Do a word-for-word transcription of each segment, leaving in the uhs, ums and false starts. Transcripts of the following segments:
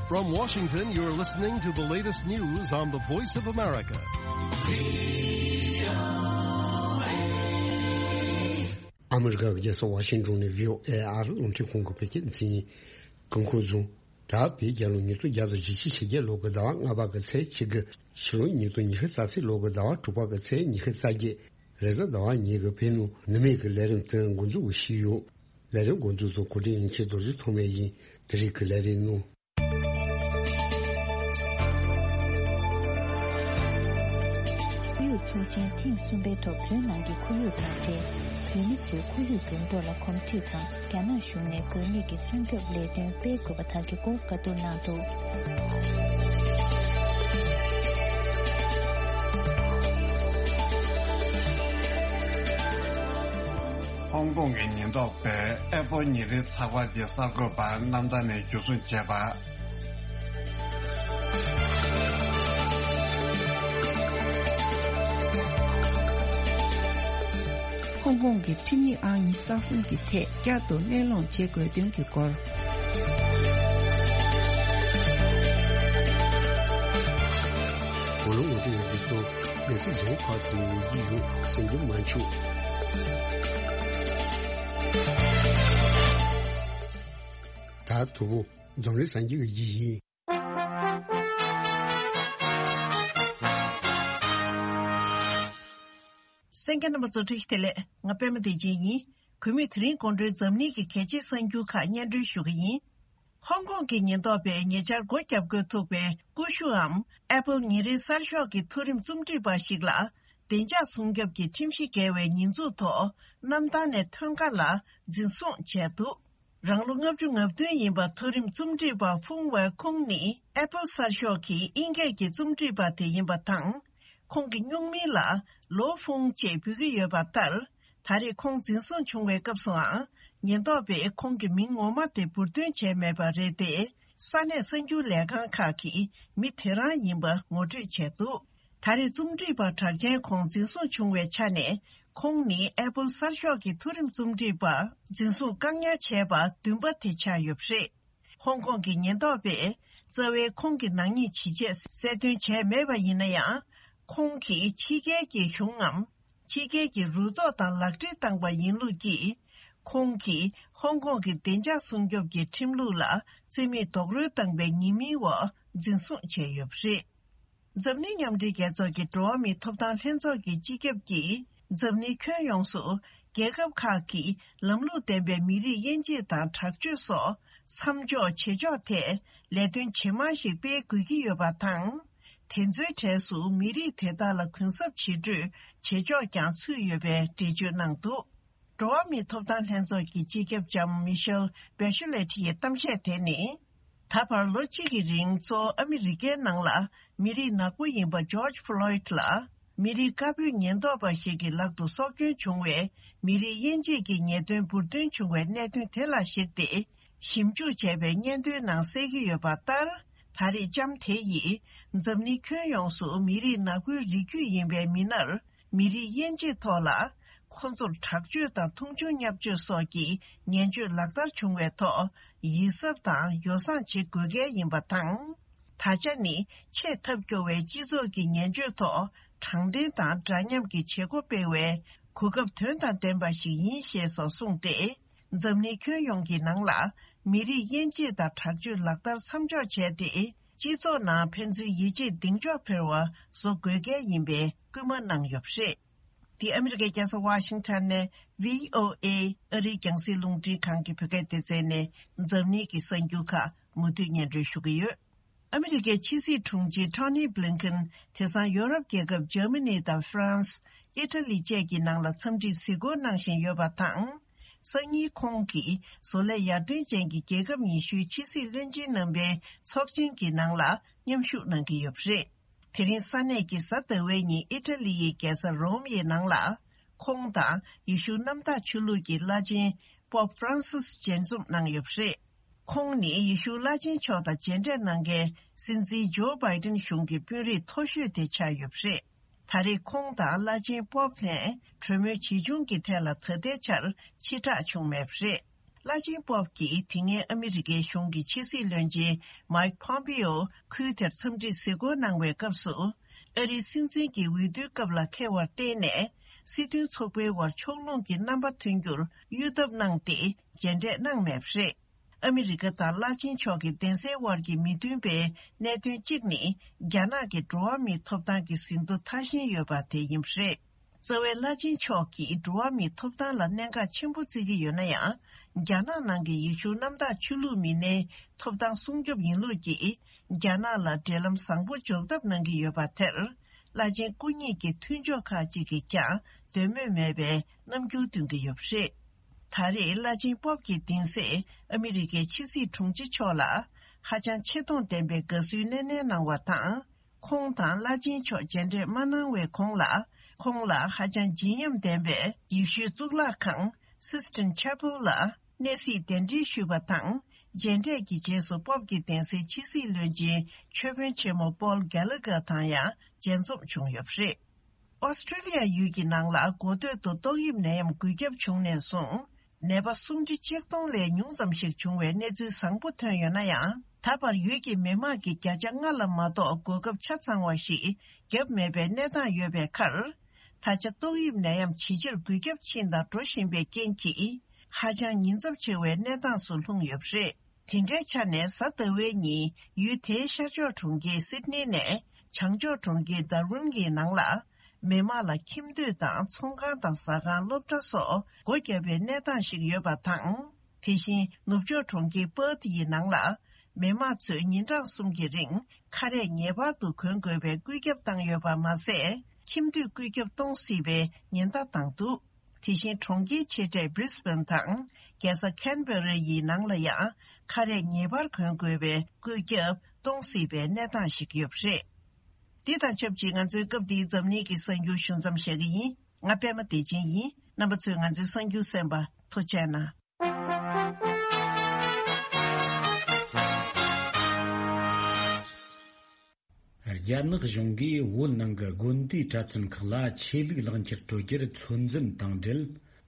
From Washington, you're listening to the latest news on the Voice of America. ཨ་མི་རི་ཀའི་རྒྱལ་ས་ཝ་ཤིང་ཏོན་ནས་བྷི་ཨོ་ཨེ་ཨ་རི་རླུང་འཕྲིན་ཁང་གི་བོད་སྐད་སྡེ་ཚན་ཡིན། སྐུ་འཁོར་བཟུང་། ད་བོད་རྒྱལ་ལོ་ཉིས་སྟོང་བརྒྱ་དང་བཞི་བཅུ་ཞེ་བརྒྱད་ལོ་གི་ཟླ་བ་ལྔ་པ་གི་ཚེས་གཅིག་གི་ཕྱི་ལོ་ཉིས་སྟོང་ཉི་ཤུ་རྩ་གཅིག་ལོ་གི་ཟླ་བ་དྲུག་པ་གི་ཚེས་ཉི་ཤུ་རྩ་བརྒྱད། རེས་གཟའ་ཟླ་བ་ཉིན་གྱི་བོད་ནང་ནུབ་མེད་ཀྱི་ལས་རིམ་དེ་འགོ་འཛུགས་ཞུས་ཡོད། ལས་རིམ་འགོ་འཛུགས་སུ་གོ་སྒྲིག་ཡིན་ཆེད་རྡོ་རྗེ་ཐོགས་མེད་ཡིན། དེ་རིང་གི་ལས་རིམ་ནང་། ཁོར་ཡུག་ཚོགས་ཆེན་ཐེངས་གསུམ་པའི་ཐོག་བོད་ནང་གི་ཁོར་ཡུག་དང་འབྲེལ། བོད་མི་ཚོས་ཁོར་ཡུག་འགྱུར་ལྡོག་ལ་གོམས་འདྲིས་དང་། རྒྱ་ནག་གཞུང་ནས་དགོས་ངེས་ཀྱི་སྲུང་སྐྱོབ་ལས་དོན་སྤེལ་དགོས་པ་དག་གི་སྐོར་བཀའ་བསྡུར་གནང་འདུག། ཧོང་ཀོང་གི་ཉེན་རྟོག་པས་ཨེ་པོལ་ཉིན་རེའི་ཚགས་པར་གྱི་གསར་འགོད་པ་གནམ་ཐང་ནས་འཇུ་བཟུང་བྱས་པ། ཧོང་ཀོང་གི་ཁྲིམས་ཡིག་ཨང་ཉི་ཤུ་རྩ་གསུམ་གྱི་ཐད་བསྐྱར་དུ་གླེང་སློང་བྱེད་དགོས་དོན་གྱི་སྐོར། ལོ་ངོ་དེ་ཡི་གཟིགས་སྐྱོང་གལ་སྲིད་གཞན་ཕར་ཚུར་ཡོང་གི་ཡོད་ཟེར་རྒྱུ་མ་བྱུང་། ད་དུ་བོ་འཛམ་གླིང་གསར་འགྱུར་གྱི་ཡིན། གསན་མཁན་རྣམ་པ་ཚོ་བཀྲ་ཤིས་བདེ་ལེགས། ང་པད་མ་བདེ་ཆེན་ཡིན། གུས་མོས་དེ་རིང་དགོང་དྲོའི་འཛམ་གླིང་གི་གལ་ཆེའི་གསར་འགྱུར་ཁག་སྙན་སྒྲོན་ཞུ་གི་ཡིན། ཧོང་ཀོང་གི་ཉེན་རྟོག་པས་ཉེ་ཆར་སྒོ་བརྒྱབ་དགོས་ཐུག་པའི་ཀུ་ཤུའམ་ཨེ་པལ་ཉིན་རེའི་གསར་ཤོག་གི་མཐོ་རིམ་རྩོམ་སྒྲིག་པ་ཞིག་ལ་བདེ་འཇགས་སྲུང་སྐྱོབ་ཀྱི་ཁྲིམས་གཞི་འགལ་བའི་ཉེས་འཛུགས་ཐོག་གནམ་ཐང་ནས་ཐོན་ཁ་ལ་འཛིན་བཟུང་བྱས་འདུག། རང་ལོ་ལྔ་བཅུ་ང་བདུན་ཡིན་པ་མཐོ་རིམ་རྩོམ་སྒྲིག་པ་ཧྥུང་ཝེ་ཁུང་ནི་ཨེ་པལ་གསར་ཤོག་གི་དབྱིན་སྐད་ཀྱི་རྩོམ་སྒྲིག་པ་དེ་ཡིན་པ་དང་། ཁོང་གི་སྨྱུག་མིང་ལ་ལོ་ཧྥུང་ཅེས་འབོད་ཀྱི་ཡོད་པ་ལྟར། ད་རེས་ཁོང་འཛིན་བཟུང་བྱུང་བའི་སྐབས་སུའང་ཉེན་རྟོག་པས་ཁོང་གི་མིང་ངོ་མ་དེ་འབུར་འདོན་བྱས་མེད་པ་རེད་དེ། ས་གནས་གསར་འགྱུར་ལས་ཁང་ཁག་གིས་མི་དེ་རང་ཡིན་པ་ངོ་སྤྲོད་བྱས་འདུག། ད་རེས་རྩོམ་སྒྲིག་པ་གྲགས་ཅན་ཁོང་འཛིན་བཟུང་བྱུང་བའི་ཆ་ནས། ཁོང་ནི་ཨེ་པལ་གསར་ཤོག་གི་མཐོ་རིམ་རྩོམ་སྒྲིག་པ་འཛིན་བཟུང་བཀག་ཉར་བྱས་པ་བདུན་པ་དེ་ཆགས་ཡོད་པ་རེད། ཧོང་ཀོང་གི་ཉེན་རྟོག་པས་རྩ་བའི་ཁོང་གི་ནག་ཉེས་ཇི་བྱས་གསལ་སྟོན་བྱས་མེད་པ་ཡིན་ན་ཡང་། ཁོང་གིས་ཕྱི་རྒྱལ་གྱི་གཞུང་ངམ། ཕྱི་རྒྱལ་གྱི་རུ་ཚོགས་དང་ལག་འབྲེལ་བཏང་པ་ཡིན་ལུགས་ཀྱིས། ཁོང་གིས་ཧོང་ཀོང་གི་བདེ་འཇགས་སྲུང་སྐྱོབ་ཀྱི་ཁྲིམས་ལུགས་ལ་རྩིས་མེད་རྡོག་རོལ་བཏང་པའི་ཉེས་མིང་འོག་འཛིན་བཟུང་བྱས་ཡོད་པ་རེད། འཛམ་གླིང་མཉམ་འབྲེལ་རྒྱལ་ཚོགས་ཀྱི་འགྲོ་བ་མིའི་ཐོབ་ཐང་ལྷན་ཚོགས་ཀྱི་སྤྱི་ཁྱབ་ཀྱིས་འཛམ་གླིང་ཁྱོན་ཡོངས་སུ་རྒྱལ་ཁབ་ཁག་གིས་ལམ་ལུགས་ལྡན་པའི་མི་རིགས་དབྱེ་འབྱེད་དང་དྲག་སྤྱོད་སོགས་མཚམས་འཇོག་བྱེད་ཕྱོགས་ཐད་ལས་དོན་ཇེ་མང་ཞིག་སྤེལ་དགོས་ཀྱི་ཡོད་པ་དང་། དེ་ཚོའི་གྲས་སུ་མི་རིགས་དེ་དག་ལ་གུན་གསབ་བྱེད་སྤྲོད་བྱེད་ཕྱོགས་ཀྱང་ཚུད་ཡོད་པའི་འགྲེལ་བརྗོད་གནང་འདུག། འགྲོ་བ་མིའི་ཐོབ་ཐང་ལྷན་ཚོགས་ཀྱི་སྤྱི་ཁྱབ་ལྕམ་མི་ཤེལ་བྷེ་ཤུ་ལེ་ཊི་ཡི་གཏམ་བཤད་དེ་ནི། ད་བར་ལོ་གཅིག་གི་རིང་གཙོ་བོ་ཨ་མི་རི་ཀའི་ནང་ལ་མི་རིགས་ནག་པོ་ཡིན་པ་ཇོརྗ་ཕུ་ལོཡིད་ལ་མི་རིགས་དཀར་པོའི་ཉེན་རྟོག་པ་ཞིག་གི་ལག་ཏུ་སྲོག་སྐྱོན་བྱུང་བའི་མི་རིགས་དབྱེ་འབྱེད་ཀྱི་ཉེས་དོན་འབུར་འདོན་བྱུང་བའི་གནད་དོན་དེ་ལ་གཞིགས་ཏེ། ཞིབ་འཇུག་བྱས་པའི་སྙན་ཐོའི་ནང་གསལ་གྱི་ཡོད་པ་ལྟར། ད་རེས་ལྕམ་དེ་ཡིས་འཛམ་གླིང་ཁྱོན་ཡོངས་སུ་མི་རིགས་ནག་པོའི་རིགས་རྒྱུད་ཡིན་པའི་མི་སྣར། མི་རིགས་དབྱེ་འབྱེད་ཐོག་ལ་ཁོ་ཚོར་དྲག་སྤྱོད་དང་མཐོང་ཆུང་བརྙས་བཅོས་སོགས་ཀྱི་ངན་སྤྱོད་ལག་བསྟར་བྱུང་བའི་ཐོག་ཡིད་གཟབ་དང་ཡོ་བསྲང་བྱེད་དགོས་གལ་ཡིན་པ་དང་། ད་ཆ་ནི་ཆེས་ཐབས་སྐྱོ་བའི་སྤྱི་ཚོགས་ཀྱི་ངན་སྤྱོད་ཐོག་དྲང་བདེན་དང་འདྲ་མཉམ་གྱི་བྱེད་སྒོ་སྤེལ་བའི་གོ་སྐབས་དོན་དང་ལྡན་པ་ཞིག་ཡིན་ཞེས་སོགས་གསུངས་ཏེ། འཛམ་གླིང་ཁྱོན་ཡོངས་ཀྱི་ནང་ལ་མི་རིགས་དབྱེ་འབྱེད་དང་དྲག་སྤྱོད་ལག་བསྟར་མཚམས་འཇོག་བྱས་ཏེ། སྤྱི་ཚོགས་ནང་ཕན་ཚུན་ཡིད་ཆེས་གདེང་འཇོག་འཕེར་བ་བཟོ་དགོས་གལ་ཡིན་པའི་སྐུལ་མ་གནང་ཡོད་པ་རེད། འདི་ཨ་མི་རི་ཀའི་རྒྱལ་ས་ཝ་ཤིང་ཊོན་ནས་བྷི་ཨོ་ཨེ་ཨ་རིའི་རྒྱང་སྲིང་རླུང་འཕྲིན་ཁང་གི་བོད་སྐད་སྡེ་ཚན་ནས་འཛམ་གླིང་གི་གསར་འགྱུར་ཁག་མུ་མཐུད་སྙན་སྒྲོན་ཞུ་གི་ཡོད། ཨ་མི་རི་ཀའི་ཕྱི་སྲིད་དྲུང་ཆེ་ཊོ་ནི་བྷི་ལིན་ཀེན་དེང་སང་ཡོ་རོབ་རྒྱལ་ཁབ་འཇར་མ་ནི་དང་ཧྥ་རན་སི། ཨི་ཊ་ལི་བཅས་ཀྱི་ནང་ལ་འཚམས་འདྲིའི་གཟིགས་སྐོར་གནང་བཞིན་ཡོད་པ་དང་། སང་ཉིན་ཁོང་གིས་བཟོ་ལས་ཡར་ཐོན་ཅན་གྱི་རྒྱལ་ཁབ་ཉི་ཤུའི་ཕྱི་སྲིད་བློན་ཆེན་རྣམ་པའི་ཚོགས་ཆེན་གྱི་ནང་ལ་མཉམ་ཞུགས་གནང་གི་ཡོད་པ་རེད། དེ་རིང་ས་གནས་ཀྱི་གཟའ་ཟླ་བའི་ཉིན་ཨི་ཊ་ལི་ཡི་རྒྱལ་ས་རོམ་ཡི་ནང་ལ། ཁོང་དང་ཡེ་ཤུ་གནམ་བདག་ཆོས་ལུགས་ཀྱི་བླ་ཆེན་པོབ་ཧྥ་རན་སིས་མཇལ་འཛོམས་གནང་ཡོད་པ་རེད། ཁོང་ནི་ཡེ་ཤུ་བླ་ཆེན་མཆོག་དང་མཇལ་འཕྲད་གནང་མཁན་སྲིད་འཛིན་ཇོ་བྷའི་ཏིན་གཞུང་གི་དཔོན་རིགས་མཐོ་ཤོས་དེ་ཆགས་ཡོད་པ་རེད། ད་རེས་ཁོང་དང་བླ་ཆེན་པོབ་ལྷན་གྲོས་མོལ་ཇི་བྱུང་གི་ཐད་ལ་ད་ལྟའི་ཆར་ཕྱི་བསྒྲགས་བྱུང་མེད་པ་རེད། བླ་ཆེན་པོབ་ཀྱིས་དེ་སྔའི་ཨ་མི་རི་ཀའི་གཞུང་གི་ཕྱི་སྲིད་བློན་ཆེན་མཱིག་པོམ་པེའོ་ཁུལ་དེར་འཚམས་འདྲིར་གཟིགས་སྐོར་གནང་བའི་སྐབས་སུ། ཨ་རིའི་སྲིད་འཛིན་གྱི་འོས་བསྡུའི་སྐབས་ལ་འཁེལ་བར་བརྟེན་ནས། སྲིད་དོན་ཚོགས་པའི་དབར་ཕྱོགས་ལྷུང་གི་རྣམ་པ་ཐོན་རྒྱུར་གཡོལ་ཐབས་གནང་སྟེ། མཇལ་འཕྲད་གནང་མེད་པ་རེད། ཨ་མི་རི་ཀ་དང་བླ་ཆེན་མཆོག་གི་གདན་སའི་དབར་གྱི་མི་མཐུན་པའི་གནད་དོན་གཅིག་ནི། རྒྱ་ནག་གི་འགྲོ་བ་མིའི་ཐོབ་ཐང་གི་ཟིན་ཐོ་མཐའ་བཞེས་ཡོད་པ་དེ་ཡིན་པ་རེད། རྩ་བའི་བླ་ཆེན་མཆོག་གིས་འགྲོ་བ་མིའི་ཐོབ་ཐང་ལ་གནད་འགག་ཆེན་པོ་བརྩི་གི་ཡོད་ན་ཡང་། རྒྱ་ནག་ནང་གི་ཡེ་ཤུ་གནམ་བདག་ཆོས་ལུགས་མི་སྣའི་ཐོབ་ཐང་སྲུང་སྐྱོབ་ཡིན་ལུགས་ཀྱིས། རྒྱ་ནག་ལ་འབྲེལ་ལམ་བཟང་པོ་འཇོག་ཐབས་གནང་གི་ཡོད་པ་དེར། བླ་ཆེན་སྐུ་ཉིད་ཀྱི་མཐུན་ཕྱོགས་ཁག་ཅིག་གིས་ཀྱང་འདོད་མོས་མེད་པའི་རྣམ་འགྱུར་སྟོན་གྱི་ཡོད་པ་རེད། ད་རེས་བླ་ཆེན་པོབ་ཀྱི་གདན་སས་ཨ་མི་རི་ཀའི་ཕྱི་སྲིད་དྲུང་ཆེ་མཆོག་ལ། ཧ་ཅང་ཆེ་མཐོང་ལྡན་པའི་དགའ་བསུའི་སྣེ་ལེན་གནང་བ་དང་། ཁོང་དང་བླ་ཆེན་མཆོག་མཇལ་འཕྲད་མ་གནང་བའི་གོང་ལ། ཁོང་ལ་ཧ་ཅང་བརྗིད་ཉམས་ལྡན་པའི་ཡེ་ཤུའི་གཙུག་ལག་ཁང་Sistine Chapel ལ་གནས་གཟིགས་གདན་འདྲེན་ཞུས་པ་དང་། མཇལ་འཕྲད་ཀྱི་རྗེས་སུ་པོབ་ཀྱི་གདན་སའི་ཕྱི་སྲིད་བློན་ཆེན་ཆོས་དཔོན་ཆེན་མོ་པོལ་གྷེ་ལ་གྷར་དང་ཡང་མཇལ་འཛོམས་བྱུང་ཡོད་པ་རེད། ཨོ་སི་ཀྲི་ལི་ཡ་ཡུལ་གྱི་ནང་ལ་འགོ་སྟོད་དུ་ཏོག་དབྱིབས་ནད་ཡམས་འགོས་ཁྱབ་བྱུང་ནས་བཟུང་། ནད་པ་སུམ་ཁྲི་ཆིག་སྟོང་ལས་ཉུང་ཙམ་ཞིག་བྱུང་བའི་གནས་ཚུལ་བཟང་པོ་ཐོན་ཡོད་ན་ཡང་། ད་བར་ཡུལ་གྱི་མི་དམངས་ཀྱིས་བརྒྱ་ཆ་ལྔ་ལ་མ་གཏོགས་གོ་སྐབས་ཆ་ཚང་བ་ཞིག་བརྒྱབ་མེད་པའི་གནས་སྟངས་ཡོད་པའི་ཁར། ད་ཆ་ཏོག་དབྱིབས་ནད་ཡམས་ཇེ་ཆེར་འགོས་ཁྱབ་ཕྱིན་དང་འགྲོ་བཞིན་པའི་རྐྱེན་གྱིས། ཧ་ཅང་ཉེན་ཚབས་ཆེ་བའི་གནས་སྟངས་སུ་ལྷུང་ཡོད་པ་རེད། དེ་འདྲའི་ཆ་ནས་གཟའ་ཟླ་བའི་ཉིན་ཡུལ་དེའི་ཤར་ཕྱོགས་གྲོང་ཁྱེར་སིད་ནི་ནས་བྱང་ཕྱོགས་གྲོང་ཁྱེར་དར་ཝིན་གྱི་ནང་ལ། མི་མང་ལ་ཁྱིམ་སྡོད་དང་ཚོང་ཁང་དང་ཟ་ཁང་སློབ་གྲྭ་སོགས་སྒོ་བརྒྱབ་པའི་གནས་སྟངས་ཤིག་ཡོད་པ་དང་། དེ་བཞིན་ནུབ་ཕྱོགས་གྲོང་ཁྱེར་པར་ཐི་ཡི་ནང་ལ། མི་མང་ཚོས་ཉིན་གྲངས་གསུམ་གྱི་རིང་ཁ་རས་ངེས་པར་དུ་གོན་དགོས་པའི་བཀོད་ཁྱབ་བཏང་ཡོད་པ་མ་ཟད། ཁྱིམ་སྡོད་བཀོད་ཁྱབ་གཏོང་སྲིད་པའི་ཉེན་བརྡ་བཏང་འདུག་དེ་བཞིན་གྲོང་ཁྱེར་ཆེ་གྲས་Brisbane དང་རྒྱལ་ས་Canberra ཡི་ནང་ལ་ཡང་ཁ་རས་ངེས་པར་གོན་དགོས་པའི་བཀོད་ཁྱབ་གཏོང་སྲིད་པའི་གནས་སྟངས་ཤིག་ཡོད་པ་རེད། འདི་དང་ཆབས་ཅིག་ང་ཚོའི་སྐབས་འདིའི་འཛམ་གླིང་གི་གསར་འགྱུར་ཞུ་མཚམས་བཞག་གི་ཡིན། ང་པད་མ་བདེ་ཆེན་ཡིན། རྣམ་པ་ཚོས་ང་ཚོའི་གསར་འགྱུར་གསན་པར་ཐུགས་རྗེ་གནང་། རྒྱ་ནག་གཞུང་གིས་བོད་ནང་གི་དགོན་སྡེའི་གྲྭ་བཙུན་ཁག་ལ་ཆོས་ལུགས་ལག་འཁྱེར་སྤྲོད་རྒྱུར་ཚོད་འཛིན་དང་འབྲེལ།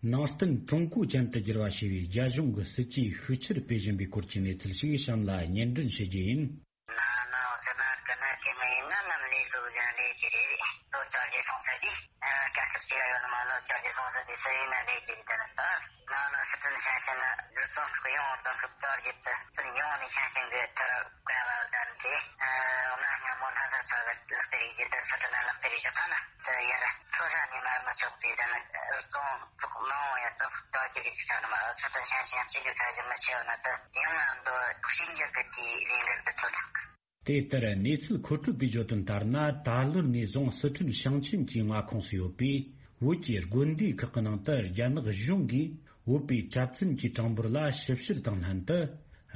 ནང་བསྟན་ཀྲུང་གོ་ཅན་དུ་བསྒྱུར་བ་ཞེས་པའི་རྒྱ་གཞུང་གི་སྲིད་ཇུས་ཤུགས་ཆེར་སྤེལ་བཞིན་པའི་སྐོར་གྱི་གནས་ཚུལ་ཞིག་གཤམ་ལ་སྙན་སྒྲོན་ཞུ་རྒྱུ་ཡིན། ན་ནིང་ཟེར་ན་གི་ན་དེ་མིན་ན་ནམ་ལས་ལུགས་གཞན་ལས་ཀྱི་རེད། ལོ་བཅོ་བརྒྱད་སོང་ཚར་དུས། ཨ། དཀའ་ཁག་ཅིག་ཡོད་ནི་མ་ལོ་བཅོ་བརྒྱད་སོང་ཚར་དུས་སུ་ཡིན་ན་ལས་ཀྱི་རེད། ད་ནི་ད་ནང་ནས་སི་ཁྲོན་ཞིང་ཆེན་ནི་རྩོམ་སྐུ་ཡོང་རྩོམ་སྐུ་བཅོ་བརྒྱད་དུ་ཕུན་ཡོང་ནས་ཞིང་ཆེན་གྱི་ཐར་བཀའ་བ་ལྡན་ཏེ། ཨ། གནའ་སྔ་མོ་ལྷ་ས་ཚ་བའི་ལག་དེབ་ཡིག་ཅིག་ཏུ་སི་ཁྲོན་ནི་ལག་དེབ་ཡིག་ཅིག་ཁ་ན་དུ་ཡར་མཚོ་ཤར་ནས་མར་མི་ཆོག་ཅིག་ད་ནི་རྩོམ་ཕྲུག་མང་བོ་ཡང་དུ་བཅོ་བརྒྱད་ཀྱི་ཆ་ནི་མ་སི་ཁྲོན་ཞིང་ཆེན་སྤྱི་བདེ་ཁ་ཞིག་མི་ཆེ་བ་ན་དུ་ཡང་ང་འདོད་གཤིན་རྒྱུད་ཀྱི་དེའི་ལས་འགུལ་དུ་ཐོན་ཐུབ། དེ་ལྟར་གནས་ཚུལ་མཁོ་སྤྲོད་པས་བརྗོད་དོན་ལྟར་ན། ད་ལོར་ནས་བཟུང་སི་ཁྲོན་ཞིང་ཆེན་གྱི་མངའ་ཁོངས་སུ་ཡོད་པའི་བོད་ཀྱི་དགོན་སྡེ་ཁག་གི་ནང་དུ་རྒྱ་ནག་གཞུང་གིས་བོད་པའི་གྲྭ་བཙུན་གྱི་གྲངས་འབོར་ལ་ཞིབ་བཤེར་དང་ལྷན་དུ།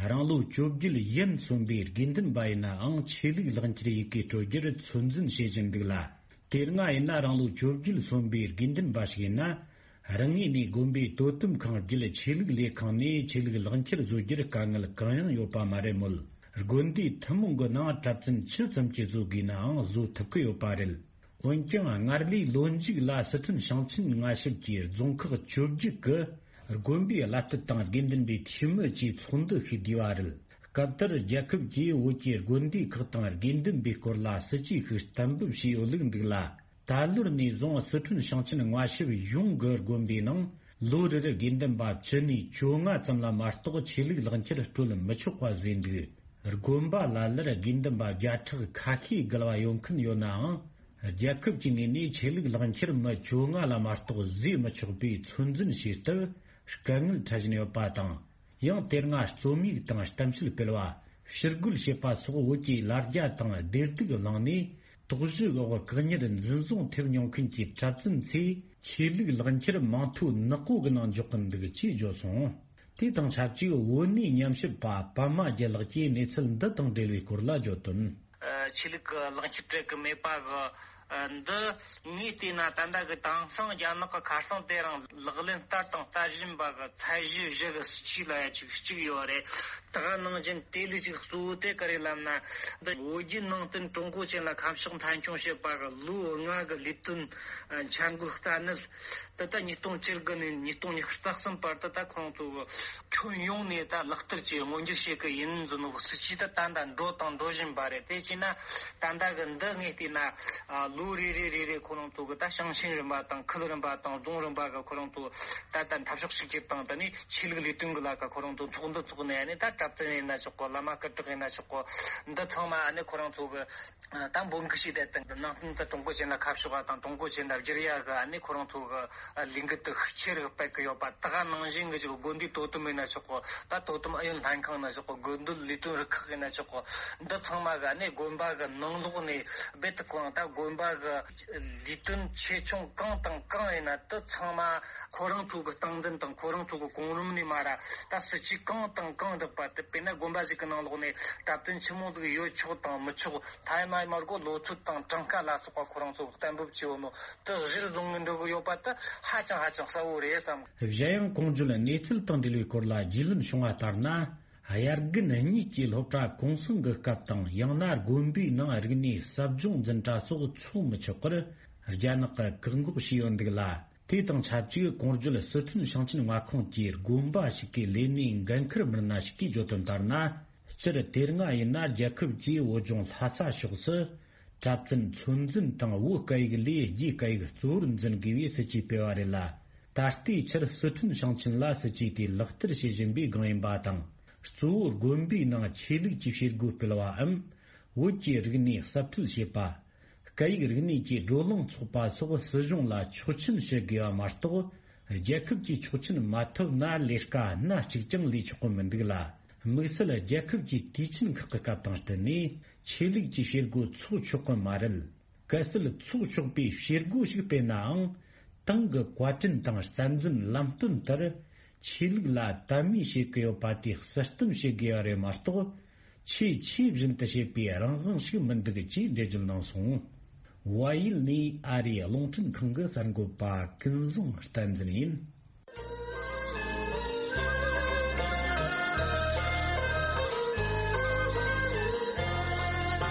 རང་ལོ་བཅོ་བརྒྱད་ཡན་སོན་པའི་དགེ་འདུན་པ་ཡིན་ནའང་ཆོས་ལུགས་ལག་འཁྱེར་ཡི་གེ་སྤྲོད་རྒྱུར་ཚོད་འཛིན་བྱེད་བཞིན་འདུག་ལ། དེ་སྔ་ཡིན་ན་རང་ལོ་བཅོ་བརྒྱད་སོན་པའི་དགེ་འདུན་པ་ཞིག་ཡིན་ན། རང་ངོས་ནས་དགོན་པའི་དོ་དམ་ཁང་བརྒྱུད་ཆོས་ལུགས་ལས་ཁང་ནས་ཆོས་ལུགས་ལག་འཁྱེར་བཟོ་རྒྱུར་དཀའ་ངལ་གང་ཡང་ཡོད་པ་མ་རེད་མོད། དགོན་སྡེ་ཐུན་མོང་གི་ནང་གྲྭ་བཙུན་ཇི་ཙམ་གྱིས་བཟོ་དགོས་ནའང་བཟོ་ཐུབ་ཀྱི་ཡོད་པ་རེད། འོན་ཀྱང་སྔར་ལས་ལོ་མཇུག་ལ་སི་ཁྲོན་ཞིང་ཆེན་མངའ་ཞབས་ཀྱི་རྫོང་ཁག་བཅོ་བརྒྱད་ཀྱི་དགོན་པའི་བླ་སྤྲུལ་དང་དགེ་འདུན་པའི་འཐུས་མི་བཅས་ཚོགས་འདུ་ཞིག་བསྡུས་པ་རེད། སྐབས་དེར་རྒྱལ་ཁབ་ཀྱིས་བོད་ཀྱི་དགོན་སྡེ་ཁག་དང་དགེ་འདུན་པའི་སྐོར་ལ་སྲིད་ཇུས་ཤིག་གཏན་འབེབས་བྱས་ཡོད་ལུགས་འདུག་ལ། ད་ལོར་ནས་བཟུང་སི་ཁྲོན་ཞིང་ཆེན་མངའ་ཞབས་གཞུང་གི་དགོན་པའི་ནང་ལོ་རེར་དགེ་འདུན་པ་བཅུ་ནས་བཅོ་ལྔ་ཙམ་ལ་མ་གཏོགས་ཆོས་ལུགས་ལག་འཁྱེར་སྤྲོད་མི་ཆོག་པ་བཟོས་འདུག་དགོན་པ་ལ་ལར་དགེ་འདུན་པ་བརྒྱ་ཕྲག་ཁ་ཤས་བརྒལ་བ་ཡོང་མཁན་ཡོད་ནའང་། རྒྱལ་ཁབ་ཀྱི་ངོས་ནས་ཆོས་ལུགས་ལག་འཁྱེར་མི་བཅོ་ལྔ་ལ་མ་གཏོགས་བཟོས་མི་ཆོག་པའི་ཚོད་འཛིན་བྱེད་སྟབས་དཀའ་ངལ་འཕྲད་བཞིན་ཡོད་པ་དང་། ཡང་དེ་སྔ་རྩོམ་ཡིག་དང་གཏམ་བཤད་སྤེལ་བ། ཕྱིར་རྒོལ་བྱེད་པ་སོགས་བོད་ཀྱི་ལ་རྒྱ་དང་བདེ་སྡུག་བླངས་ནས། དོགས་གཞི་འོག་བཀག་ཉར་འཛིན་བཟུང་ཐེབས་མྱོང་མཁན་གྱི་གྲྭ་བཙུན་ཚོས་ཆོས་ལུགས་ལག་འཁྱེར་མིང་ཐོ་ནག་པོ་གི་ནང་འཇོག་གིན་འདུག་ཅེས་བརྗོད་སོང་། དེ་དང་ཆབས་ཅིག་བོད་གནས་ཉམས་ཞིབ་པ་པདྨ་རྒྱལ་ལགས་ཀྱིས་གནས་ཚུལ་འདི་དང་འབྲེལ་བའི་སྐོར་ལ་བརྗོད་དོན། ཆོས་ལུགས་ལག་འཁྱེར་སྤྲད་གི་མེད་པ་གི་ ཨ། འདི་ངས་བལྟས་ན་ད་ལྟ་གི་དེང་སང་རྒྱ་ནག་གི་ཁ་རྩང་དེ་རིང་ལག་ལེན་བསྟར་དང་བསྟར་བཞིན་པ་གི་ཚད་གཞི་བཞི་གི་སྲིད་ཇུས་ལ་ཡ་ཅིག་གཅིག་ཡོད་རེད། ད་ག་ནང་བཞིན་དེ་ལས་ཅིག་གཙོ་བོ་དེ་ག་རེ་ལབ་ན། འདི་བོད་བརྒྱུད་ནང་བསྟན་ཀྲུང་གོ་ཅན་ལ་ཁ་ཕྱོགས་མཐའ་འཁྱོངས་བྱེད་པ་གི་ལོ་ལྔ་གི་ལས་དོན་འཆར་འགོད་རྩ་གནད། ད་ལྟ་ཉིས་སྟོང་བཅུ་དགུ་ནས་ཉིས་སྟོང་ཉི་ཤུ་རྩ་གསུམ་བར་དུ་ད་ཁོང་ཚོ་ཁྱོན་ཡོངས་ནས་ད་ལག་བསྟར་གྱིས་མངོན་འགྱུར་བྱེད་ཀྱི་ཡིན་ཟེར་ནོ་སྲིད་ཇུས་ད་ད་ལྟ་འགྲོ་དང་འགྲོ་བཞིན་པ་རེད། དེ་བྱས་ན་ད་ལྟ་གི་འདི་ངས་བལྟས་ན། ཨ། ལོ་རེ་རེ་རེ་རེ་ཁོ་རང་ཚོ་གི་ད་ཞིང་ཆེན་རིམ་པ་དང་ཁུལ་རིམ་པ་དང་རྫོང་རིམ་པ་གི་ཁོ་རང་ཚོ་ད་ལྟ་འཐབ་ཕྱོགས་གཅིག་གྱུར་དང་། ད་ནི་ཆོས་ལུགས་ལས་དོན་གི་ལ་ཁ་ཁོ་རང་ཚོ་ཚོགས་འདུ་ཚོགས་ནས་ནི་ད་གྲྭ་བཙུན་ཡིན་ན་ཆོག་གོ། བླ་མ་སྐུ་དྲག་ཡིན་ན་ཆོག་གོ། འདི་ཚང་མ་ནི་ཁོ་རང་ཚོ་གི་ད་འབོད་འགུག་བྱས་ཏེ། ད་ནང་བསྟན་དུ་ཀྲུང་གོ་ཅན་ལ་ཁ་ཕྱོགས་པ་དང་ཀྲུང་གོ་ཅན་ལ་བསྒྱུར་ཡ་གི་ཨ་ནི་ཁོ་རང་ཚོ་གི་ལས་འགུལ་དུ་ཤུགས་ཆེ་རུ་སྤེལ་གི་ཡོད་པ། ད་ག་ནང་བཞིན་གི་ཅིག་དགོན་སྡེའི་དོ་དམ་ཡིན་ན་ཆོག་གོ། ད་དོ་དམ་ཨུ་ཡོན་ལྷན་ཁང་ཡིན་ན་ཆོག་གོ། དགེ་འདུན་ལས་དོན་རུ་ཁག་ཡིན་ན་ཆོག་གོ། འདི་ཚང་མ་གི་ཨ་ནི་དགོན་པ་གི་ནང་ལོགས་ནས་རྦད་དེ་ཁོ་རང་ད་དགོན་པ་གི་ལས་དོན་ཆེ་ཆུང་གང་དང་གང་ཡིན་ན་དེ་ཚང་མ་ཁོ་རང་ཚོ་གི་སྟངས་འཛིན་དང་ཁོ་རང་ཚོ་གི་གོང་རིམ་ནས་མར་ད་སྲིད་ཇུས་གང་དང་གང་བསྒྲགས་པ་དེ། དཔེར་ན་དགོན་པ་ཞིག་གི་ནང་ལོགས་ནས་གྲྭ་བཙུན་ཆི་མོ་ཟིག་ཡོད་ཆོག་དང་མི་ཆོག། ཐ་ཡ་མ་ཡ་མར་གོ་ལོ་ཚོད་དང་གྲངས་ཀ་ལ་སོགས་པ་ཁོ་རང་ཚོ་གཏན་འབེབས་བྱས་ཡོད་ནོ་དེ་གཞིར་བཟུང་ནས་འགྲོ་གི་ཡོད་པ་དེ་ཧ་ཅང་ཧ་ཅང་གསལ་བོ་རེད་བསམ། གཞན་ཡང་གོང་བརྗོད་གནས་ཚུལ་དང་འབྲེལ་བའི་སྐོར་ལ་རྒྱུས་ལོན་བྱུང་བ་ལྟར་ན། དབྱར་དགུན་གཉིས་ཀྱི་སློབ་གྲྭ་གུང་སེང་གི་སྐབས་དང་། ཡང་ན་དགོན་པའི་ནང་རིག་གནས་ཟབ་སྦྱོང་འཛིན་གྲྭ་སོགས་ཚོགས་མི་ཆོག་པར་རྒྱ་ནག་གིས་བཀག་འགོག་བྱས་ཡོད་འདུག་ལ། དེ་དང་ཆབས་ཅིག་གོང་བརྗོད་སི་ཁྲོན་ཞིང་ཆེན་མངའ་ཁོངས་ཀྱི་དགོན་པ་ཞིག་གི་ལས་སྣེའི་འགན་འཁུར་མི་སྣ་ཞིག་གིས་བརྗོད་དོན་ལྟར་ན། སྤྱིར་དེ་སྔ་ཡིན་ན་རྒྱལ་ཁབ་ཀྱིས་བོད་ལྗོངས་ལྷ་ས་ཕྱོགས་སུ་གྲྭ་བཙུན་ཚོད་འཛིན་དང་བོད་སྐད་ཡིག་ལས་རྒྱའི་སྐད་ཡིག་གཙོ་བོར་འཛིན་དགོས་པའི་སྲིད་ཇུས་སྤེལ་བ་རེད་ལ། ད་ལྟའི་ཆར་སི་ཁྲོན་ཞིང་ཆེན་ལ་སྲིད་ཇུས་དེ་ལག་བསྟར་བྱེད་བཞིན་པའི་སྒང་ཡིན་པ་དང་། གཙོ་བོ་དགོན་པའི་ནང་ཆོས་ལུགས་ཀྱི་བྱེད་སྒོ་སྤེལ་བའམ། བོད་ཀྱི་རིག་གནས་གསར་སྐྲུན་བྱེད་པ། སྐད་ཡིག་རིག་གནས་ཀྱི་བགྲོ་གླེང་ཚོགས་པ་སོགས་སྲིད་གཞུང་ལ་ཆོག་མཆན་ཞུ་དགོས་པ་མ་གཏོགས། རྒྱལ་ཁབ་ཀྱི་ཆོག་མཆན་མ་ཐོབ་ན་ལས་ཀ་སྣ་གཅིག་ཀྱང་ལས་ཆོག་གི་མི་འདུག་ལ། དམིགས་བསལ་རྒྱལ་ཁབ་ཀྱི་དུས་ཆེན་ཁག་གི་སྐབས་དང་བསྟུན་ནས་ཆོས་ལུགས་ཀྱི་བྱེད་སྒོ་འཚོགས་ཆོག་གི་མ་རེད། གལ་སྲིད་འཚོགས་ཆོག་པའི་བྱེད་སྒོ་ཞིག་སྤེལ་ནའང་། ཏང་གི་བཀའ་དྲིན་དང་རྩ་འཛིན་ལམ་སྟོན་ལྟར་ཆོས་ལུགས་ལ་དད་མོས་བྱེད་ཀྱི་ཡོད་པ་དེ་གསལ་སྟོན་བྱེད་དགོས་པ་རེད་མ་གཏོགས། ཆེས་ཆེས་བཞིན་དུ་བྱེད་པའི་རང་དབང་ཞིག་མི་འདུག་ཅེས་འགྲེལ་བརྗོད་གནང་སོང་། བལ་ཡུལ་ནས་ཨ་རིའི་རླུང་འཕྲིན་ཁང་གི་གསར་འགོད་པ་ཀུན་བཟང་བསྟན་འཛིན་ཡིན།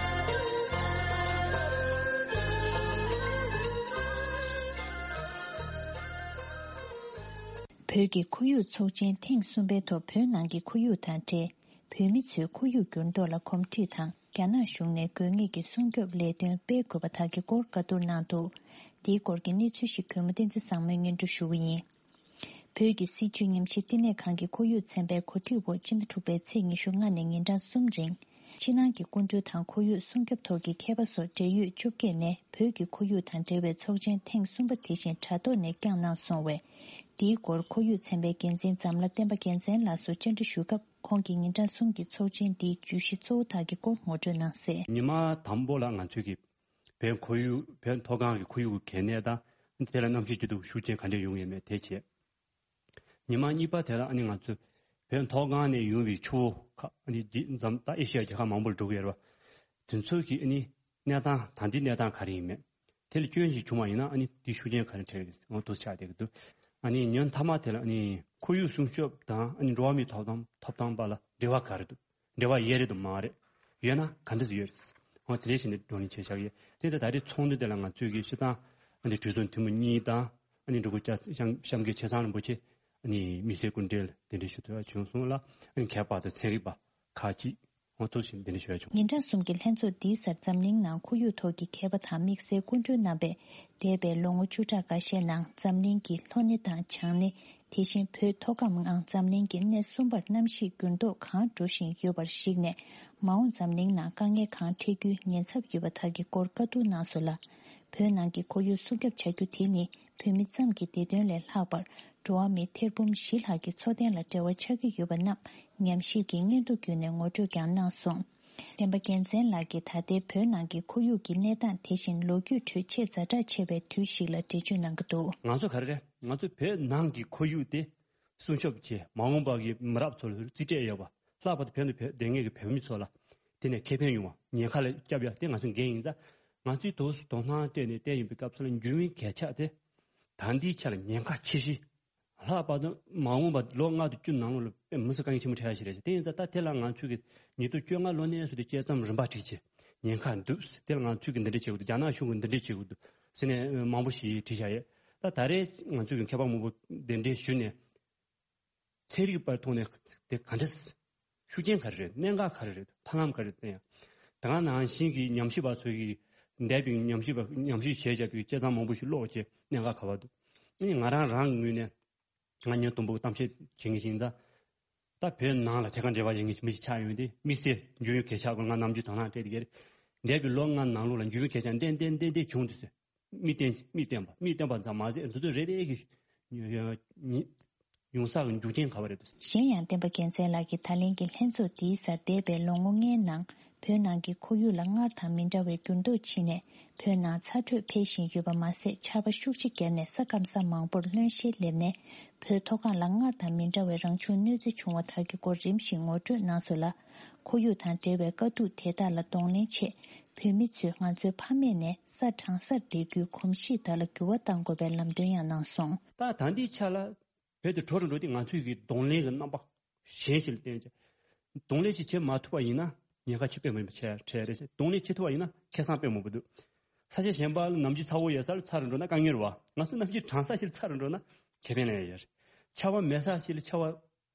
བོད་ཀྱི་ཁོར་ཡུག་ཚོགས་ཆེན་ཐེངས་གསུམ་པའི་ཐོག་བོད་ནང་གི་ཁོར་ཡུག་དང་འབྲེལ། བོད་མི་ཚོའི་ཁོར་ཡུག་འགྱུར་ལྡོག་ལ་གོམས་འདྲིས་དང་། རྒྱ་ནག་གཞུང་ནས་དགོས་ངེས་ཀྱི་སྲུང་སྐྱོབ་ལས་དོན་སྤེལ་དགོས་པ་དག་གི་སྐོར་བཀའ་བསྡུར་གནང་འདུག། འདིའི་སྐོར་གྱི་གནས་ཚུལ་ཞིག་གུས་མོ་བསྟན་འཛིན་བཟང་མོས་སྙན་སྒྲོན་ཞུ་གི་ཡིན། བོད་ཀྱི་སྲིད་བྱུས་ཉམས་ཞིབ་བསྟི་གནས་ཁང་གི་ཁོར་ཡུག་ཚན་པའི་གོ་སྒྲིག་འོག་སྤྱི་ཟླ་དྲུག་པའི་ཚེས་ཉི་ཤུ་ལྔ་ནས་ཉིན་གྲངས་གསུམ་རིང་། ཕྱི་ནང་གི་སྐུ་མགྲོན་དང་ཁོར་ཡུག་སྲུང་སྐྱོབ་ཐོག་གི་མཁས་པ་སོགས་འབྲེལ་ཡོད་བཅོ་བརྒྱད་ནས་བོད་ཀྱི་ཁོར་ཡུག་དང་འབྲེལ་བའི་ཚོགས་ཆེན་ཐེངས་གསུམ་པ་དེ་བཞིན་དྲ་ཐོག་ནས་བསྐྱངས་གནང་སོང་བས། འདིའི་སྐོར་ཁོར་ཡུག་ཚན་པའི་འགན་འཛིན་འཛམ་ལྷ་བསྟན་པ་རྒྱལ་མཚན་ལགས་སུ་བཅར་འདྲི་ཞུས་སྐབས། ཁོང་གིས་ཉིན་གྲངས་གསུམ་གྱི་ཚོགས་ཆེན་འདིའི་བརྗོད་གཞི་གཙོ་བོ་དག་གི་སྐོར་ངོ་སྤྲོད་གནང་གསལ། ཉི་མ་དང་པོ་ལ་ང་ཚོས་ཀྱི་བོད་ཁོར་ཡུག་བོད་མཐོ་སྒང་གི་ཁོར་ཡུག་གི་གལ་གནད་དང་། དེ་ལ་གནམ་གཤིས་སྐྱིད་སྡུག་ཤུགས་རྐྱེན་ག་འདྲས་ཡོང་ཡོད་མེད་དེ་བྱས། ཉི་མ་གཉིས་པ་དེ་ལ་ཨ་ནི་ང་ཚོས་བོད་མཐོ་སྒང་ནས་ཡོང་བའི་ཆུ་བོ་ཁག་ཨ་ནི་འདི་འཛམ་ད་ཨེ་ཤི་ཡ་རྒྱལ་ཁབ་མང་པོར་འགྲོ་གི་ཡོད་རེད་བ། དེ་ཚོ་གི་ཨ་ནི་གནས་སྟངས་ད་ལྟའི་གནས་སྟངས་ག་རེ་ཡིན་མེད། དེ་ལ་སྐྱོན་ཞིག་བྱུང་བ་ཡིན་ན་ཨ་ནི་དེ་ཤུགས་རྐྱེན་ག་རེ་འཕྲད་ཀྱི་འོ་འདུག་ཆགས་བསྡད་ཀྱི་འདུག། ཨ་ནི་ཉིན་མཐའ་མ་དེ་ལ་ཨ་ནི་ཁོར་ཡུག་སྲུང་སྐྱོབ་དང་ཨ་ནི་འགྲོ་བ་མིའི་ཐོབ་ཐང་ཐོབ་ཐང་བར་ལ་འབྲེལ་བ་ག་རེ་འདུག། འབྲེལ་བ་ཡོད་རེད་དམ་མ་རེད། ཡོད་ན་ག་འདྲས་ཡོད་རེད། འོ་དེ་འདྲས་བྱས་ནས་བགྲོ་གླེང་བྱས་བཞག་ཡོད། དེ་ལྟར་ད་རེས་ཚོགས་འདུ་དེ་ལ་ང་ཚོས་ཀྱི་སྤྱིར་བཏང་ཨ་ནི་གྲོས་ཚོགས་འཐུས་མི་གཉིས་དང་། ཨ་ནི་འབྲུག་པ་སྐྱབས་གཤམ་གྱི་ཆེ་ཚང་རིན་པོ་ཆེ། ཨ་ནི་མི་སེར་སྐུ་མགྲོན་ལ་གདན་འདྲེན་ཞུ་ཐུབ་པ་བྱུང་སོང་ལ། ཨ་ནི་མཁས་པ་དང་ཚན་རིག་པ་ཁག་ཅིག་འོ་ཐུགས་ཆེན་གདན་འདྲེན་ཞུ་ཡ་བྱུང་། ཉིན་གྲངས་གསུམ་གྱི་ལྷན་ཚོགས་འདིའི་སར་འཛམ་གླིང་ནང་ཁོར་ཡུག་ཐོག་གི་མཁས་པ་དང་དམིགས་བསལ་སྐུ་མགྲོན་རྣམ་པས། འདས་པའི་ལོ་ངོ་བཅུ་ཕྲག་འགའ་ཤས་ནང་འཛམ་གླིང་གི་ལྷོ་སྣེ་དང་བྱང་སྣེ། དེ་བཞིན་བོད་མཐོ་སྒང་ངང་འཛམ་གླིང་གི་སྣེ་གསུམ་པར་གནམ་གཤིས་འགྱུར་ལྡོག་གང་འགྲོ་བཞིན་ཡོད་པར་གཞིགས་ནས། མ་འོངས་འཛམ་གླིང་ནང་དཀའ་ངལ་གང་འཕྲད་རྒྱུའི་ཉེན་ཚབས་ཡོད་པ་དག་གི་སྐོར་བཀའ་བསྡུར་གནང་སོང་ལ། བོད་ནང་གི་ཁོར་ཡུག་སྲུང་སྐྱོབ་བྱ་རྒྱུ་དེ་ནི། བོད་མི་ཙམ་གྱི་བདེ་དོན་ལས་ལྷག་པར། འགྲོ་བ་མི་ཐེར་འབུམ་བཞི་ལྷག་གི་འཚོ་རྟེན་ལ་འབྲེལ་བ་ཆགས་ཀྱི་ཡོད་པ་རྣམས་ཉམས་ཞིབ་ཀྱི་སྙན་ཐོ་བརྒྱུད་ནས་ངོ་སྤྲོད་ཀྱང་གནང་སོང་། བསྟན་པ་རྒྱལ་མཚན་ལགས་ཀྱིས་ད་ལྟའི་བོད་ནང་གི་ཁོར་ཡུག་གི་གནས་སྟངས་དེ་བཞིན་ལོ་རྒྱུས་ཁྲོད་ཆེས་ཛ་དྲག་ཆེ་བའི་དུས་ཤིག་ལ་འགྲེལ་བརྗོད་གནང་གི་འདུག། ང་ཚོ་ག་རེ་རེད། ང་ཚོ་བོད་ནང་གི་ཁོར་ཡུག་དེ་སྲུང་སྐྱོབ་བྱས། མ་འོངས་པ་གི་མི་རབས་ཚོ་ལ་རྩིས་སྤྲད་ཡོད་པ། ལྷག་པར་དུ་བོད་ནང་བོད་སྡོད་མཁན་གྱི་བོད་མི་ཚོ་ལ་དེ་ནས་ཁེ་ཕན་ཡོང་བ། ཉེན་ཁ་ལ་སྐྱབས་ཡ་དེ་ང་ཚོའི་འགན་ཡིན་ཙང་ ང་ཚོས་དོ་དོ་སྣང་སྤྲད་ནས་བལྟས་ཡིན་པའི་སྐབས་སུ་ལ་འགྱུར་བའི་གལ་ཆགས་དེ་ད་ལྟའི་ཆ་ལ་ཉེན་ཁ་ཆེ་ཤོས། ལྷག་པར་དུ་མ་འོངས་པ་ལོ་ལྔ་དང་བཅུ་ནང་ལོགས་ལ་དཔེ་མི་སྲིད་དཀའ་ངལ་ཆེན་པོ་འཕྲད་ཡ་ཞིག་རེད། དེ་ཡིན་ཙང་ད་དེ་ལ་ང་ཚོས་ཀྱི་ཉིས་སྟོང་བཅོ་ལྔ་ལོ་ནས་བཟུང་སྟེ་དཔྱད་རྩོམ་རིམ་པ་བསྒྲིགས་བྱས་ཉེན་ཁ་འདུག་དེ་ལ་ང་ཚོས་ཀྱི་འདི་འདྲ་བྱེད་དགོས་འདུག་རྒྱ་ནག་གཞུང་གིས་འདི་འདྲ་བྱེད་དགོས་འདུག་ཟེར་ནས་མང་པོ་ཞིག་བྲིས་བཞག་ཡོད། ད་ད་རེས་ང་ཚོས་ཀྱི་མཁས་པ་མང་པོ་གདན་འདྲེན་ཞུས་ནས། ཚན་རིག་པར་ཐོག་ནས་དེ་ག་འདྲ། ཤུགས་རྐྱེན་ག་རེ་རེད། གནད་འགག་ག་རེ་རེད། ཐབས་ལམ་ག་རེ་བསྟན་ཡང་། ད་ག་ནང་བཞིན་གྱི་ཉམས་ཞིབ་པ་ཚོ་གིས་འདས་པའི་ཉམས་ཞིབ་པ་ཉམས་ཞིབ་བྱས་བཞག་པའི་དཔྱད་རྩོམ་མང་པོ་ཞིག་ཀློག་བྱས་གནད་འགག་ག་བ་འདུག་ཨ་ནི་ང་རང་རང་གི་ངོས་ནས་ང་ཉིན་དུམ་བུ་གཏམ་བཤད་བྱེད་མཁན་ཞིག་ཡིན་ཙང་། ད་བོད་ནང་ལ་ཐད་ཀར་འབྲེལ་བ་ཡོད་མཁན་མི་ཞིག་ཆགས་ཡོང་དུས་དམིགས་བསལ་འགྱུར་བའི་གལ་ཆགས་སྐོར་ང་ནམ་རྒྱུན་དོ་སྣང་སྤྲད་དེ་ཡོད་རེད། འདས་པའི་ལོ་ལྔ་ནང་ལོགས་ལ་འགྱུར་བའི་གལ་ཆགས་ཏན་ཏན་ཏན་ཏན་བྱུང་འདུག་ཟེར། མི་བསྟན་མི་བསྟན་པ་མི་བསྟན་པ་ཙམ་མ་ཟད་འདི་ཚོ་རེ་རེ་གིས་ཉུང་ཉུང་ས་གི་འཇུག་རྐྱེན་ག་བ་རེད་འདུག་གཞན་ཡང་། བསྟན་པ་རྒྱལ་མཚན་ལགས་ཀྱིས་ད་ལན་གྱི་ལྷན་ཚོགས་འདིའི་སར་འདས་པའི་ལོ་ངོ་ལྔའི་ནང་བོད་ནང་གི་ཁོར་ཡུག་ལ་སྔར་དང་མི་འདྲ་བའི་འགྱུར་ལྡོག་ཕྱིན་ནས་བོད་ནང་ཚ་དྲོད་འཕེལ་བཞིན་ཡོད་པ་མ་ཟད། ཆར་པ་ཤུགས་ཆེ་བརྒྱབ་ནས་ས་སྐམ་ས་མང་པོར་རློན་གཤེར་སླེབས་ནས་བོད་མཐོ་སྒང་ལ་སྔར་དང་མི་འདྲ་བའི་རང་བྱུང་གནོད་འཚེ་བྱུང་བ་དག་གི་སྐོར་རིམ་བཞིན་ངོ་སྤྲོད་གནང་སོང་ལ། ཁོར་ཡུག་དང་འབྲེལ་བའི་དཀའ་སྡུག་དེ་དག་ལ་གདོང་ལེན་ཆེད། བོད་མི་ཚོས་ང་ཚོའི་ཕ་མེས་ནས་ས་གྲང་སར་བསྡད་རྒྱུའི་གོམས་གཤིས་དག་ལ་འགྱུར་བ་གཏང་དགོས་པའི་ལམ་སྟོན་ཡང་གནང་སོང་། ད་ད་ལྟའི་ཆ་ལ་བོད་དུ་གྲོ་རུ་འགྲོ་དུས་ང་ཚོས་ཀྱི་གདོང་ལེན་གྱི་རྣམ་པ་གཞན་ཞིག་ལ་བསྟན་ཅིང་། གདོང་ལེན་ཞིག་བྱེད་མ་ཐུབ་པ་ཡིན་ན་ཉེན་ཁ་ཆེ་དཔེ་མང་པོ་འཕྲད་འཕྲད་རེད། གདོང་ལེན་བྱེད་ཐུབ་པ་ཡིན་ན་ཁེ་བཟང་དཔེ་མང་པོ་འདུག་ས་ཆ་གཞན་པ་ལ་ནམ་རྒྱུན་ཚ་བོ་ཡོད་ས་ལ་ཚ་རུ་འགྲོ་ན་དཀའ་ངལ་རེད་བ། ང་ཚོ་ནམ་རྒྱུན་གྲང་ས་ཞིག་ལ་ཚ་རུ་འགྲོ་ན་ཁེ་ཕན་ལེན་ཡ་ཡོད་རེད། ཆར་པ་མེད་ས་ཞིག་ལ་ཆར་པ་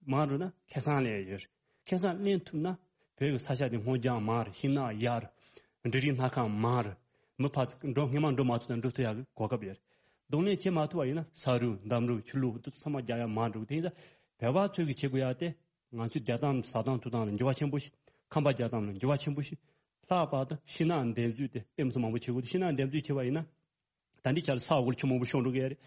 མང་རུ་ན་ཁེ་བཟང་ལེན་ཡ་ཡོད་རེད། ཁེ་བཟང་ལེན་ཐུབ་ན་བོད་ཀྱི་ས་ཆ་དེ་སྔོ་ལྗང་མང་རུ། ཤིང་ནགས་ཡག་རུ། འབྲུ་རིགས་སྣ་ཁ་མང་རུ། མི་ཕར་འགྲོ་སྔོན་མ་འགྲོ་མ་ཐུབ་ན་འགྲོ་ཐུབ་ཡག་གི་གོ་སྐབས་ཡོད་རེད། གདོང་ལེན་བྱེད་མ་ཐུབ་པ་ཡིན་ན་ས་རུད་འདམ་རུད་ཆུ་ལུད་དེ་ཚང་མ་རྒྱག་ཡ་མང་འགྲོ་གི། དེ་ཡིན་ཙང་བོད་པ་ཚོས་ཀྱི་བྱེད་དགོས་ཡ་དེ། ང་ཚོའི་བསྡད་སྟངས་ཟ་སྟངས་འཐུང་སྟངས་ལ་འགྱུར་བ་ཆེན་པོ་ཞིག་ཁང་པ་རྒྱག་སྟངས་ལ་འགྱུར་བ་ཆེན་པོ་ཞིག་ལྷག་པར་དུ་ཤིང་ནགས་འདེབས་རྩུབ་དེ་དཔེ་མི་སྲིད་མང་པོ་བྱེད་དགོས་འདུག་ཤིང་ནགས་འདེབས་རྩུབ་བྱས་པ་ཡིན་ན། ད་ལྟའི་ཆར་ས་འོག་ལ་ཆུ་མང་པོ་ཤོར་འགྲོ་གི་རེད།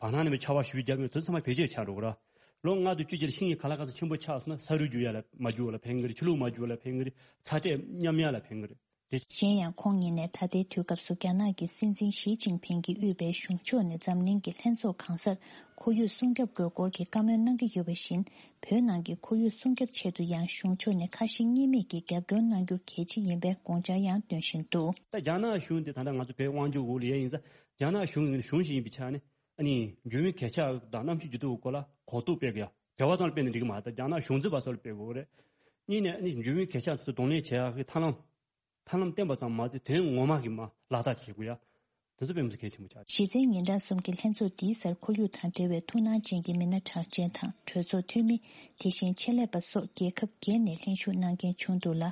བར་སྣང་ནས་ཆར་པ་ཞེ་པོ་བརྒྱབ་ཡོད་དུས་ཚང་མ་བེད་སྤྱོད་ཆགས་འགྲོ་གི་རེད། ལོ་ལྔ་དང་བཅུ་གཅིག་ལ་ཤིང་གི་ག་ལ་ག་ས་ཆེན་པོ་ཆགས་སོང་ན་ས་རུད་རྒྱུག་ཡ་ལ་མ་རྒྱུག་ཡ་ལ་ཕན་གི་རེད། ཆུ་ལུད་མ་རྒྱུག་ཡ་ལ་ཕན་གི་རེད། ཚ་དྲོད་མཉམ་ཡ་ལ་ཕན་གི་རེད། དེ། གཞན་ཡང་ཁོང་ཉིད་ནས་ད་ལྟའི་དུས་སྐབས་སུ་རྒྱ་ནག་གི་སྲིད་འཛིན་ཞི་ཅིན་ཕིང་གིས་དབུས་པའི་གཞུང་ཕྱོགས་ནས་འཛམ་གླིང་གི་ལྷན་ཚོགས་གང་སར་ཁོར་ཡུག་སྲུང་སྐྱོབ་དགོས་སྐོར་གྱི་བཀའ་མོལ་གནང་གི་ཡོད་པ་བཞིན། བོད་ནང་གི་ཁོར་ཡུག་སྲུང་སྐྱོབ་ཆེད་དུ་ཡང་གཞུང་ཕྱོགས་ནས་ཁ་ཞེ་གཉིས་མེད་ཀྱིས་རྒྱབ་སྐྱོར་གནང་རྒྱུ་གལ་ཆེ་ཡིན་པའི་དགོངས་འཆར་ཡང་འདོན་བཞིན་འདུག་ད་རྒྱ་ནག་གཞུང་དེ་ད་ལྟ་ང་ཚོ་བོད་དབང་ཆ་འོག་ལ་ཡོད་ཡིན་ཙང་རྒྱ་ནག་གཞུང་གི་གཞུང་ཞིག་ཡིན་པའི་ཆ་ནས་ཨ་ནི་འགྱུར་བའི་གལ་ཆགས་དང་གནམ་གཤིས་འགྱུར་ལྡོག་གི་སྐོར་ལ་གོ་རྟོགས་སྤེལ་དགོས་ཡ། བོད་པ་ཚོ་ལ་སྤེལ་ན་འགྲིག་གི་མ་རེད། ད་རྒྱ་ནག་གཞུང་འཛིན་པ་ཚོ་ལ་སྤེལ་དགོས་རེད། གཉིས་ནས་ཨ་ནི་འགྱུར་བའི་གལ་ཆགས་ཚོ་གདོང་ལེན་བྱེད་ཡག་གི་ཐབས་ལམ། ཐབས་ལམ་བསྟན་པ་ཙམ་མ་ཟད་དོན་ངོ་མ་གི་མ་ལག་བསྟར་བྱེད་དགོས་ཡ། དེ་ཚོ་དཔེ་མི་སྲིད་གལ་ཆེན་པོ་ཆགས། གཞི་རྩའི་ཉིན་གྲངས་གསུམ་གྱི་ལྷན་ཚོགས་འདིའི་སར་ཁོར་ཡུག་དང་འབྲེལ་བའི་ཐུགས་སྣང་ཅན་གྱི་མི་སྣ་གྲགས་ཅན་དང་གྲོས་ཚོགས་འཐུས་མི། དེ་བཞིན་ཆེད་ལས་པ་སོགས་རྒྱལ་ཁབ་བརྒྱད་ནས་ལྷན་ཞུགས་གནང་མཁན་བྱུང་འདུག་ལ།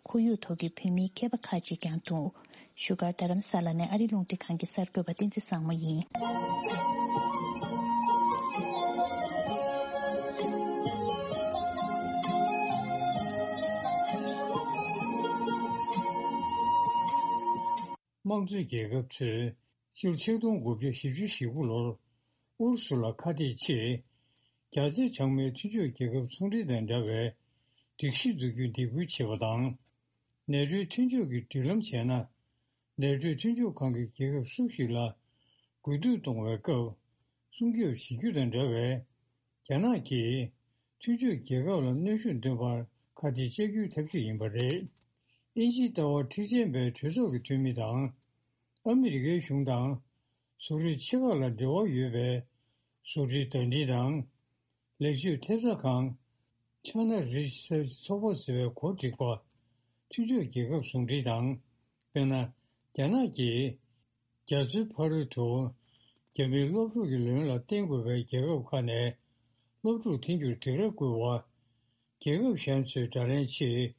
ཁོར་ཡུག་ཐོག་གི་བོད་མིའི་མཁས་པ་ཁག་ཅིག་ཀྱང་འདུག་བཞུགས་སྒར་རྡ་རམ་ས་ལ་ནས་ཨ་རི་རླུང་འཕྲིན་ཁང་གི་གསར་འགོད་པ་བསྟན་འཛིན་བཟང་མོ་ཡིན། དམངས་གཙོའི་རྒྱལ་ཁབ་ཚོས་སྤྱི་ལོ་ཆིག་སྟོང་དགུ་བརྒྱ་བཞི་བཅུ་ཞེ་དགུ་ལོར་ཨུ་རུ་སུ་ལ་ཁ་གཏད་ཆེད། རྒྱ་ཆེ་བྱང་མའི་མཐུན་ཕྱོགས་རྒྱལ་ཁབ་ཚོང་འབྲེལ་དང་འདྲ་བའི་སྒྲིག་གཞི་འཛུགས་རྒྱུའི་འདེད་སྐུལ་བྱས་པ་དང་། ནེ་ཊོའི་མཐུན་ཕྱོགས་ཀྱི་མདུན་ལམ་བྱས་ན། ནེ་ཊོའི་མཐུན་ཕྱོགས་ཁང་གི་རྒྱལ་ཁབ་སུ་ཞིག་ལ་རྒུད་འཐུས་གཏོང་བའི་སྐབས་སྲུང་སྐྱོབ་བྱེད་རྒྱུ་དང་འདྲ་བའི། རྒྱ་ནག་གིས་མཐུན་ཕྱོགས་རྒྱལ་ཁབ་ལ་གནོན་ཤུགས་འདོན་པར་ཁ་གཏད་བཅག་རྒྱུའི་ཐབས་ཇུས་ཡིན་པ་རེད། དབྱིན་ཇིའི་ལྟ་བ་མཁྲེགས་ཅན་པའི་གྲོས་ཚོགས་ཀྱི་འཐུས་མི་དང་། ཨ་མི་རི་ཀའི་གཞུང་དང་། བཟོ་གྲྭའི་ཆེ་ཁག་ལ་འབྲེལ་བ་ཡོད་པའི་བཟོ་གྲྭའི་བརྡ་འཕྲིན་དང་། ལེགས་བཅོས་ཐེབས་རྩ་ཁང་། China Research ཚོགས་པ་ཟེར་བའི་གོ་སྒྲིག་པ། མཐུན་ཕྱོགས་རྒྱལ་ཁབ་ཟུང་འབྲེལ་དང་། དཔེར་ན། རྒྱ་ནག་གིས། རྒྱ་མཚོའི་ཕ་རོལ་དུ། རྒྱ་མིའི་སློབ་ཕྲུག་གི་ལོན་ལ་བརྟེན་དགོས་པའི་རྒྱལ་ཁབ་ཁག་ནས། སློབ་ཕྲུག་འཐེན་རྒྱུར་སྡིགས་ར་བསྐུལ་བ། རྒྱལ་ཁབ་གཞན་ཚོས་དགྲ་ལན་ཆེད།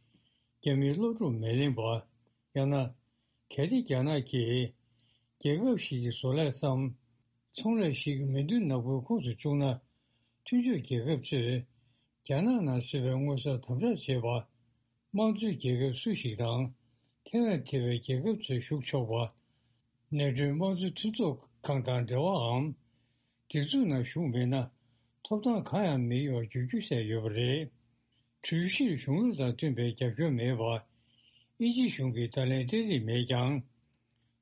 རྒྱ་མིའི་སློབ་ཕྲུག་མི་ལེན་པ། ཡང་ན། གལ་ཏེ་རྒྱ་ནག་གིས། རྒྱལ་ཁབ་ཞིག་གི་བཟོ་ལས་སམ། ཚོང་ལས་ཤིག་མི་འདུག་ནག་པོའི་ཁོངས་སུ་བཅུག་ན། མཐུན་ཕྱོགས་རྒྱལ་ཁབ་ཚོས། རྒྱ་ནག་ནང་བཟོས་པའི་དངོས་ཟོག་དམ་དྲག་བྱེད་པ། དམངས་གཙོའི་རྒྱལ་ཁབ་སུ་ཞིག་དང་། ཐའེ་ཝན་ཐེ་བའི་རྒྱལ་ཁབ་ཚོས་ཞུགས་ཆོག་པ། ནེ་ཊོའི་དམངས་གཙོ་མཐུན་ཚོགས་ཁང་དང་འབྲེལ་བའམ། སྒྲིག་འཛུགས་ནང་ཞུགས་མེད་ན། ཐོབ་ཐང་གང་ཡང་མི་ཡོང་བར་འགྱུར་རྒྱུ་བཤད་ཡོད་པ་རེད། གྲོས་གཞིར་གཞུང་ལུགས་དང་མཐུན་པའི་རྒྱབ་སྐྱོར་མེད་པ། དབྱིན་ཇི་གཞུང་གིས་བརྡ་ལན་སྤྲད་རིན་མེད་ཀྱང་།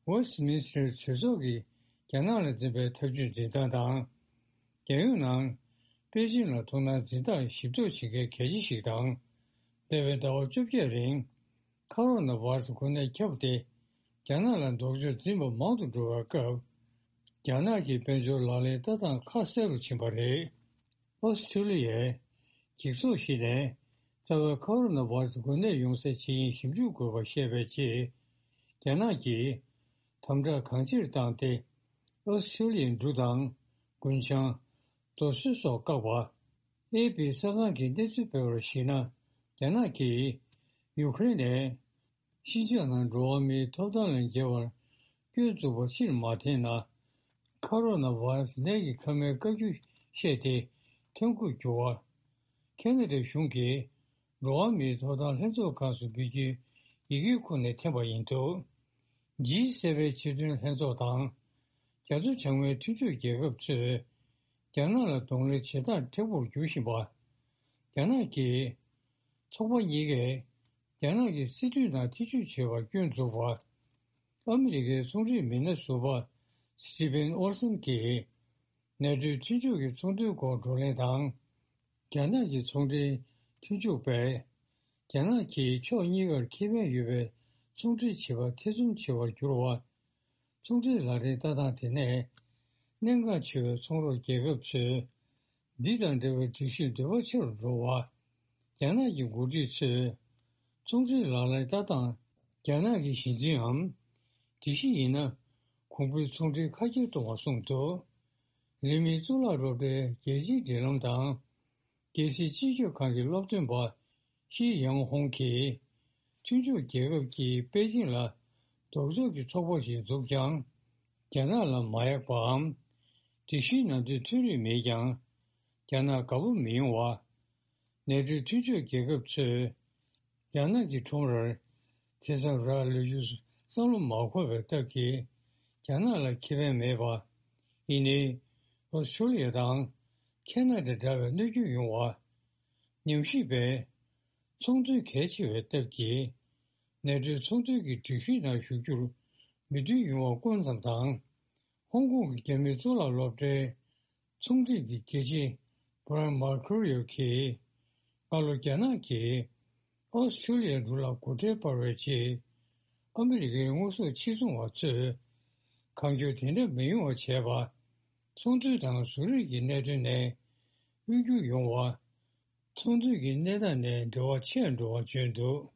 ཝེ་སི་ཏི་མིན་སི་ཏར་གྲོས་ཚོགས་ཀྱི་རྒྱ་ནག་ལ་འཛིན་པའི་ཐབས་ཇུས་འཛིན་སྟངས་དང་། རྒྱལ་ཡོངས་ནང་པེ་ཅིན་ལ་ཐུགས་སྣང་འཛིན་སྟངས་ཞིབ་རྟོག་བྱེད་མཁན་གལ་ཆེ་ཞིག་དང་། འདས་པའི་ཟླ་བ་བཅོ་བརྒྱད་རིང་ཁ་རོ་ན་བྷ་ར་སི་འགོས་ནད་ཁྱབ་སྟེ། རྒྱ་ནག་ལ་ལྡོག་ཕྱོགས་འཛིན་པ་མང་དུ་འགྲོ་བའི་སྐབས། རྒྱ་ནག་གི་དཔལ་འབྱོར་ལག་ལེན་ལྟ་སྟངས་ཁ་གསལ་རུ་ཕྱིན་པ་རེད། ཨོ་སི་ཁྲུ་ལི་ཡའི་འགྱིག་ཚོགས་ཤིག་ནས། རྩ་བའི་ཁོ་རོ་ན་བྷ་ར་སི་འགོས་ནད་ཡོང་སའི་ཇི་ཡིན་ཞིབ་འཇུག་དགོས་པ་བཤད་པའི་རྗེས། རྒྱ་ནག་གིས་དམ་དྲག་གང་ཆེར་བཏང་སྟེ། ཨོ་སི་ཁྲུ་ལི་ཡའི་འབྲུ་དང་རྒུན་ཆང་། རྡོ་སོལ་སོགས་བཀག་པ། ཨེ་པི་གསར་ཁང་གིས་གནས་ཚུལ་སྤེལ་བར་གཞིགས་ན། རྒྱ་ནག་གིས་ཡུ་ཁུ་རེན་ནས་ཤིན་ཅང་ནང་འགྲོ་བ་མིའི་ཐོབ་ཐང་ལ་འགལ་བར་སྐྱོན་འཛུགས་པ་ཕྱིར་མ་འཐེན་ན། ཁ་རོ་ན་བྷ་ར་སི་ནད་ཀྱི་ཁ་མའི་བཀའ་བཀྱོན་བཤད་དེ་ཐོན་ཁུངས་བསྒྱུར་བ། ཁེ་ན་ཌའི་གཞུང་གིས་འགྲོ་བ་མིའི་ཐོབ་ཐང་ལྷན་ཚོགས་ཁག་སུ་འབུལ་རྒྱུའི་ཡི་གེའི་ཁུངས་ནས་འཐེན་པ་ཡིན་འདུག། ཇི་སེ་ཝེན་སྤྱི་མཐུན་ལྷན་ཚོགས་དང་། རྒྱ་མཚོ་བྱང་མའི་མཐུན་ཕྱོགས་རྒྱལ་ཁབ་ཚོས་རྒྱ་ནག་ལ་གདོང་ལེན་བྱེད་སྟངས་མཁྲེགས་པོར་འགྱུར་བཞིན་པ། རྒྱ་ནག་གིས་ཚོགས་པ་གཉིས་ཀས་རྒྱ་ནག་གི་སྲིད་དོན་ནང་ཐེ་བྱུས་བྱས་པར་སྐྱོན་འཛུགས་པ། ཨ་མི་རི་ཀའི་ཚོང་འབྲེལ་མི་སྣ་ཟུར་པ་སི་ཊི་ཕེན་ཨོལ་སན་གྱིས་ནེ་ཊོའི་མཐུན་ཕྱོགས་ཀྱི་ཚོང་དོན་སྐོར་བགྲོ་གླེང་དང་། རྒྱ་ནག་གི་ཚོང་འབྲེལ་མཐུན་ཕྱོགས་པས། རྒྱ་ནག་གིས་ཕྱོགས་གཉིས་ཀར་ཁེ་ཕན་ཡོད་པའི་ཚོང་འབྲེལ་བྱེད་པར་ཐེ་ཚོམ་ཆེ་བར་གྱུར་བ། ཚོང་འབྲེལ་ལག་ལེན་ལྟ་སྟངས་དེ་ནས་གནད་འགག་ཆེ་བའི་ཚོང་རོགས་རྒྱལ་ཁབ་ཚོས་འདི་དང་འབྲེལ་བའི་སྒྲིག་གཞིར་འདོད་པ་ཆེ་རུ་འགྲོ་བ། རྒྱ་ནག་གི་འགོ་ཁྲིད་ཚོས་ཚོང་འབྲེལ་ལག་ལེན་ལྟ་སྟངས་རྒྱ་ནག་གི་གཞི་འཛིནའམ་སྒྲིག་གཞི་ཡིན་ན། གོང་འཕེལ་ཚོང་འབྲེལ་ཁ་གྱེར་གཏོང་བར་གསུངས་འདུག། ལི་མིའི་གཙུག་ལག་སློབ་གྲྭའི་རྒྱལ་སྤྱིའི་འབྲེལ་ལམ་དང་། རྒྱལ་སྲིད་སྤྱི་ཁྱབ་ཁང་གི་སློབ་སྟོན་པ་ཤི་ཡང་ཧོང་གིས། མཐུན་ཕྱོགས་རྒྱལ་ཁབ་ཀྱིས་པེ་ཅིང་ལ་ལྡོག་ཕྱོགས་ཀྱི་ཚོགས་པ་ཞིག་འཛུགས་ཀྱང་། རྒྱ་ནག་ལ་མ་ཡག་པའམ། སྒྲིག་གཞིའི་ནང་དོན་མཐུན་རིག་མེད་ཀྱང་། རྒྱ་ནག་དགའ་པོ་མི་ཡོང་བ། ནེ་ཊོའི་མཐུན་ཕྱོགས་རྒྱལ་ཁབ་ཚོས། རྒྱ་ནག་གི་ཁྲོམ་རར་དེ་ཙམ་རག་ལས་རྒྱུར་བསམ་བློ་མ་འཁོར་བའི་སྟབས་ཀྱིས། རྒྱ་ནག་ལ་ཁེ་ཕན་མེད་པ། ཡིན་ནའི། ཨོ་སི་ཁྲུ་ལི་ཡ་དང་ཁེ་ན་ཌ་འདྲ་བའི་གནོད་སྐྱོན་ཡོང་བ། ཉམས་ཞིབ་པས། ཚོང་དོན་གལ་ཆེ་བའི་སྟབས་ཀྱིས། ནེ་ཊོའི་ཚོང་དོན་གྱི་སྒྲིག་གཞིའི་ནང་ཞུགས་རྒྱུར་མོས་མཐུན་ཡོང་བ་སྐོར་ཙམ་དང་། ཧོང་ཀོང་གི་རྒྱ་མིའི་གཙུག་ལག་སློབ་གྲྭའི་ཚོང་འབྲེལ་གྱི་དགེ་ཆེ་བྷ་རན་མར་ཁུ་རི་ཡོ་གིས། སྔ་ལོ་རྒྱ་ནག་གིས་ཨོ་སི་ཁྲུ་ལི་ཡའི་འབྲུ་ལ་སྒོ་ཁྲལ་སྤར་བའི་རྗེས། ཨ་མི་རི་ཀའི་དངོས་ཟོག་ཕྱིར་ཚོང་བ་ཚོས་གང་མགྱོགས་དེ་འདྲ་མི་ཡོང་བ་བྱས་པ། ཚོང་དོན་དང་བཟོ་རིག་གི་གནད་དོན་ནས་དབུལ་སྐྱོར་ཡོང་བ། ཚོང་དོན་གྱི་གནས་སྟངས་ནས་འབྲེལ་བ་ཆད་འགྲོ་བ་བརྗོད་འདུག།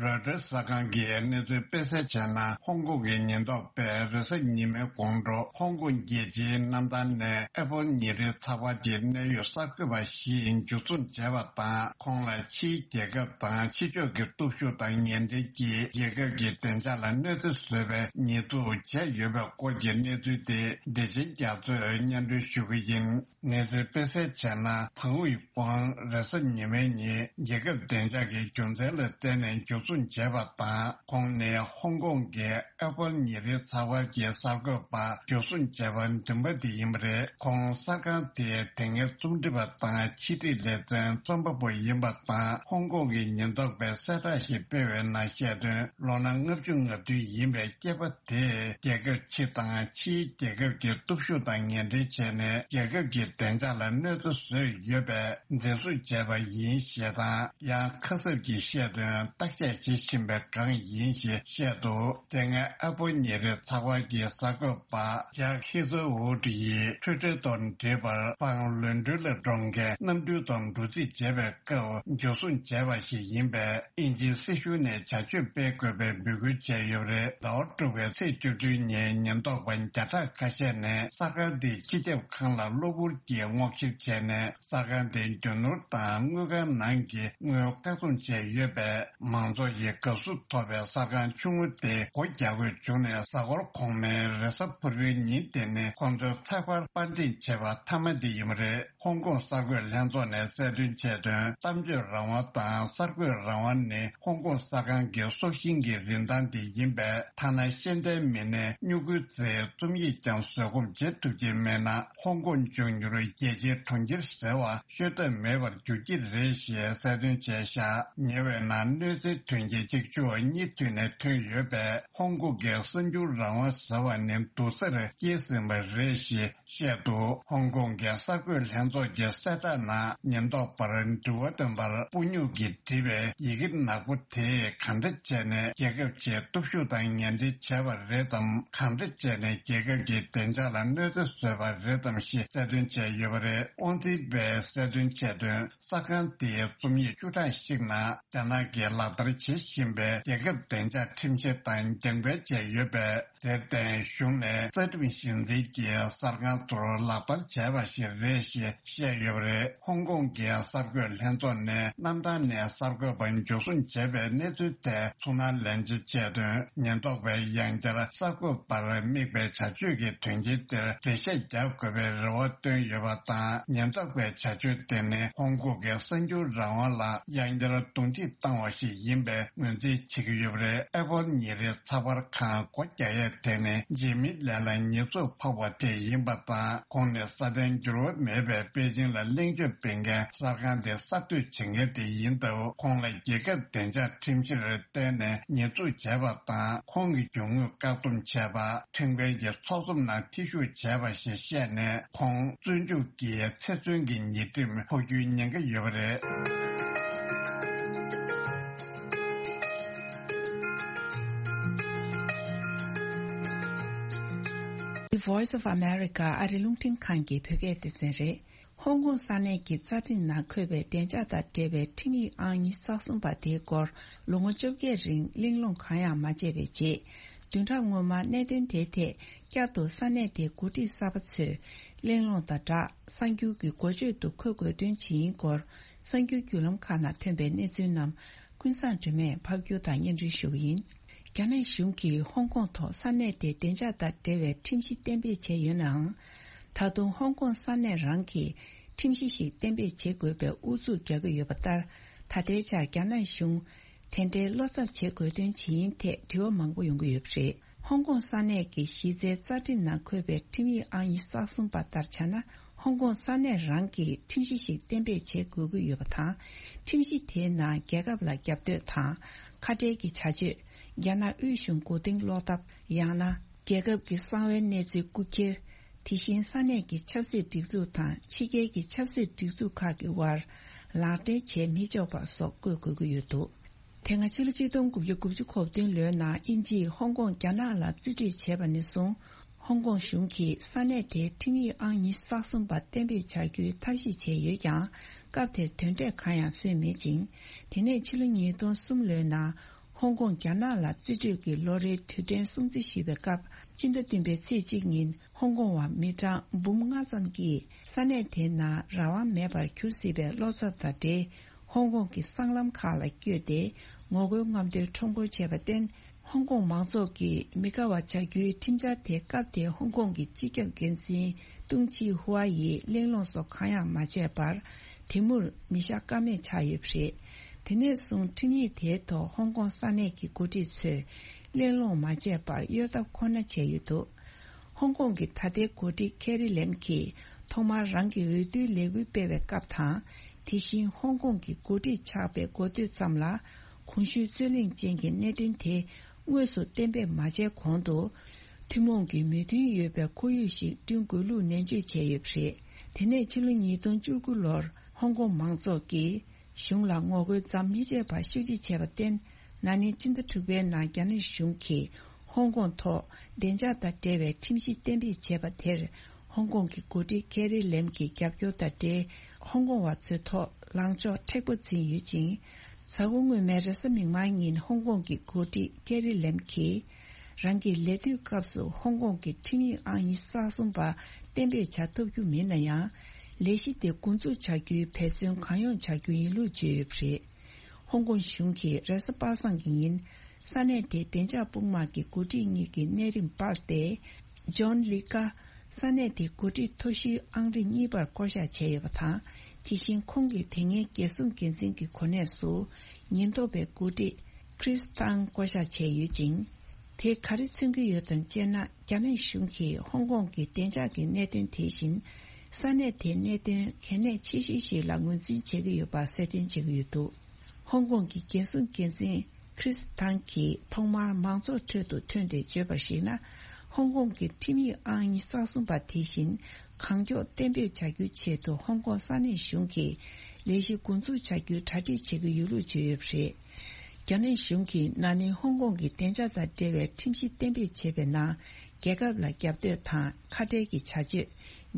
རོའི་ཊར་གསར་ཁང་གིས་གནས་ཚུལ་སྤེལ་གསལ་བྱས་ན། ཧོང་ཀོང་གི་ཉེན་རྟོག་པས་རེས་གཟའ་ཉི་མའི་དགོང་དྲོ་ཧོང་ཀོང་རྒྱལ་སྤྱིའི་གནམ་ཐང་ནས་ཨེ་པལ་ཉིན་རེའི་ཚགས་པར་གྱི་གནད་ཡོད་གསར་འགོད་པ་ཞིག་འཇུ་བཟུང་བྱས་པ་དང་། ཁོང་ལ་ཕྱིའི་རྒྱལ་ཁབ་དང་ཕྱི་ཕྱོགས་ཀྱི་སྟོབས་ཤུགས་དང་ཉེ་འབྲེལ་གྱིས་རྒྱལ་ཁབ་ཀྱི་བདེ་འཇགས་ལ་གནོད་འཚེ་བཟོས་པའི་ཉེས་འཛུགས་བྱས་ཡོད་པའི་སྐོར་གྱི་གནས་ཚུལ་དེ་བདེ་ཆེན་རྒྱ་མཚོས་སྙན་སྒྲོན་ཞུ་གི་ཡིན། གནས་ཚུལ་སྤེལ་གསལ་བྱས་ན། ཕང་ཝུའེ་ཝང་རེས་གཟའ་ཉི་མའི་ཉིན་རྒྱལ་ཁབ་བདེ་འཇགས་ཀྱི་རྒྱུ་མཚན་ལ་བརྟེན་ནས་འཇུ་བཟུང་བྱས་པ་དང་། ཁོང་ནི་ཧོང་ཀོང་གི་ཨེ་པལ་ཉིན་རེའི་ཚགས་པར་གྱི་གསར་འགོད་པ་འཇུ་བཟུང་བྱས་པ་བདུན་པ་དེ་ཡིན་པ་རེད། ཁོང་གསར་ཁང་དེའི་དེ་སྔའི་རྩོམ་སྒྲིག་པ་དང་ཕྱི་དྲིལ་ལེ་ཚན་རྩོམ་པ་པོ་ཡིན་པ་དང་། ཧོང་ཀོང་གི་ཉེན་རྟོག་པས་གསལ་བསྒྲགས་ཤིག་སྤེལ་བའི་ནང་བཤད་དོན། ལོ་ན་ལྔ་བཅུ་ང་བདུན་ཡིན་པའི་སྐྱེས་པ་དེས་རྒྱལ་ཁབ་ཕྱི་དང་ཕྱིའི་རྒྱལ་ཁབ་ཀྱི་སྟོབས་ཤུགས་དང་ངན་འབྲེལ་བྱས་ནས། རྒྱལ་ཁབ་ཀྱི་བདེ་འཇགས་ལ་གནོད་འཚེ་བཟོས་ཡོད་པའི་འཛིན་བཟུང་བྱས་པ་ཡིན་ཞེས་དང་། ཡང་ཁ་གསབ་ཀྱི་བཤད་དོན་བརྟག་དཔྱད་བྱེད་བཞིན་པའི་སྒང་ཡིན་ཞེས་བཤད་འདུག། དེ་སྔའི་ཨེ་པལ་ཉིན་རེའི་ཚགས་པར་གྱི་གསར་འགོད་པ་ཇག་ཧི་ཛོ་ཝུད་ཡིས་ཊུའི་ཊར་དང་འབྲེལ་བར་ཕང་ལོན་ཌོན་ལ་འགྲོ་མཁན་གནམ་གྲུའི་ཐོག་འགྲོ་རྩིས་བྱས་པའི་སྐབས་འཇུ་བཟུང་བྱས་པ་ཞིག་ཡིན་པས། དབྱིན་ཇིའི་སྲིད་གཞུང་ནས་བྱ་སྤྱོད་སྤེལ་དགོས་པའི་འབོད་སྐུལ་བྱས་ཡོད་པ་རེད། ཟླ་བ་དྲུག་པའི་ཚེས་བཅུ་བདུན་ཉིན་ཉེན་རྟོག་པ་བརྒྱ་ཕྲག་ཁ་ཤས་ནས་གསར་ཁང་དེའི་སྤྱི་ཁྱབ་ཁང་ལ་གློ་བུར་གྱིས་སྔོག་བཤེར་བྱས་ནས། གསར་ཁང་དེ་རྒྱུ་ནོར་དང་དངུལ་ཁང་ནང་གི་དངུལ་བཀག་སྡོམ་བྱས་ཡོད་པས། མང་ཚོགས་ཀྱིས་དགའ་བསུ་ཐོབ་པའི་གསར་ཁང་ཆུང་ངུ་དེ་སྒོ་རྒྱག་དགོས་བྱུང་ནས། གཟའ་འཁོར་གོང་མའི་རེས་གཟའ་ཕུར་བུའི་ཉིན་དེ་ནི་ཁོང་ཚོའི་ཚགས་པར་པར་འདེམས་བྱས་པ་མཐའ་མ་དེ་ཡིན་པ་རེད། ཧོང་ཀོང་གསར་འགོད་ལྷན་ཚོགས་ནས་གསལ་སྟོན་བྱས་དོན། གཏམ་བརྗོད་རང་དབང་དང་གསར་འགོད་རང་དབང་ནི་ཧོང་ཀོང་གསར་ཁང་གི་སྲོག་ཤིང་གི་རིན་ཐང་དེ་ཡིན་པས། ཐ་ན་ཤེས་ལྡན་མི་སྣའི་སྨྱུ་གུའི་རྩིས་རྩོམ་ཡིག་ཀྱང་བཟོད་སྒོམ་བྱེད་ཐུབ་ཀྱི་མེད་ན། ཧོང་ཀོང་འབྱུང་འགྱུར། རུ་རྒྱལ་སྤྱིའི་གྲོང་ཁྱེར་ཟེར་བ་ཤོད་འདོད་མེད་པར་འགྱུར་གྱི་རེད་ཞེས་གསལ་སྟོན་བྱས་བཞག་ཉེ་བའི་ནང་གནོད་འཚེའི་དོན་རྐྱེན་གཅིག་བཅུ་གཉིས་མཐུད་ནས་ཐོན་ཡོད་པས། ཧོང་ཀོང་གི་གསར་འགྱུར་རང་དབང་ཟེར་བ་ནི་སྡུག་སར་སྐྱེས་ཟིན་པ་རེད་ཞེས་བཤད་འདུག་ཧོང་ཀོང་གི་གསར་འགོད་ལྷན་ཚོགས་ཀྱི་གསལ་བསྒྲགས་ནང་ཉེན་རྟོག་པར་འགྲུལ་བ་འདོན་པར་སྤུ་སྨྱུག་གིས་བྲིས་པའི་ཡི་གེ་ནག་པོ་དེས་གང་འདྲ་བྱས་ནས་རྒྱལ་ཁབ་ཆེད་སྟོབས་ཤུགས་དང་ངན་འབྲེལ་བྱས་པ་རེད་དམ། གང་འདྲ་བྱས་ནས་རྒྱལ་ཁབ་ཀྱི་བདེ་འཇགས་ལ་གནོད་འཚེ་བཟོས་པ་རེད་དམ་ཞེས་གསལ་སྟོན་བྱས་ཡོད་པ་རེད། དབང་འཛིན་པས་གསལ་སྟོན་བྱས་དོན། གསར་ཁང་དེའི་རྩོམ་ཡིག་བཅུ་གྲངས་ཤིག་ནང་རྒྱ་ནག་གིས་ལག་བསྟར་བྱེད་བཞིན་པའི་རྒྱལ་ཁབ་བདེ་འཇགས་ཁྲིམས་གཞི་དང་རྒྱང་འཕེན་བྱས་ཡོད་པས། དེར་བརྟེན་གཞུང་ནས་རྩ་ཁྲིམས་གཞི་འཛིན་གྱིས་གསར་ཁང་ཚོར་ལག་བསྟར་བྱས་པ་ཞིག་རེད་ཞེས་བཤད་ཡོད་པ་རེད། ཧོང་ཀོང་གི་གསར་འགོད་ལྷན་ཚོགས་ནས་གནམ་ཐང་ནས་གསར་འགོད་པ་འཇུ་བཟུང་བྱས་པའི་གནས་ཚུལ་ཐད་ཚུར་སྣང་ལེན་བྱེད་དོན། ཉེན་རྟོག་པས་ཡང་བསྐྱར་གསར་འགོད་པར་དམིགས་པའི་བྱ་སྤྱོད་ཀྱི་དོན་རྐྱེན་དེར་འགྲེལ་བཤད་རྒྱག་དགོས་པའི་རེ་བ་བཏོན་ཡོད་པ་དང་། ཉེན་རྟོག་པའི་བྱ་སྤྱོད་དེ་ནི་ཧོང་ཀོང་གི་གསར་འགྱུར་རང་དབང་ལ་ཡང་བསྐྱར་རྡུང་རྡེག་བཏང་བ་ཞིག་ཡིན་པའི་ངོས་འཛིན་བྱེད་ཀྱི་ཡོད་པ་རེད། ཨེ་པོལ་ཉིན་རེའི་ཚགས་པར་ཁང་སྒོ་རྒྱག་ཡས་དེ་ནི་འཇིགས་མེད་ལན་ལ་ཉེས་འཛུགས་ཕོག་པ་དེ་ཡིན་པ་དང་། ཁོང་ནི་སྲ་བརྟན་འགྱུར་བ་མེད་པའི་པེ་ཅིང་ལ་གླེང་བརྗོད་སྤེལ་མཁན་གསར་ཁང་དེ་གསར་གཏོད་བྱེད་མཁན་དེ་ཡིན་སྟབས། ཁོང་ལ་རྒྱལ་ཁབ་བདེ་འཇགས་ཁྲིམས་གཞིར་བརྟེན་ནས་ཉེས་འཛུགས་བྱས་པ་དང་། ཁོང་གི་རྒྱུ་དངོས་བཀག་སྡོམ་བྱས་པ། ཁྲིམས་འགལ་གྱི་ཚོགས་འཛོམས་ནང་ཐེ་ཞུགས་བྱས་པ་ཞེས་བཤད་ནས། ཁོང་བཙོན་འཇུག་གིས་ཚེ་བཙོན་གྱི་ཉེས་ཁྲིམས་ཕོག་རྒྱུའི་ཉེན་ཁ་ཡོད་པ་རེད། The Voice of America ཨ་རི་རླུང་འཕྲིན་ཁང་གི་བོད་སྐད་སྡེ་ཚན་རེད། ཧོང་ཀོང་ས་གནས་ཀྱི་རྩ་ཁྲིམས་ནང་འཁོད་པའི་བདེ་འཇགས་དང་འབྲེལ་བའི་ཁྲིམས་ཡིག་ཨང་ཉི་ཤུ་རྩ་གསུམ་པ་དེའི་སྐོར་ལོ་ངོ་བཅོ་བརྒྱད་རིང་གླེང་སློང་གང་ཡང་མ་བྱས་པའི་རྗེས། བདུན་ཕྲག་སྔོན་མ་གནད་དོན་དེའི་ཐད་བསྐྱར་དུ་ས་གནས་དེའི་འགོ་ཁྲིད་གསར་པ་ཚོས་གླེང་སློང་དང་སྦྲགས། གསར་འགྱུར་གྱི་འགོ་བརྗོད་དུ་ཁོས་དགོས་འདུན་ཇི་ཡིན་སྐོར་གསར་འགྱུར་བརྒྱུད་ལམ་ཁག་ནང་ཐོན་པའི་གནས་ཚུལ་རྣམས་ཀུན་བཟང་སྒྲོལ་མས་ཕབ་སྒྱུར་དང་སྙན་སྒྲོན་ཞུ་གི་ཡིན། རྒྱ་ནག་གཞུང་གིས་ཧོང་ཀོང་ཐོག་ས་གནས་དེའི་བདེ་འཇགས་དང་འབྲེལ་བའི་ཁྲིམས་གཞི་གཏན་འབེབས་བྱས་ཡོད་ནའང་། ད་དུང་ཧོང་ཀོང་ས་གནས་རང་གིས་ཁྲིམས་གཞི་ཞིག་གཏན་འབེབས་བྱེད་དགོས་པའི་ཨུ་ཚུགས་རྒྱག་གི་ཡོད་པ་ལྟར། ད་ལྟའི་ཆར་རྒྱ་ནག་གཞུང་དེ་འདྲའི་བློ་འཚབ་བྱེད་དགོས་དོན་ཇི་ཡིན་ཐད་དྲི་བ་མང་པོ་ཡོང་གི་ཡོད་པ་རེད། ཧོང་ཀོང་ས་གནས་ཀྱི་གཞི་རྩའི་རྩ་ཁྲིམས་ནང་འཁོད་པའི་ཁྲིམས་ཡིག་ཨང་ཉི་ཤུ་རྩ་གསུམ་པ་ལྟར་བྱས་ན། ཧོང་ཀོང་ས་གནས་རང་གིས་ཁྲིམས་གཞི་ཞིག་གཏན་འབེབས་བྱེད་དགོས་ཀྱི་ཡོད་པ་དང་། ཁྲིམས་གཞི་དེའི་ནང་རྒྱལ་ཁབ་ལ་རྒྱབ་གཏོད་དང་། ཁ་བྲལ་གྱི་བྱ་སྤྱོད། རྒྱ་ནག་དབུས་གཞུང་མགོ་རྟིང་སློག་ཐབས། ཡང་ན་རྒྱལ་ཁབ་ཀྱི་གསང་བའི་གནས་ཚུལ་རྐུ་འཁྱེར། དེ་བཞིན་ས་གནས་ཀྱི་ཆབ་སྲིད་སྒྲིག་འཛུགས་དང་ཕྱི་རྒྱལ་གྱི་ཆབ་སྲིད་སྒྲིག་འཛུགས་ཁག་གི་དབར་ལག་འབྲེལ་བྱེད་མི་ཆོག་པ་སོགས་བཀོད་དགོས་ཀྱི་ཡོད་འདུག་དེ་སྔ་ཕྱི་ལོ་ཆིག་སྟོང་དགུ་བརྒྱ་དགུ་བཅུ་གོ་བདུན་ལོའི་ནང་དབྱིན་ཇིས་ཧོང་ཀོང་རྒྱ་ནག་ལ་རྩིས་སྤྲོད་བྱས་པ་ནས་བཟུང་། ཧོང་ཀོང་གཞུང་གིས་ས་གནས་དེའི་ཁྲིམས་ཡིག་ཨང་ཉི་ཤུ་རྩ་གསུམ་པ་གཏན་འབེབས་བྱ་རྒྱུའི་ཐབས་ཤེས་བྱས་ཡོད་ཀྱང་། སྐབས་དེར་དོན་འབྲས་གང་ཡང་སོན་མེད་ཅིང་། དེ་ནས་ཕྱི་ལོ་ཉིས་སྟོང་གསུམ་ལོའི་ནང་ཧོང་ཀོང་རྒྱ་ནག་ལ་རྩིས་སྤྲོད་ཀྱི་ལོ་རེའི་དུས་དྲན་སྲུང་བརྩི་ཞུས་པའི་སྐབས། སྤྱི་ཟླ་བདུན་པའི་ཚེས་གཅིག་ཉིན་ཧོང་ཀོང་བ་མི་གྲངས་འབུམ་ལྔ་ཙམ་གྱིས་ས་གནས་དེའི་ནང་རང་དབང་མེད་པར་གྱུར་སྲིད་པའི་བློ་འཚབ་དང་འབྲེལ། ཧོང་ཀོང་གི་སྲང་ལམ་ཁག་ལ་བསྐྱོད་དེ་ངོ་རྒོལ་རྔམ་སྟོན་ཁྲོམ་སྐོར་བྱས་པར་བརྟེན། ཧོང་ཀོང་མང་ཚོགས་ཀྱིས་མི་དགའ་བ་བྱ་རྒྱུའི་ཁྲིམས་འཆར་དེ་སྐབས་དེའི་ཧོང་ཀོང་གི་སྤྱི་ཁྱབ་འགན་འཛིན་ཏུང་ཅི་ཧུའ་ཡིས་གླེང་སློང་སོགས་གང་ཡང་མ་བྱས་པར། དེ་མུར་མི་བཞག་ཀ་མེད་ཆགས་ཡོད་པ་རེད། དེ་ནས་བཟུང་ཁྲིམས་ཡིག་དེའི་ཐོག་ཧོང་ཀོང་ས་གནས་ཀྱི་འགོ་ཁྲིད་ཚོས་གླེང་སློང་མ་བྱས་པར་གཡོལ་ཐབས་ཁོ་ན་བྱས་ཡོད་འདུག་ཧོང་ཀོང་གི་ད་ལྟའི་འགོ་ཁྲིད་ཁེ་རི་ལེམ་གྱིས་ཐོག་མར་རང་གི་འོས་བསྡུའི་ལས་འགུལ་སྤེལ་བའི་སྐབས་དང་། དེ་བཞིན་ཧོང་ཀོང་གི་འགོ་ཁྲིད་ཆགས་པའི་འགོ་སྟོད་ཙམ་ལ། གོང་ཞུས་རྩོད་གླེང་ཅན་གྱི་གནད་དོན་དེ་དངོས་སུ་གཏན་འབེབས་མ་བྱས་གོང་དུ། ཐུན་མོང་གི་མོས་མཐུན་ཡོད་པའི་ཁོར་ཡུག་ཞིག་བསྐྲུན་དགོས་ལུགས་ནན་བརྗོད་བྱས་ཡོད་པ་རེད། དེ་ནས་ཕྱི་ལོ་ཉིས་སྟོང་བཅུ་དགུ་ལོར་ཧོང་ཀོང་མང་ཚོགས་ཀྱིས། གཞུང་ལ་ངོ་རྒོལ་མཚམས་མི་ཆད་པར་ཤུགས་ཆེ་བྱས་པར་བརྟེན། ན་ནིང་སྤྱི་ཟླ་དྲུག་པའི་ནང་རྒྱ་ནག་གཞུང་གིས་ཧོང་ཀོང་ཐོག་བདེ་འཇགས་དང་འབྲེལ་བའི་ཁྲིམས་གཞི་གཏན་འབེབས་བྱས་པ་དེར། ཧོང་ཀོང་གི་འགོ་ཁྲིད་ཁེ་རི་ལེམ་གྱི་རྒྱབ་སྐྱོར་དང་འབྲེལ། ཧོང་ཀོང་བ་ཚོའི་ཐོག་ལངས་ཕྱོགས་མཁྲེགས་པོ་འཛིན་ཡོད་ཅིང་། གཟའ་འཁོར་སྔོན་མའི་རེས་གཟའ་མིག་དམར་ཉིན་ཧོང་ཀོང་གི་འགོ་ཁྲིད་ཁེ་རི་ལེམ་གྱིས། རང་གི་ལས་དུས་སྐབས་སུ་ཧོང་ཀོང་གི་ཁྲིམས་ཡིག་ཨང་ཉི་ཤུ་རྩ་གསུམ་པ་གཏན་འབེབས་བྱ་ཐུབ་རྒྱུ་མིན་ན་ཡང་། ལས་གཞི་དེ་འགོ་འཛུགས་བྱ་རྒྱུའི་འབད་བརྩོན་གང་ཡོང་བྱ་རྒྱུ་ཡིན་ལུགས་བརྗོད་ཡོད་པ་རེད། ཧོང་ཀོང་གཞུང་གིས་རེས་གཟའ་པ་སངས་ཀྱི་ཉིན། ས་གནས་དེའི་བདེ་འཇགས་དཔུང་དམག་གི་འགོ་ཁྲིད་གཉིས་ཀྱི་གནས་རིམ་སྤར་ཏེ། ཇོན་ལི་ཀ་ས་གནས་དེའི་འགོ་ཁྲིད་མཐོ་ཤོས་ཨང་རིམ་གཉིས་པར་བསྐོ་གཞག་བྱས་ཡོད་པ་དང་། དེ་བཞིན་ཁོང་གིས་དེ་སྔའི་རྒྱལ་སྲུང་འགན་འཛིན་གྱི་གོ་གནས་སུ། ཉེན་རྟོག་པའི་འགོ་ཁྲིད་ཁྲིས་ཏང་བསྐོ་གཞག་བྱས་ཡོད་ཅིང་། དེས་ག་རེ་མཚོན་གྱི་ཡོད་དམ་ཅེ་ན། རྒྱ་ནག་གཞུང་གིས་ཧོང་ཀོང་གི་བདེ་འཇགས་ཀྱི་གནད་དོན་དེ་བཞིན། ས་གནས་དེའི་གནད་དོན་གལ་གནད་ཆེ་ཤོས་ཤིག་ལ་ངོས་འཛིན་བྱེད་ཀྱི་ཡོད་པ་གསལ་སྟོན་བྱེད་ཀྱི་ཡོད་འདུག་ཧོང་ཀོང་གི་རྒྱལ་སྲུང་འགན་འཛིན་ཁྲིས་ཐང་གིས་ཐོག་མར་མང་ཚོགས་ཁྲོད་དུ་ཐོན་ཏེ་བརྗོད་པར་གཞིགས་ན། ཧོང་ཀོང་གི་ཁྲིམས་ཡིག་ཨང་ཉི་ཤུ་རྩ་གསུམ་པ་དེ་བཞིན་གང་མགྱོགས་གཏན་འབེབས་བྱ་རྒྱུའི་ཆེད་དུ་ཧོང་ཀོང་ས་གནས་གཞུང་གིས་ལས་གཞི་འགོ་འཛུགས་བྱ་རྒྱུའི་གྲ་སྒྲིག་བྱེད་ཀྱི་ཡོད་ལུགས་བརྗོད་ཡོད་པ་རེད། རྒྱ་ནག་གཞུང་གིས་ན་ནིང་ཧོང་ཀོང་གི་བདེ་འཇགས་དང་འབྲེལ་བའི་ཁྲིམས་གཞི་གཏན་འབེབས་བྱས་པའི་ནང་། རྒྱལ་ཁབ་ལ་རྒྱབ་གཏོད་དང་ཁ་བྲལ་གྱི་བྱ་སྤྱོད།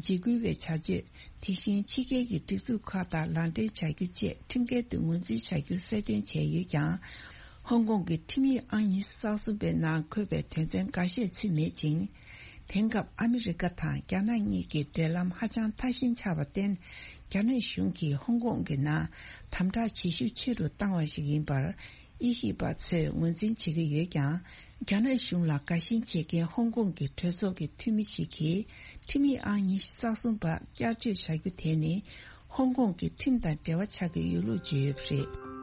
འཇིགས་སྐུལ་བའི་བྱ་སྤྱོད། དེ་བཞིན་ཕྱི་རྒྱལ་གྱི་སྒྲིག་འཛུགས་ཁག་དང་ལག་འབྲེལ་བྱ་རྒྱུ་བཅས་ཁྲིམས་འགལ་དུ་ངོས་འཛིན་བྱ་རྒྱུ་གསལ་སྟོན་བྱས་ཡོད་ཀྱང་། ཧོང་ཀོང་གི་ཁྲིམས་ཡིག་ཨང་ཉི་ཤུ་རྩ་གསུམ་པའི་ནང་འཁོད་པའི་དོན་ཚན་འགའ་ཤས་ཚུད་མེད་ཅིང་། དེང་སྐབས་ཨ་མི་རི་ཀ་དང་རྒྱ་ནག་གཉིས་ཀྱི་འབྲེལ་ལམ་ཧ་ཅང་ཐ་ཞན་ཆགས་པར་བརྟེན། རྒྱ་ནག་གཞུང་གིས་ཧོང་ཀོང་གི་ནང་དམ་དྲག་བྱེད་ཤུགས་ཆེ་རུ་བཏང་བ་ཞིག་ཡིན་པར། དབྱེ་ཞིབ་པ་ཚོས་ངོས་འཛིན་བྱེད་ཀྱི་ཡོད་ཀྱང་། རྒྱ་ནག་གཞུང་ལ་དགའ་ཞེན་བྱེད་མཁན་ཧོང་ཀོང་གི་གྲོས་ཚོགས་ཀྱི་འཐུས་མི་ཞིག་གིས་ཁྲིམས་ཡིག་ཨང་ཉི་ཤུ་རྩ་གསུམ་པ་བསྐྱར་བཅོས་བྱ་རྒྱུ་དེ་ནི་ཧོང་ཀོང་གི་ཁྲིམས་དང་འབྲེལ་བ་ཆགས་ཀྱི་ཡོད་ལུགས་བརྗོད་ཡོད་པ་རེད།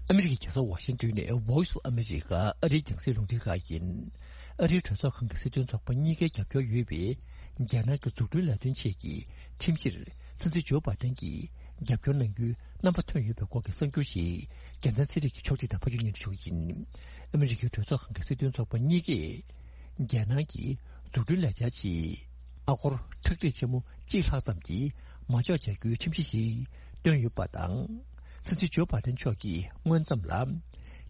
ཨ་མི་རི་ཀའི་རྒྱལ་ས་ཝ་ཤིང་ཏོན་ནས་Voice of America ཨ་རིའི་རྒྱང་སྲིང་རླུང་འཕྲིན་ཁང་ཡིན། ཨ་རིའི་གྲོས་ཚོགས་ཁང་གི་སྲིད་དོན་ཚོགས་པ་གཉིས་ཀའི་རྒྱབ་སྐྱོར་ཡོད་པའི་རྒྱ་ནག་གི་འཛུགས་སྐྲུན་ལས་དོན་ཆེད་ཀྱི་ཁྲིམས་ཕྱིར་སྲིད་འཛིན་ཇོ་བྷ་དན་གྱིས་རྒྱབ་སྐྱོར་གནང་རྒྱུའི་རྣམ་པ་ཐོན་ཡོད་པའི་སྐོར་གྱི་གསར་འགྱུར་ཞིག་རྒྱལ་མཚན་ཚེ་རིང་གིས་ཕྱོགས་སྒྲིག་དང་ཕབ་སྒྱུར་སྙན་སྒྲོན་ཞུ་གི་ཡིན། ཨ་མི་རི་ཀའི་གྲོས་ཚོགས་ཁང་གི་སྲིད་དོན་ཚོགས་པ་གཉིས་ཀས་རྒྱལ་ནང་གི་འཛུགས་སྐྲུན་ལས་འཆར་ཆེད་ཨ་སྒོར་ཁྲག་ཁྲིག་ཆེན་མོ་གཅིག་ལྷག་ཙམ་གྱི་མ་འཇོག་བྱ་རྒྱུའི་ཁྲིམས་གཞི་ཞིག་བཏོན་ཡོད་པ་དང་། སྲིད་འཛིན་ཇོ་བྷ་དན་མཆོག་གིས་སྔོན་ཙམ་ལ་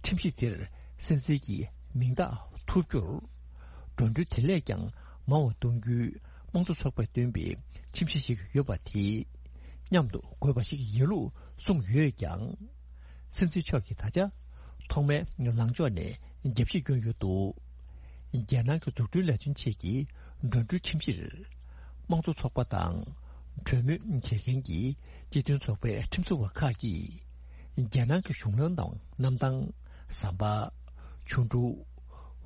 ཁྲིམས་གཞི་དེར་སྲིད་འཛིན་གྱི་མིང་རྟགས་ཐོབ་རྒྱུར། འགྲོ་གྲོན་དེ་ལས་ཀྱང་མང་བ་གཏོང་རྒྱུའི་དམངས་གཙོ་ཚོགས་པས་བཏོན་པའི་ཁྲིམས་གཞི་ཞིག་ཡོད་པ་དེ་མཉམ་དུ་དགོས་པ་ཞིག་ཡིན་ལུགས་གསུངས་ཡོད་ཀྱང་། སྲིད་འཛིན་མཆོག་གིས་ད་ཆ་ཐོག་མའི་ལངས་ཕྱོགས་ནས་རྒྱབ་བཤིག་བསྐྱོན་ཡོད་འདུག་རྒྱལ་ནང་གི་འཛུགས་སྐྲུན་ལས་དོན་ཆེད་ཀྱི་འགྲོ་གྲོན་ཁྲིམས་གཞིར། དམངས་གཙོ་ཚོགས་པ་དང་གྲོས་མོལ་བྱེད་མཁན་གྱི་སྤྱི་མཐུན་ཚོགས་པའི་ཁྲིམས་བཟོ་བ་ཁག་གིས། རྒྱལ་ནང་གི་གཞུང་ལམ་དང་གནམ་ཐང་། ཟམ་པ། ཆུ་འབྲུ།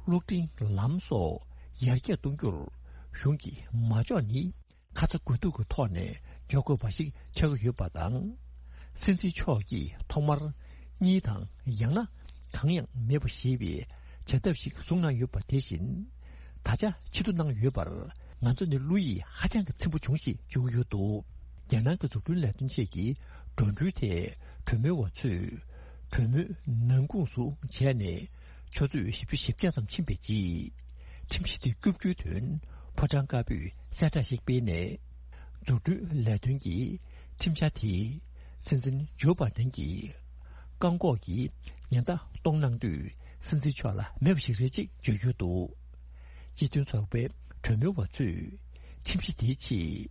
གློག་འཕྲིན་ལམ་སོགས་ཡར་རྒྱས་གཏོང་རྒྱུར་གཞུང་གི་མ་འཇོག་ནི། ཁ་ཚ་དགོས་གཏུག་གི་ཐོག་ནས་འཇོག་དགོས་པ་ཞིག་ཆགས་ཀྱི་ཡོད་པ་དང་། སྲིད་འཛིན་མཆོག་གིས་ཐོག་མར་གཉིས་དང་ཡང་ན་གང་ཡང་མེད་པ་ཞེས་པའི་བྱ་ཐབས་ཤིག་བཟུང་གནང་ཡོད་པ་དེ་བཞིན། ད་ཆ་ཕྱིར་བསྡུ་གནང་ཡོད་པར་ང་ཚོ་ནི་བློ་ཡིད་ཧ་ཅང་གི་ཚིམ་པོ་བྱུང་ཞེས་བརྗོད་ཀྱི་ཡོད་འདུག་རྒྱལ་ནང་གི་འཛུགས་སྐྲུན་ལས་དོན་ཆེད་ཀྱི་འགྲོ་གྲོན་ཐད་གྲོས་མོལ་བ་ཚོས་གྲོས་མོལ་ནང་ཁོངས་སུ་བྱས་ནས། ཆུ་ཚོད་བཞི་བཅུ་ཞེ་བརྒྱད་ཙམ་ཕྱིན་པའི་རྗེས། ཁྲིམས་གཞི་དེ་སྐྱོབ་རྒྱུའི་དོན་ཕོ་བྲང་དཀར་པོས་གསལ་བསྒྲགས་ཤིག་སྤེལ་ནས། འཛུགས་སྐྲུན་ལས་དོན་གྱི་ཁྲིམས་འཆར་དེ་སྲིད་འཛིན་ཇོ་བྷ་དན་གྱིས་བཀག་འགོག་གི་ཉེན་བརྡ་གཏོང་གནང་དུས་སྲིད་འཛིན་མཆོག་ལ་མེད་པ་ཞིག་རེད་ཅེས་བརྗོད་ཡོད་འདུག་སྤྱི་མཐུན་ཚོགས་པའི་གྲོས་མོལ་བ་ཚོས་ཁྲིམས་གཞི་དེའི་ཆེད་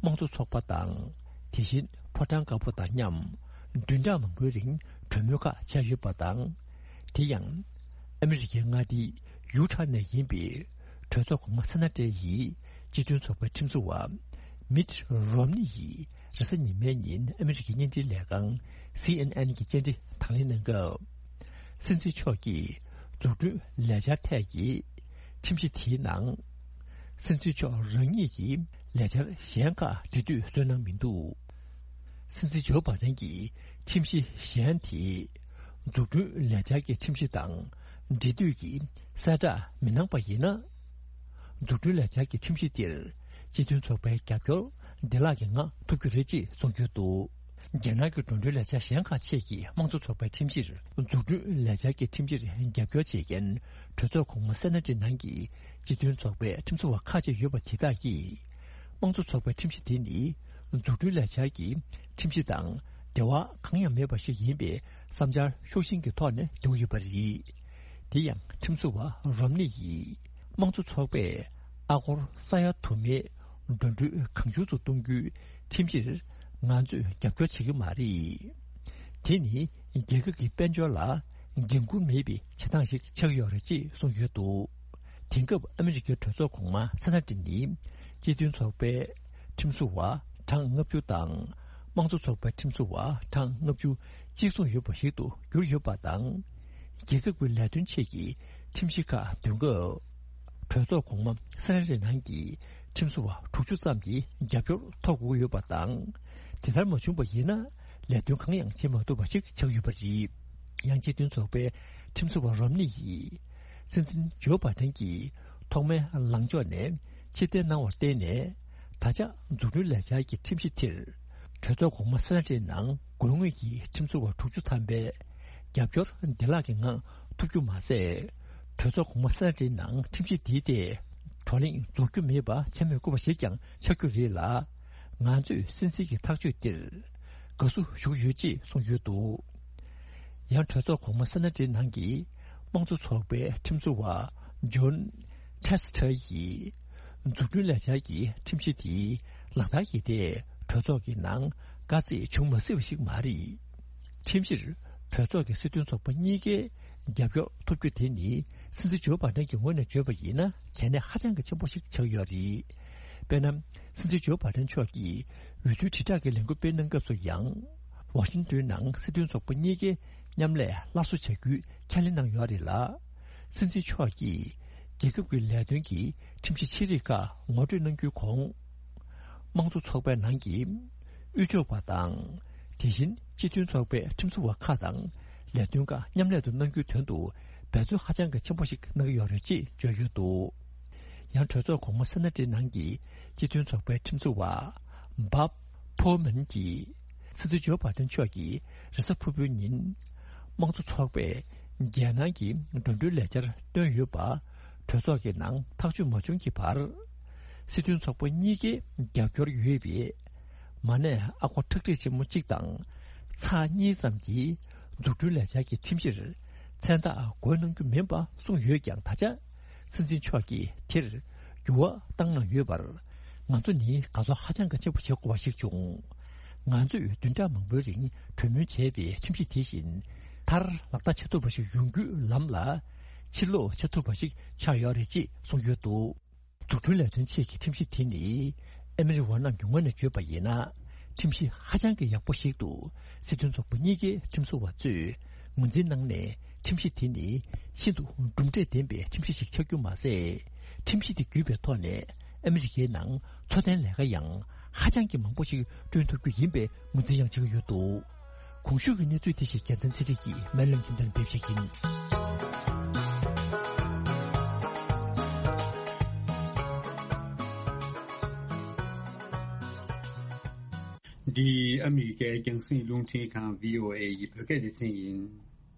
དམངས་གཙོ་ཚོགས་པ་དང་དེ་བཞིན་ཕོ་བྲང་དཀར་པོ་དང་མཉམ་བདུན་ཕྲག་མང་པོའི་རིང་གྲོས་མོལ་ཁག་བྱས་ཡོད་པ་དང་། དེ་ཡང་ཨ་མི་རི་ཀའི་མངའ་སྡེ་ཡུ་ཊ་ནས་ཡིན་པའི་གྲོས་ཚོགས་གོང་མ་སེ་ན་ཏྲེ་ཡི་སྤྱི་མཐུན་ཚོགས་པའི་ཁྲིམས་བཟོ་བ་མིད་རོམ་ནི་ཡིས་རེས་གཟའ་ཉི་མའི་ཉིན་ཨ་མི་རི་ཀའི་བརྙན་འཕྲིན་ལས་ཁང་སི་ཨེན་ཨེན་གྱི་བཅར་འདྲི་དང་ལེན་གནང་སྐབས། སྲིད་འཛིན་མཆོག་གིས་འཛུགས་སྐྲུན་ལས་འཆར་ཐད་ཀྱི་ཁྲིམས་གཞི་དེའི་ནང་། སྲིད་འཛིན་མཆོག་རང་ཉིད་ཀྱིས་ལས་འཆར་གཞན་ཁག་འབྲི་དུས་བསོད་ནམས་མི་འདུག་སྲིད་འཛིན་ཇོ་བྷ་དན་གྱིས་ཁྲིམས་གཞི་གཞན་དེ། འཛུགས་སྐྲུན་ལས་འཆར་གྱི་ཁྲིམས་གཞི་དང་འབྲེལ་མཐུད་ཀྱི་གསལ་བསྒྲགས་མི་གནང་པ་ཡིན་ན། འཛུགས་སྐྲུན་ལས་འཆར་གྱི་ཁྲིམས་གཞི་འདིར་སྤྱི་མཐུན་ཚོགས་པའི་རྒྱབ་སྐྱོར་བདེ་བླག་གིས་མངགས་ཐུབ་རྒྱུ་རེད་ཅེས་གསུངས་ཡོད་འདུག་རྒྱ་ནག་གི་འགྲོ་གྲོན་ལས་འཆར་གཞན་ཁག་ཆེད་ཀྱི་དམངས་གཙོ་ཚོགས་པའི་ཁྲིམས་གཞིར། འཛུགས་སྐྲུན་ལས་འཆར་གྱི་ཁྲིམས་གཞིར་རྒྱབ་སྐྱོར་བྱེད་མཁན་གྲོས་ཚོགས་གོང་མ་སེ་ན་ཏི་ནང་གི་སྤྱི་མཐུན་ཚོགས་པའི་ཁྲིམས་བཟོ་བ་ཁག་ཅིག་ཡོད་པ་དེ་དག་གིས། དམངས་གཙོ་ཚོགས་པའི་ཁྲིམས་གཞི་དེ་ནི། འཛུགས་སྐྲུན་ལས་འཆར་གྱི་ཁྲིམས་གཞི་དང་འབྲེལ་བ་གང་ཡང་མེད་པ་ཞིག་ཡིན་པའི་བསམ་འཆར་ཤུགས་ཆེན་གྱི་ཐོག་ནས་འདོན་གྱི་ཡོད་པ་རེད། དེ་ཡང་ཁྲིམས་བཟོ་བ་རོམ་ནི་ཡིས། དམངས་གཙོ་ཚོགས་པས་ཨ་སྒོར་ས་ཡ་དུ་མའི་འགྲོ་གྲོན་གང་བྱུང་དུ་གཏོང་རྒྱུའི་ཁྲིམས་གཞིར་ང་ཚོས་རྒྱབ་སྐྱོར་བྱེད་ཀྱི་མ་རེད། དེ་ནི་རྒྱལ་ཁབ་ཀྱི་དཔལ་འབྱོར་ལ་འགན་འཁུར་མེད་པའི་བྱེད་སྟངས་ཤིག་ཆགས་ཀྱི་ཡོད་རེད་ཅེས་གསུངས་ཡོད་འདུག་དེང་སྐབས་ཨ་མི་རི་ཀའི་གྲོས་ཚོགས་གོང་མ་སེ་ན་ཏི་ནི་སྤྱི་མཐུན་ཚོགས་པའི་ཁྲིམས་བཟོ་བ་གྲངས་ལྔ་བཅུ་དང་། དམངས་གཙོ་ཚོགས་པའི་ཁྲིམས་བཟོ་བ་གྲངས་ལྔ་བཅུ་གཅིག་མཚུངས་ཡོད་པ་ཞིག་ཏུ་གྱུར་ཡོད་པ་དང་། རྒྱལ་ཁབ་ཀྱི་ལས་དོན་ཆེད་ཀྱི་ཁྲིམས་གཞི་ཁག་འདོན་སྐབས། གྲོས་ཚོགས་གོང་མ་སེ་ན་ཏི་ནང་གི་ཁྲིམས་བཟོ་བ་དྲུག་ཅུ་ཙམ་གྱི་རྒྱབ་སྐྱོར་ཐོབ་དགོས་ཡོད་པ་དང་། དེ་ལྟར་མ་བྱུང་པ་ཡིན་ན་ལས་དོན་གང་ཡང་བྱེད་མ་ཐུབ་པ་ཞིག་ཆགས་ཡོད་པ་རེད། ཡང་སྤྱི་མཐུན་ཚོགས་པའི་ཁྲིམས་བཟོ་བ་རོམ་ནི་ཡིས་སྲིད་འཛིན་ཇོ་བྷ་དན་གྱིས་ཐོག་མའི་ལངས་ཕྱོགས་ནས་ཕྱིར་འཐེན་གནང་བར་བརྟེན་ནས། ད་ཆ་འཛུགས་སྐྲུན་ལས་འཆར་གྱི་ཁྲིམས་གཞི་དེར་གྲོས་ཚོགས་གོང་མ་སེ་ན་ཊིའི་ནང་དགོས་ངེས་ཀྱི་ཁྲིམས་བཟོ་བ་དྲུག་ཅུ་ཐམ་པའི་རྒྱབ་སྐྱོར་བདེ་བླག་གི་ངང་ཐོབ་རྒྱུ་མ་ཟད། གྲོས་ཚོགས་གོང་མ་སེ་ན་ཊིའི་ནང་ཁྲིམས་གཞི་འདིའི་ཐད་བགྲོ་གླེང་རྫོགས་རྒྱུ་མེད་པ་བྱེད་མི་དགོས་པ་ཞིག་ཀྱང་ཆགས་རྒྱུ་རེད་ལ། ང་ཚོས་སྲིད་འཛིན་གྱི་ཐག་གཅོད་འདིར་དགའ་བསུ་ཞུ་གི་ཡོད་ཅེས་གསུངས་ཡོད་འདུག་ཡང་གྲོས་ཚོགས་གོང་མ་སེ་ན་ཊིའི་ནང་གི་དམངས་གཙོ་ཚོགས་པའི་ཁྲིམས་བཟོ་བ་ཇོན་ཁྲེ་སི་ཊར་ཡིས་འཛུགས་སྐྲུན་ལས་འཆར་གྱི་ཁྲིམས་གཞི་དེ་ལག་བསྟར་གྱི་ཐད་གྲོས་ཚོགས་ཀྱི་ནང་དཀའ་ཚེགས་བྱུང་མ་སྲིད་པ་ཞིག་མ་རེད། ཁྲིམས་གཞིར་གྲོས་ཚོགས་ཀྱི་སྲིད་དོན་ཚོགས་པ་གཉིས་ཀའི་རྒྱབ་སྐྱོར་ཐོབ་རྒྱུ་དེ་ནི་སྲིད་འཛིན་ཇོ་བྷ་དན་གྱི་ངོས་ནས་བརྗོད་པ་ཡིན་ན་གལ་གནད་ཧ་ཅང་གི་ཆེན་པོ་ཞིག་ཆགས་ཡོད་རེད། དཔེར་ན། སྲིད་འཛིན་ཇོ་བྷ་དན་མཆོག་གིས་འོས་བསྡུའི་དྲིལ་བསྒྲགས་ཀྱི་ལས་འགུལ་སྤེལ་གནང་སྐབས་སུ་ཡང་། ཝ་ཤིང་ཏོན་ནང་སྲིད་དོན་ཚོགས་པ་གཉིས་ཀའི་མཉམ་ལས་སླར་གསོ་བྱ་རྒྱུའི་ཁས་ལེན་གནང་ཡོད་རེད་ལ། སྲིད་འཛིན་མཆོག་གིས་རྒྱལ་ཁབ་ཀྱི་ལས་དོན་གྱི་ཁྲིམས་གཞི་ཆེ་རིགས་ཁག་ངོ་སྤྲོད་གནང་རྒྱུའི་གོང་། དམངས་གཙོ་ཚོགས་པའི་ནང་གི་དབུས་ཕྱོགས་པ་དང་། དེ་བཞིན་སྤྱི་མཐུན་ཚོགས་པའི་ཁྲིམས་བཟོ་བ་ཁག་དང་ལས་དོན་ཁག་མཉམ་ལས་དུ་གནང་རྒྱུའི་དོན་དུ་འབད་བརྩོན་ཧ་ཅང་གི་ཆེན་པོ་ཞིག་གནང་གི་ཡོད་རེད་ཅེས་བརྗོད་ཡོད་འདུག་ཡང་གྲོས་ཚོགས་གོང་མ་སེ་ན་ཊིའི་ནང་གི་སྤྱི་མཐུན་ཚོགས་པའི་ཁྲིམས་བཟོ་བ་བྷབ་ཕོ་མན་གྱིས་སྲིད་འཛིན་ཇོ་བྷ་དན་མཆོག་གིས་རེས་གཟའ་ཕུར་བུའི་ཉིན་དམངས་གཙོ་ཚོགས་པས་རྒྱལ་ནང་གི་འགྲོ་གྲོན་ལས་འཆར་བཏོན་ཡོད་པ་གྲོས་ཚོགས་ཀྱི་ནང་ཐག་གཅོད་མ་བྱུང་གི་བར། སྲིད་དོན་ཚོགས་པ་གཉིས་ཀའི་རྒྱབ་སྐྱོར་ཡོད་པའི་མ་གནས་ཨ་སྒོར་ཁྲག་ཁྲིག་ཆེན་མོ་གཅིག་དང་ཚེག་གཉིས་ཙམ་གྱི་འཛུགས་སྐྲུན་ལས་འཆར་གྱི་ཁྲིམས་གཞིར་མཚན་རྟགས་འགོད་གནང་རྒྱུ་མིན་པ་གསུངས་ཡོད་ཀྱང་། ད་ཆ་སྲིད་འཛིན་མཆོག་གིས་དེར་འགྱུར་བ་བཏང་གནང་ཡོད་པར། ང་ཚོ་ནི་དགའ་ཚོར་ཧ་ཅང་གི་ཆེན་པོ་བྱེད་དགོས་པ་ཞིག་བྱུང་། ང་ཚོས་བདུན་ཕྲག་མང་པོའི་རིང་གྲོས་མོལ་བྱས་པའི་ཁྲིམས་གཞི་དེ་བཞིན་མཐར་ལག་བསྟར་བྱེད་ཐུབ་པ་ཞིག་ཡོང་རྒྱུའི་ལམ་ལ་ཕྱིར་ལོག་བྱེད་ཐུབ་པ་ཞིག་ཆགས་ཡོད་རེད་ཅེས་གསུངས་ཡོད་འདུག་འཛུགས་སྐྲུན་ལས་དོན་ཆེད་ཀྱི་ཁྲིམས་གཞི་དེ་ནི་ཨ་མི་རི་ཝ་རྣམས་ཀྱི་ངོས་ནས་བརྗོད་པ་ཡིན་ན། ཁྲིམས་གཞི་ཧ་ཅང་གི་ཡག་པོ་ཞིག་ཏུ་སྲིད་དོན་ཚོགས་པ་གཉིས་ཀའི་ཁྲིམས་བཟོ་བ་ཚོས་ངོས་འཛིན་གནང་ནས། ཁྲིམས་གཞི་དེ་ནི་ཤིན་ཏུ་གྲུབ་འབྲས་ལྡན་པའི་ཁྲིམས་གཞི་ཞིག་ཆགས་རྒྱུ་མ་ཟད། ཁྲིམས་གཞི་དེ་བརྒྱུད་པའི་ཐོག་ནས་ཨ་མི་རི་ཀའི་ནང་འཚོ་རྟེན་ལས་ཀ་ཡང་ཧ་ཅང་གི་མང་པོ་ཞིག་བསྐྲུན་ཐུབ་རྒྱུ་ཡིན་པའི་ངོས་འཛིན་ཡང་བྱེད་ཀྱི་ཡོད་འདུག་གོང་ཞུས་ཀྱི་གནས་ཚུལ་དེ་ཞིག་རྒྱལ་མཚན་ཚེ་རིང་གིས་སྨོན་ལམ་རྒྱུན་ལྡན་སྤེལ་བཞིན་ཡིན། འདི་ཨ་མི་རི་ཀའི་རྒྱང་སྲིང་རླུང་འཕྲིན་ཁང་བྷི་ཨོ་ཨེ་ཡི་བོད་སྐད་སྡེ་ཚན་ཡིན།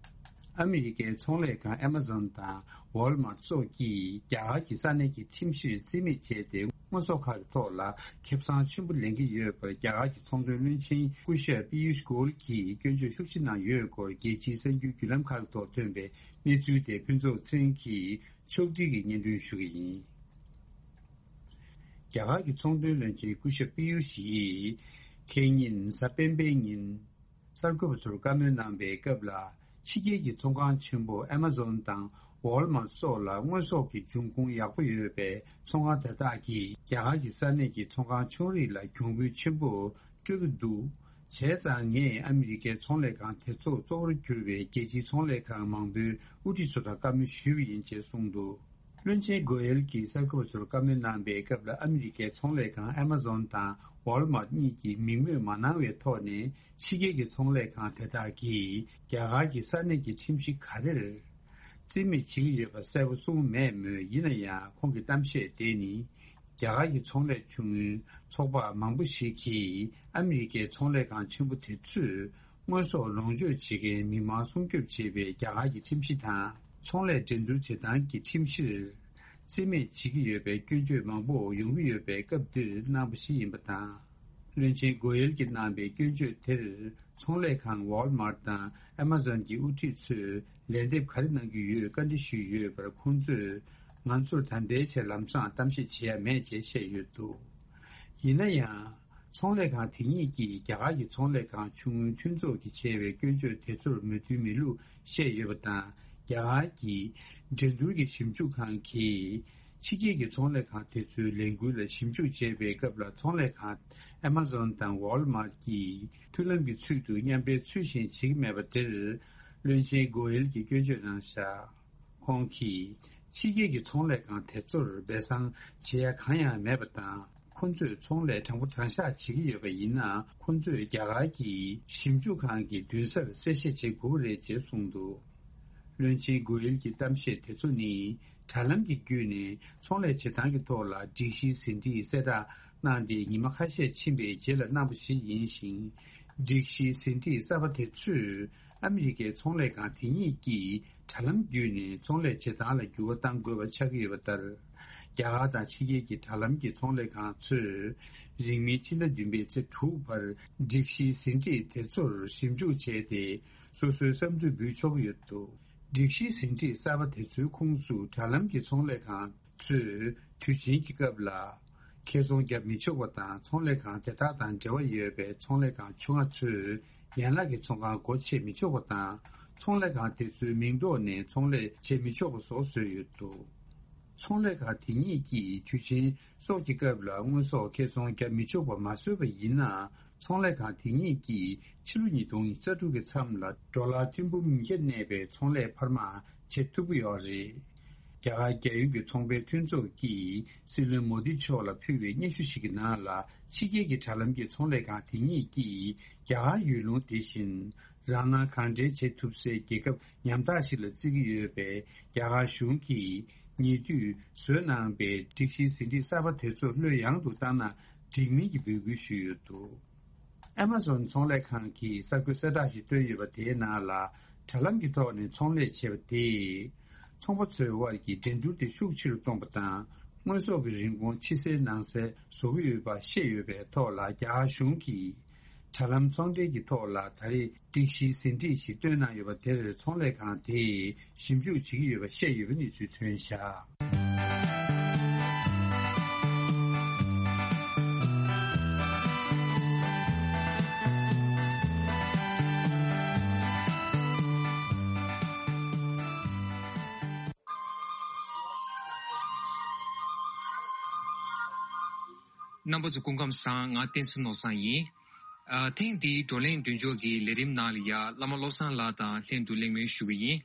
ཨ་མི་རི་ཀའི་ཚོང་ལས་ཁང་ཨེ་མ་ཛོན་དང་ཝོལ་མར་སོགས་ཀྱིས་རྒྱ་གར་གྱི་ས་གནས་ཀྱི་ཁྲིམས་གཞིར་རྩིས་མེད་བྱས་ཏེ། དངོས་ཟོག་ཁག་གི་ཐོག་ལ་ཁེ་བཟང་ཆེན་པོ་ལེན་གྱི་ཡོད་པར། རྒྱ་གར་གྱི་ཚོང་དོན་བློན་ཆེན་སྐུ་ཞབས་པི་ཡུཤ་གོལ་གྱིས་སྐྱོན་བརྗོད་ཤུགས་ཆེ་གནང་ཡོད་སྐོར། རྒྱལ་སྤྱིའི་གསར་འགྱུར་བརྒྱུད་ལམ་ཁག་གི་ཐོག་ཐོན་པའི་གནས་ཚུལ་དེ་ཕུན་ཚོགས་ཚེ་རིང་གིས་ཕྱོགས་སྒྲིག་གིས་སྙན་སྒྲོན་ཞུ་གི་ཡིན། རྒྱ་གར་གྱི་ཚོང་དོན་བློན་ཆེན་སྐུ་ཞབས་པི་ཡུ་ཤི་ཡིས་ཁེ་ཉིན་གཟའ་སྤེན་པའི་ཉིན་གསར་འགོད་པ་ཚོར་བཀའ་མོལ་གནང་པའི་སྐབས་ལ། ཕྱི་རྒྱལ་གྱི་ཚོང་ཁང་ཆེན་པོ་ཨེ་མ་ཛོན་དང་ཝོལ་མར་སོགས་ལ་དངོས་ཟོག་གི་འབྱུང་ཁུངས་ཡག་པོ་ཡོད་པའི་ཚོང་ཁང་དེ་དག་གིས་རྒྱ་གར་གྱི་ས་གནས་ཀྱི་ཚོང་ཁང་ཆུང་རིགས་ལ་གྱོང་གུན་ཆེན་པོ་སྤྲོད་ཀྱི་འདུག་བྱས་ཙང་ངས་ཨ་མི་རི་ཀའི་ཚོང་ལས་ཁང་དེ་ཚོ་གཙོ་བོར་གྱུར་པའི་རྒྱལ་སྤྱིའི་ཚོང་ལས་ཁང་མང་པོའི་དབུ་ཁྲིད་ཚོ་དང་བཀའ་མོལ་ཞུས་པ་ཡིན་ཅེས་གསུངས་འདུག་བློན་ཆེན་གོ་ཡལ་གྱིས་གསར་འགོད་པ་ཚོར་བཀའ་མོལ་གནང་པའི་སྐབས་ལ། ཨ་མི་རི་ཀའི་ཚོང་ལས་ཁང་ཨེ་མ་ཛོན་དང་ཝོལ་མར་གཉིས་ཀྱིས་མིང་སྨོས་མ་གནང་བའི་ཐོག་ནས། ཕྱི་རྒྱལ་གྱི་ཚོང་ལས་ཁང་དེ་དག་གིས་རྒྱ་གར་གྱི་ས་གནས་ཀྱི་ཁྲིམས་གཞི་ག་རེར་རྩིས་མེད་བྱེད་ཀྱི་ཡོད་པ་གསལ་པོ་གསུངས་མེད་མོད། ཡིན་ན་ཡང་ཁོང་གི་གཏམ་བཤད་དེ་ནི། རྒྱ་གར་གྱི་ཚོང་ལས་ཆུང་ངུའི་ཚོགས་པ་མང་པོ་ཞིག་གིས་ཨ་མི་རི་ཀའི་ཚོང་ལས་ཁང་ཆེན་པོ་དེ་ཚོས་དངོས་ཟོག་ལོངས་སྤྱོད་བྱེད་མཁན་མི་མང་སྲུང་སྐྱོབ་བྱེད་པའི་རྒྱ་གར་གྱི་ཁྲིམས་གཞི་དང་། ཚོང་ལས་འགྲན་བསྡུར་བྱེད་སྟངས་ཀྱི་ཁྲིམས་གཞིར་རྩིས་མེད་བྱེད་ཀྱི་ཡོད་པའི་སྐྱོན་བརྗོད་མང་པོ་ཡོང་གི་ཡོད་པའི་སྐབས་འདིར་གནང་པ་ཞིག་ཡིན་པ་དང་། བློན་ཆེན་གོ་ཡལ་གྱིས་གནང་པའི་སྐྱོན་བརྗོད་དེར། ཚོང་ལས་ཁང་ཝོལ་མར་དང་ཨེ་མ་ཛོན་གྱི་དབུ་ཁྲིད་ཚོས་ལན་འདེབས་ག་རེ་གནང་གི་ཡོད། བཀའ་འདྲི་ཞུས་ཡོད་པར། ཁོང་ཚོས་ང་ཚོར་ད་ལྟའི་ཆར་ལམ་སང་གཏམ་བཤད་བྱེད་ཡ་མེད་ཅེས་བཤད་ཡོད་འདུག་ཡིན་ན་ཡང་། ཚོང་ལས་ཁང་དེ་གཉིས་ཀྱིས་རྒྱ་གར་གྱི་ཚོང་ལས་ཁང་ཆུང་ངུའི་མཐུན་ཚོགས་ཀྱིས་བྱས་པའི་སྐྱོན་བརྗོད་དེ་ཚོར་མོས་མཐུན་མེད་ལུགས་བཤད་ཡོད་པ་དང་། རྒྱ་གར་གྱི་འགྲན་བསྡུར་གྱི་ཞིབ་འཇུག་ཁང་གིས། ཕྱི་རྒྱལ་གྱི་ཚོང་ལས་ཁང་དེ་ཚོའི་ལས་འགུལ་ལ་ཞིབ་འཇུག་བྱེད་པའི་སྐབས་ལ། ཚོང་ལས་ཁང་ཨེ་མ་ཛོན་དང་ཝོལ་མར་གྱིས་མཐུན་ལམ་གྱི་ཚུལ་དུ་མཉམ་འབྲེལ་ཚུལ་བཞིན་བྱེད་ཀྱི་མེད་པ་དེར། བློན་ཆེན་གོ་ཡལ་གྱིས་སྐྱོན་བརྗོད་གནང་བཞག་ཁོང་གིས་ཕྱི་རྒྱལ་གྱི་ཚོང་ལས་ཁང་དེ་ཚོར་སྦས་གསང་བྱེད་ཡ་གང་ཡང་མེད་པ་དང་། ཁོ་ཚོས་ཚོང་ལས་དྲང་པོ་དྲང་བཞག་བྱེད་ཀྱི་ཡོད་པ་ཡིན་ན། ཁོ་ཚོས་རྒྱ་གར་གྱི་ཞིབ་འཇུག་ཁང་གི་མདུན་སར་གསལ་བཤད་བྱེད་དགོས་ཀྱི་རེད་ཅེས་གསུངས་འདུག་བློན་ཆེན་གོ་ཡལ་གྱི་གཏམ་བཤད་དེ་ཚོ་ནི། དྲ་ལམ་གྱི་བརྒྱུད་ནས་ཚོང་ལས་བྱེད་སྟངས་ཀྱི་ཐོག་ལ་སྒྲིག་གཞིའི་ཟིན་བྲིས་གསལ་བསྒྲགས་གནང་སྟེ། ཉི་མ་ཁ་ཤས་ཕྱིན་པའི་རྗེས་ལ་གནང་བ་ཞིག་ཡིན་ཞིང་། སྒྲིག་གཞིའི་ཟིན་བྲིས་གསར་པ་དེ་ཚོས་ཨ་མི་རི་ཀའི་ཚོང་ལས་ཁང་དེ་ཉིད་ཀྱིས་དྲ་ལམ་བརྒྱུད་ནས་ཚོང་ལས་བྱེད་སྟངས་ལ་འགྱུར་བ་གཏང་དགོས་པ་ཆགས་ཀྱི་ཡོད་པ་ལྟར། རྒྱ་གར་དང་ཕྱི་རྒྱལ་གྱི་དྲ་ལམ་གྱི་ཚོང་ལས་ཁང་ཚོས་རིང་མིན་ཕྱི་ཟླ་བདུན་པའི་ཚེས་དྲུག་བར་སྒྲིག་གཞིའི་ཟིན་བྲིས་དེ་ཚོར་ཞིབ་འཇུག་བྱས་ཏེ། སོ་སོའི་བསམ་ཚུལ་འབུལ་ཆོག་གི་ཡོད་འདུག་སྒྲིག་གཞིའི་ཟིན་བྲིས་གསར་པ་དེ་ཚོའི་ཁོངས་སུ་དྲ་ལམ་གྱི་ཚོང་ལས་ཁང་ཚོས་དུས་ཆེན་གྱི་སྐབས་ལ་ཁེ་བཙོང་བརྒྱབ་མི་ཆོག་པ་དང་། ཚོང་ལས་ཁང་དེ་དག་དང་འབྲེལ་བ་ཡོད་པའི་ཚོང་ལས་ཁང་ཆུང་ང་ཚོས་ཡན་ལག་གི་ཚོང་ཁང་སྒོ་ཕྱེ་མི་ཆོག་པ་དང་། ཚོང་ལས་ཁང་དེ་ཚོའི་མིང་ཐོག་ནས་ཚོང་ལས་བྱེད་མི་ཆོག་པ་སོགས་བཟོས་ཡོད་འདུག་ཚོང་ལས་ཁང་དེ་གཉིས་ཀྱིས་དུས་ཆེན་སོགས་ཀྱི་སྐབས་ལ་དངོས་ཟོག་ཁེ་བཙོང་བརྒྱབ་མི་ཆོག་པ་མ་བཟོས་པ་ཡིན་ན། ཚོང་ལས་ཁང་དེ་གཉིས་ཀྱིས་ཕྱི་ལོ་ཉིས་སྟོང་རྩ་དྲུག་གི་མཚམས་ལ་ཌོ་ལར་ཐེར་འབུམ་ཉིས་བརྒྱ་གནས་པའི་ཚོང་ལས་འཕར་མ་བྱེད་ཐུབ་ཀྱི་ཡོད་རེད། རྒྱ་གར་རྒྱལ་ཡོངས་ཀྱི་ཚོང་པའི་མཐུན་ཚོགས་ཀྱིས་སྲིད་བློན་མོ་དི་མཆོག་ལ་ཕུལ་བའི་སྙན་ཞུ་ཞིག་གི་ནང་ལ། ཕྱི་རྒྱལ་གྱི་དྲ་ལམ་གྱི་ཚོང་ལས་ཁང་དེ་གཉིས་ཀྱིས་རྒྱ་གར་ཡུལ་ལུང་དེ་བཞིན་རང་སྣང་གང་དྲན་བྱེད་ཐུབ་སའི་རྒྱལ་ཁབ་ཉམ་ཐག་ཞིག་ལ་བརྩི་གི་ཡོད་པས། རྒྱ་གར་གཞུང་གིས་ཉེ་དུས་བཟོས་གནང་པའི་སྒྲིག་གཞིའི་ཟིན་བྲིས་གསར་པ་དེ་ཚོ་བློས་ཡང་དུ་བཏང་ན་འགྲིག་མིན་གྱི་འབོད་སྐུལ་ཞུས་ཡོད་འདུག་ཨེ་མ་ཟོན་ཚོང་ལས་ཁང་གིས་གསར་འགོད་གསལ་བསྒྲགས་ཤིག་བཏོན་ཡོད་པ། དེའི་ནང་ལ་དྲ་ལམ་གྱི་ཐོག་ནས་ཚོང་ལས་བྱེད་པ་དེས། ཚོང་པ་ཚོའི་དབར་གྱི་འགྲན་བསྡུར་དེ་ཤུགས་ཆེ་རུ་གཏོང་པ་དང་། དངོས་ཟོག་གི་རིན་གོང་ཕྱི་གསལ་ནང་གསལ་བཟོ་གི་ཡོད་པ་བཤད་ཡོད་པའི་ཐོག་ལ། རྒྱ་གར་གཞུང་གིས་དྲ་ལམ་ཚོང་འབྲེལ་གྱི་ཐོག་ལ་ད་རེས་སྒྲིག་གཞིའི་ཟིན་བྲིས་ཤིག་བཏོན་གནང་ཡོད་པ་དེར། ཚོང་ལས་ཁང་དེས་ཞིབ་འཇུག་བྱེད་ཀྱི་ཡོད་པ་བཤད་ཡོད་པའི་གནས་ཚུལ་ཐོན་བཞག་རྣམ་པ་ཚོ་སྐུ་ཁམས་བཟང་། ང་བསྟན་འཛིན་ནོར་བཟང་ཡིན། ཨ། ཐེངས་འདིའི་བགྲོ་གླེང་མདུན་ལྕོག་གི་ལས་རིམ་ནང་ལ་ཡ། བླ་མ་བློ་བཟང་ལགས་དང་ལྷན་དུ་གླེང་མོལ་ཞུ་གི་ཡིན།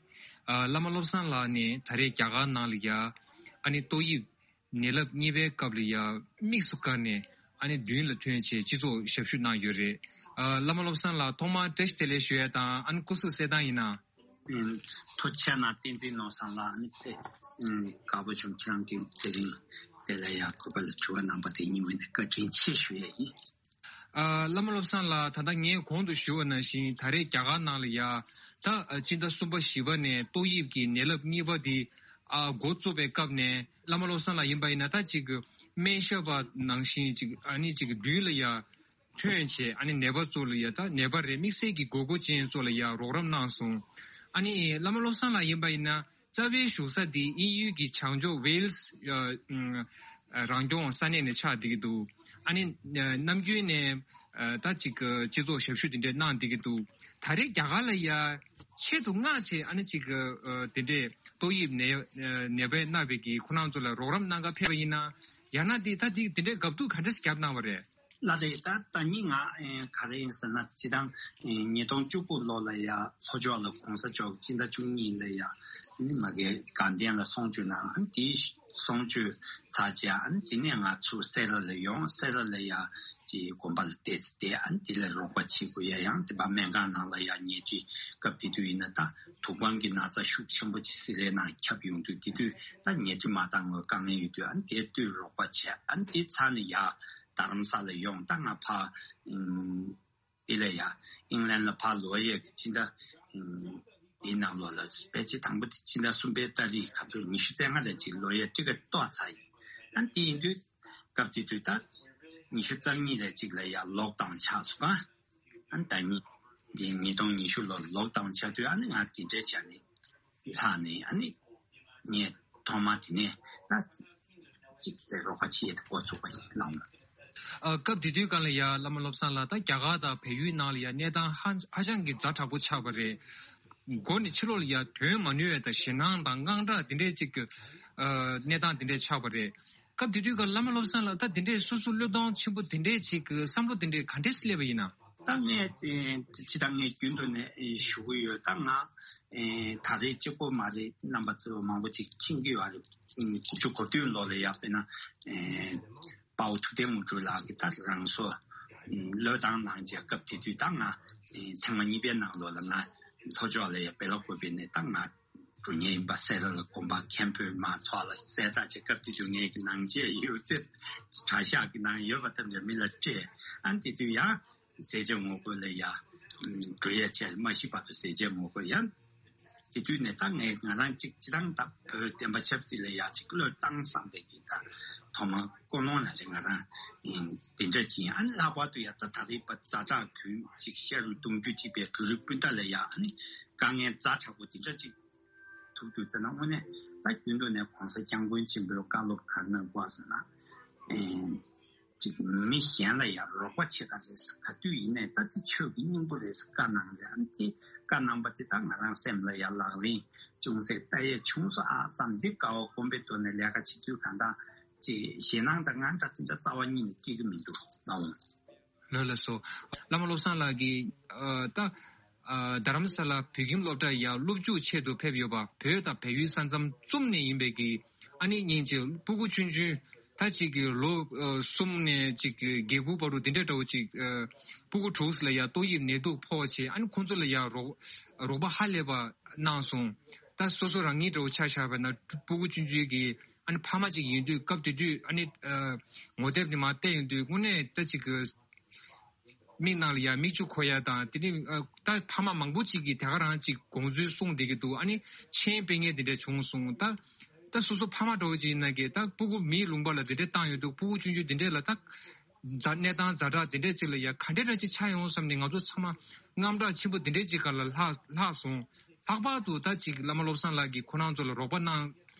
ཨ། བླ་མ་བློ་བཟང་ལགས་ནས་ད་རེས་རྒྱ་གར་ནང་ལ་ཡ། ཨ་ནི་ཏོག་དབྱིབས་ནད་རླབས་གཉིས་པའི་སྐབས་ལ་ཡ་དམིགས་སུ་བཀར་ནས། ཨ་ནི་མདུན་ལ་ཐོན་བྱས་སྤྱི་ཚོགས་ཞབས་ཞུ་གནང་ཡོད་རེད། ཨ། བླ་མ་བློ་བཟང་ལགས་ཐོག་མར་བཀྲ་ཤིས་བདེ་ལེགས་ཞུ་ཡ་དང་། ཨ་ནི་སྐུ་གཟུགས་གསལ་ཐང་ཡིན་ན། ཨུམ། ཐུགས་རྗེ་གནང་། བསྟན་འཛིན་ནོར་བཟང་ལགས། ཨ་ནི་དཔེ་ཨུམ་དགའ་པོ་བྱུང་། ཁྱེད་རང་གིས་དེ་རིང་དེ་ལ་ཡ་གུས་པ་ལ་དྲི་བ་གནང་པ་དེ་ཉིད་ནས་བཀའ་དྲིན་ཆེ་ཞུ་ཡ་ཡིན། ཨ། བླ་མ་བློ་བཟང་ལགས། ད་ལྟ་ངས་གོང་དུ་ཞུ་བ་ནང་བཞིན། ད་རེས་རྒྱ་གར་ནང་ལ་ཡ། ད་སྤྱི་ཟླ་གསུམ་པ་བཞི་པ་ནས་ཏོག་དབྱིབས་ཀྱི་ནད་རླབས་གཉིས་པ་འདི། ཨ། འགོ་བཙུགས་པའི་སྐབས་ནས། བླ་མ་བློ་བཟང་ལགས་ཡིན་པ་ཡིན་ན། ད་ཅིག་སྨན་ཞབས་པ་ནང་བཞིན་ཅིག་ཨ་ནི་ཅིག་མདུན་ལ་ཡ་ཐོན་བྱས། ཨ་ནི་ནད་པ་ཚོ་ལ་ཡ། ད་ནད་པ་རེད། དམིགས་བསལ་གྱི་དགོས་མཁོ་ཅན་ཚོ་ལ་ཡ་རོགས་རམ་གནང་སོང་། ཨ་ནི་བླ་མ་བློ་བཟང་ལགས་ཡིན་པ་ཡིན་ན། རྩ་བའི་བཞུགས་ས་འདི་དབྱིན་ཡུལ་གྱི་བྱང་ཕྱོགས་ཝེལ་སི། ཨ། ཨ། རང་སྐྱོང་ས་གནས་ནས་ཆགས་བསྡད་ཀྱི་འདུག་ཨ་ནི་ནམ་རྒྱུན་ནས། ཨ། ད་ཅིག་སྤྱི་ཚོགས་ཞབས་ཞུ་དེ་འདྲས་གནང་བསྡད་ཀྱི་འདུག་ད་རེས་རྒྱ་གར་ལ་ཡ་ཆེད་དུ་མངགས་བྱས། ཨ་ནི་ཅིག་ཨ། དེ་འདྲས་ཏོག་དབྱིབས་ནད་ནད་པས་མནར་བའི་གི་ཁོ་རང་ཚོ་ལ་རོགས་རམ་གནང་ག་ཕེབས་པ་ཡིན་ན། ཡང་ན་འདི་ད་འདི་དེ་འདྲས་དགའ་སྡུག་ག་འདྲས་བརྒྱབ་གནང་བ་རེད། ལགས་རེད། ད་ད་ནི་ང་ཨེ་ག་རེ་ཡིན་ཟེར་ན། སྤྱིར་བཏང་ཨེ་ཉིས་སྟོང་བཅུ་དགུ་ལོ་ལ་ཡ་ལྷོ་ཕྱོགས་ལ་གོང་ས་མཆོག་སྤྱི་ཟླ་བཅུ་གཉིས་ལ་ཡ་ནི་མ་གི་དགའ་ལྡན་ལ་གསུང་ཆོས་གནང་། ཨ་ནི་དེའི་གསུང་ཆོས་ཚར་རྗེས། ཨ་ནི་དེ་ནས་ང་ཚུར་སེ་ར་ལ་ཡོང་། སེ་ར་ལ་ཡ་ཅིག་དགོན་པ་ལ་བསྡད་ཚེ་བསྡད། ཨ་ནི་དེ་ལ་རོགས་པ་བྱེད་དགོས་ཡ། ཡང་དེ་པ་སྨན་ཁང་ནང་ལ་ཡ་ཉལ་ཁྲི། སྐབས་དེ་དུས་ཡིན་ན་ད་དུག་སྦྲང་གི་ན་ཚ་ཤུགས་ཆེན་པོ་ཅིག་སེ་རའི་ནང་ཁྱབ་ཡོང་དུས། དེ་དུས་ད་ཉལ་ཁྲི་མ་བཏང་བའི་དཀའ་ངལ་ཡོད་དུས། ཨ་ནི་དེ་དུས་རོགས་པ་བྱས། ཨ་ནི་དེ་ཚར་ནས་ཡ་རྡ་རམ་ས་ལ་ཡོང་། ད་ང་ཕ་ཨུམ་འདི་ལ་ཡ་ཨིང་ལན་ལ་ཕར་ལོག་ཡས་ཀྱི་སྤྱི་ཟླ་ཨུམ་འདིའི་ནང་ལོགས་ལ། ཕལ་ཆེར་དང་པོ་དེ་སྤྱི་ཟླ་གསུམ་པའི་ཏ་རིག་ག་ཚོད་ཉི་ཤུ་རྩ་ལྔ་ལ་ཅིག་ལོག་ཡས་ཊི་ཀེ་ཊི་གཏོར་ཚར་ཡིན། ཨ་ནི་དེ་ཡིན་དུས་སྐབས་དེ་དུས་ད་ཉི་ཤུ་རྩ་གཉིས་ལ་ཅིག་ལ་ཡ་ལོག་ཌའུན་ཆགས་སོང་། ཨ་ནི་ད་ནི་འདི་ཉིས་སྟོང་ཉི་ཤུ་ལོར་ལོག་ཌའུན་ཆགས་དུས། ཨ་ནི་ང་དེ་འདྲའི་བྱས་ནས་ལྷག་ནས། ཨ་ནི་ངས་ཐོག་མ་དེ་ནས་ད་ཅིག་དེ་རོགས་པ་བྱེད་ཡས་དེ་འགོ་ཚུགས་པ་ཡིན། ལགས་འོང་། ཨ། སྐབས་དེ་དུས་སྒང་ལ་ཡ་བླ་མ་བློ་བཟང་ལགས། ད་རྒྱ་གར་དང་བལ་ཡུལ་ནང་ལ་ཡ་གནས་སྟངས་ཧ་ཧ་ཅང་གི་ཛ་དྲག་པོ་ཆགས་པ་རེད། མགོ་ནས་ཕྱི་ལོགས་ལ་ཡ་དོན་མ་ནུས་པ་དང་། ཞེད་སྣང་དང་དངངས་སྐྲག་དེ་འདྲས་ཅིག་གི་ཨ། གནས་སྟངས་དེ་འདྲས་ཆགས་པ་རེད། སྐབས་དེ་དུས་སྒང་བླ་མ་བློ་བཟང་ལགས་ད་དེ་འདྲས་སོ་སོ་བློས་གཏོང་ཆེན་པོ་དེ་འདྲས་ཅིག་གི་བསམ་བློ་དེ་འདྲས་ག་འདྲས་སླེབས་པ་ཡིན་ན། ད་ངས་ཨེ་ཅི་ད་ངས་རྒྱུན་དུ་ནས་ཨེ་ཞུ་གི་ཡོད། ད་ང་ཨེ་ད་རེས་གཅིག་པོ་མ་རེད། རྣམ་པ་ཚོ་མང་པོ་ཅིག་མཁྱེན་གྱི་ཡོད་རེད། ཨེ་དགུ་བཅུ་གོ་བདུན་ལོ་ལ་ཡ་དཔེར་ན་ཨེ་ དཔའ་བོ་ཐུབ་བསྟན་དངོས་གྲུབ་ལགས་ཀྱིས་ད་རང་སོ་བློས་བཏང་གནང་བྱས། སྐབས་དེ་དུས་ད་ང་ཐེངས་མ་གཉིས་པའི་ནང་ལོགས་ལ་ང་ལྷོ་ཕྱོགས་ལ་ཡ་སྦེ་ལ་ཀོ་པེ་ནས་ད་ང་འགྲོ་མཁན་ཡིན་པ་གསལ་ལ་དགོན་པ་མཁན་པོས་མ་ཚོགས་ལ་གསལ་བསྒྲགས་བྱས། སྐབས་དེ་དུས་ངེད་ཀྱི་ནང་ཆས་ཡོད་ཚད་གྲྭ་ཤག་གི་ནང་ཡོད་པ་ཐམས་ཅད་མི་ལ་སྤྲད། ཨ་ནི་དེ་དུས་ཡང་ཟས་བཅད་ངོ་རྒོལ་ལ་ཡ་འགྲོ་ཡ་བྱས། མ་ཤི་བར་དུ་ཟས་བཅད་ངོ་རྒོལ་ཡང་དེ་དུས་ནས་ད་ངས་ང་རང་གཅིག་སྤྱིར་བཏང་ད་བོད་བསྟན་པ་ཆབ་སྲིད་ལ་ཡ་གཅིག་བློས་བཏང་བསམ་པའི་གི་ད་ཐོག་མ་ཀུན་སློང་ལ་རེ་ང་རང་ཨིན་དེ་འདྲ་ཅིག་ཨ་ནི་ལྷག་པར་དུ་ཡ་ད་ད་རེས་པ་ཛ་དྲག་གུན་གཅིག་ཤ་རུས་གདུང་རྒྱུད་གཅིག་པའི་འབྲུ་རིགས་སྤུན་ཟླ་ལ་ཡ་ཨ་ནི་དཀའ་ངལ་ཛ་དྲག་པོ་དེ་འདྲ་ཅིག་ཐུག་དུས་ཙ་ན་དངོས་གནས་ད་རྒྱུན་དུ་ནས་གོང་ས་སྐྱབས་མགོན་ཆེན་པོའི་བཀའ་སློབ་ག་རེ་གནང་དགོས་ཟེར་ན། ཨེ། ཅིག་མི་གཞན་ལ་ཡང་རོགས་པ་བྱེད་ག་རེད། ག་དུས་ཡིན་ནའི་ད་དེ་ཆོས་ཀྱི་སྙིང་པོ་རེད་ཟེར་བཀའ་གནང་རེད། ཨ་ནི་དེ་བཀའ་གནང་པ་དེ་ད་ང་རང་སེམས་ལ་ཡང་ལག་ལེན་ཅུང་ཟད་བསྟར་ཡས་བྱུང་སོང་ཨ་བསམ། འདི་དགའ་བ་སྒོམ་པའི་ཐོག་ནས་ལས་ཀ་བྱེད་དུས་གང་ལྟར་ཅིག་ཞེད་སྣང་དང་དངངས་སྐྲག་དེ་འདྲ་རྩ་བ་ཉིད་ནས་སྐྱེ་གི་མི་འདུག་ལགས། ལགས་སོ། བླ་མ་བློ་བཟང་ལགས་ཀྱིས་ཨ་ད་ཨ་རྡ་རམ་ས་ལ་བོད་ཁྱིམ་སློབ་གྲྭ་ཡར་སློབ་འཇུག་ཆེད་དུ་ཕེབས་ཡོད་པ། བོད་དང་བལ་ཡུལ་ས་མཚམས་གསུམ་ནས་ཡིན་པའི་གི་ཨ་ནི་སྙིང་རྗེ་སྤུ་གུ་ཆུང་ཆུང་ད་ཅིག་གི་ལོ་ཨ་གསུམ་ནས་ཅིག་གི་བརྒྱད་དགུ་བར་དུ་འདི་འདྲ་འདྲ་བོ་ཅིག་ཨ་སྤུ་གུ་དྲུག་ལ་ཡ་ཏོག་དབྱིབས་ནད་དུག་ཕོག་བྱས། ཨ་ནི་ཁོང་ཚོ་ལ་ཡ་རོགས་རོགས་པ་ཧ་ལས་པ་གནང་སོང་། ད་སོ་སོ་རང་ཉིད་འདྲ་བོ་ཆ་བཞག་པ་ན་སྤུ་གུ་ཆུང་ཆུང་གི་ཨ་ནི་ཕ་མ་ཅིག་ཡིན་དུས་སྐབས་དེ་དུས་ཨ་ནི་ཨ་ངོ་དེབ་ནས་མར་བལྟས་ཡོང་དུས་དངོས་གནས་ད་ཅིག་གི་མིག་ནང་ལ་ཡ་མིག་ཆུ་འཁོར་ཡ་དང་། དེ་ནི་ཨ་ད་ཕ་མ་མང་པོ་ཅིག་གིས་དེ་ག་རང་ཅིག་དགོངས་ཚུལ་གསུངས་བསྡད་ཀྱི་འདུག་ཨ་ནི་མཆན་སྤེལ་མཁན་དེ་འདྲ་བྱུང་སོང་། ད་ད་སོ་སོ་ཕ་མ་འདྲ་བོ་ཅིག་ཡིན་ན་གི་ད་སྤུ་གུ་མིའི་ལུང་པ་ལ་དེ་འདྲ་བཏང་ཡོང་དུས་སྤུ་གུ་ཆུང་ཆུང་དེ་འདྲ་ལ་ད་ཛ་གནས་སྟངས་ཛ་དྲག་དེ་འདྲ་ཅིག་ལ་ཡ་ག་འདྲ་འདྲ་ཅིག་ཆགས་ཡོང་བསམ་ནས་ང་ཚོ་ཚང་མ་དངངས་སྐྲག་ཆེན་པོ་དེ་འདྲ་ཅིག་སྒང་ལ་ལྷག་ལྷག་སོང་། ལྷག་པར་དུ་ད་ཅིག་བླ་མ་བློ་བཟང་ལགས་ཀྱིས་ཁོ་རང་ཚོ་ལ་རོགས་པ་གནང་།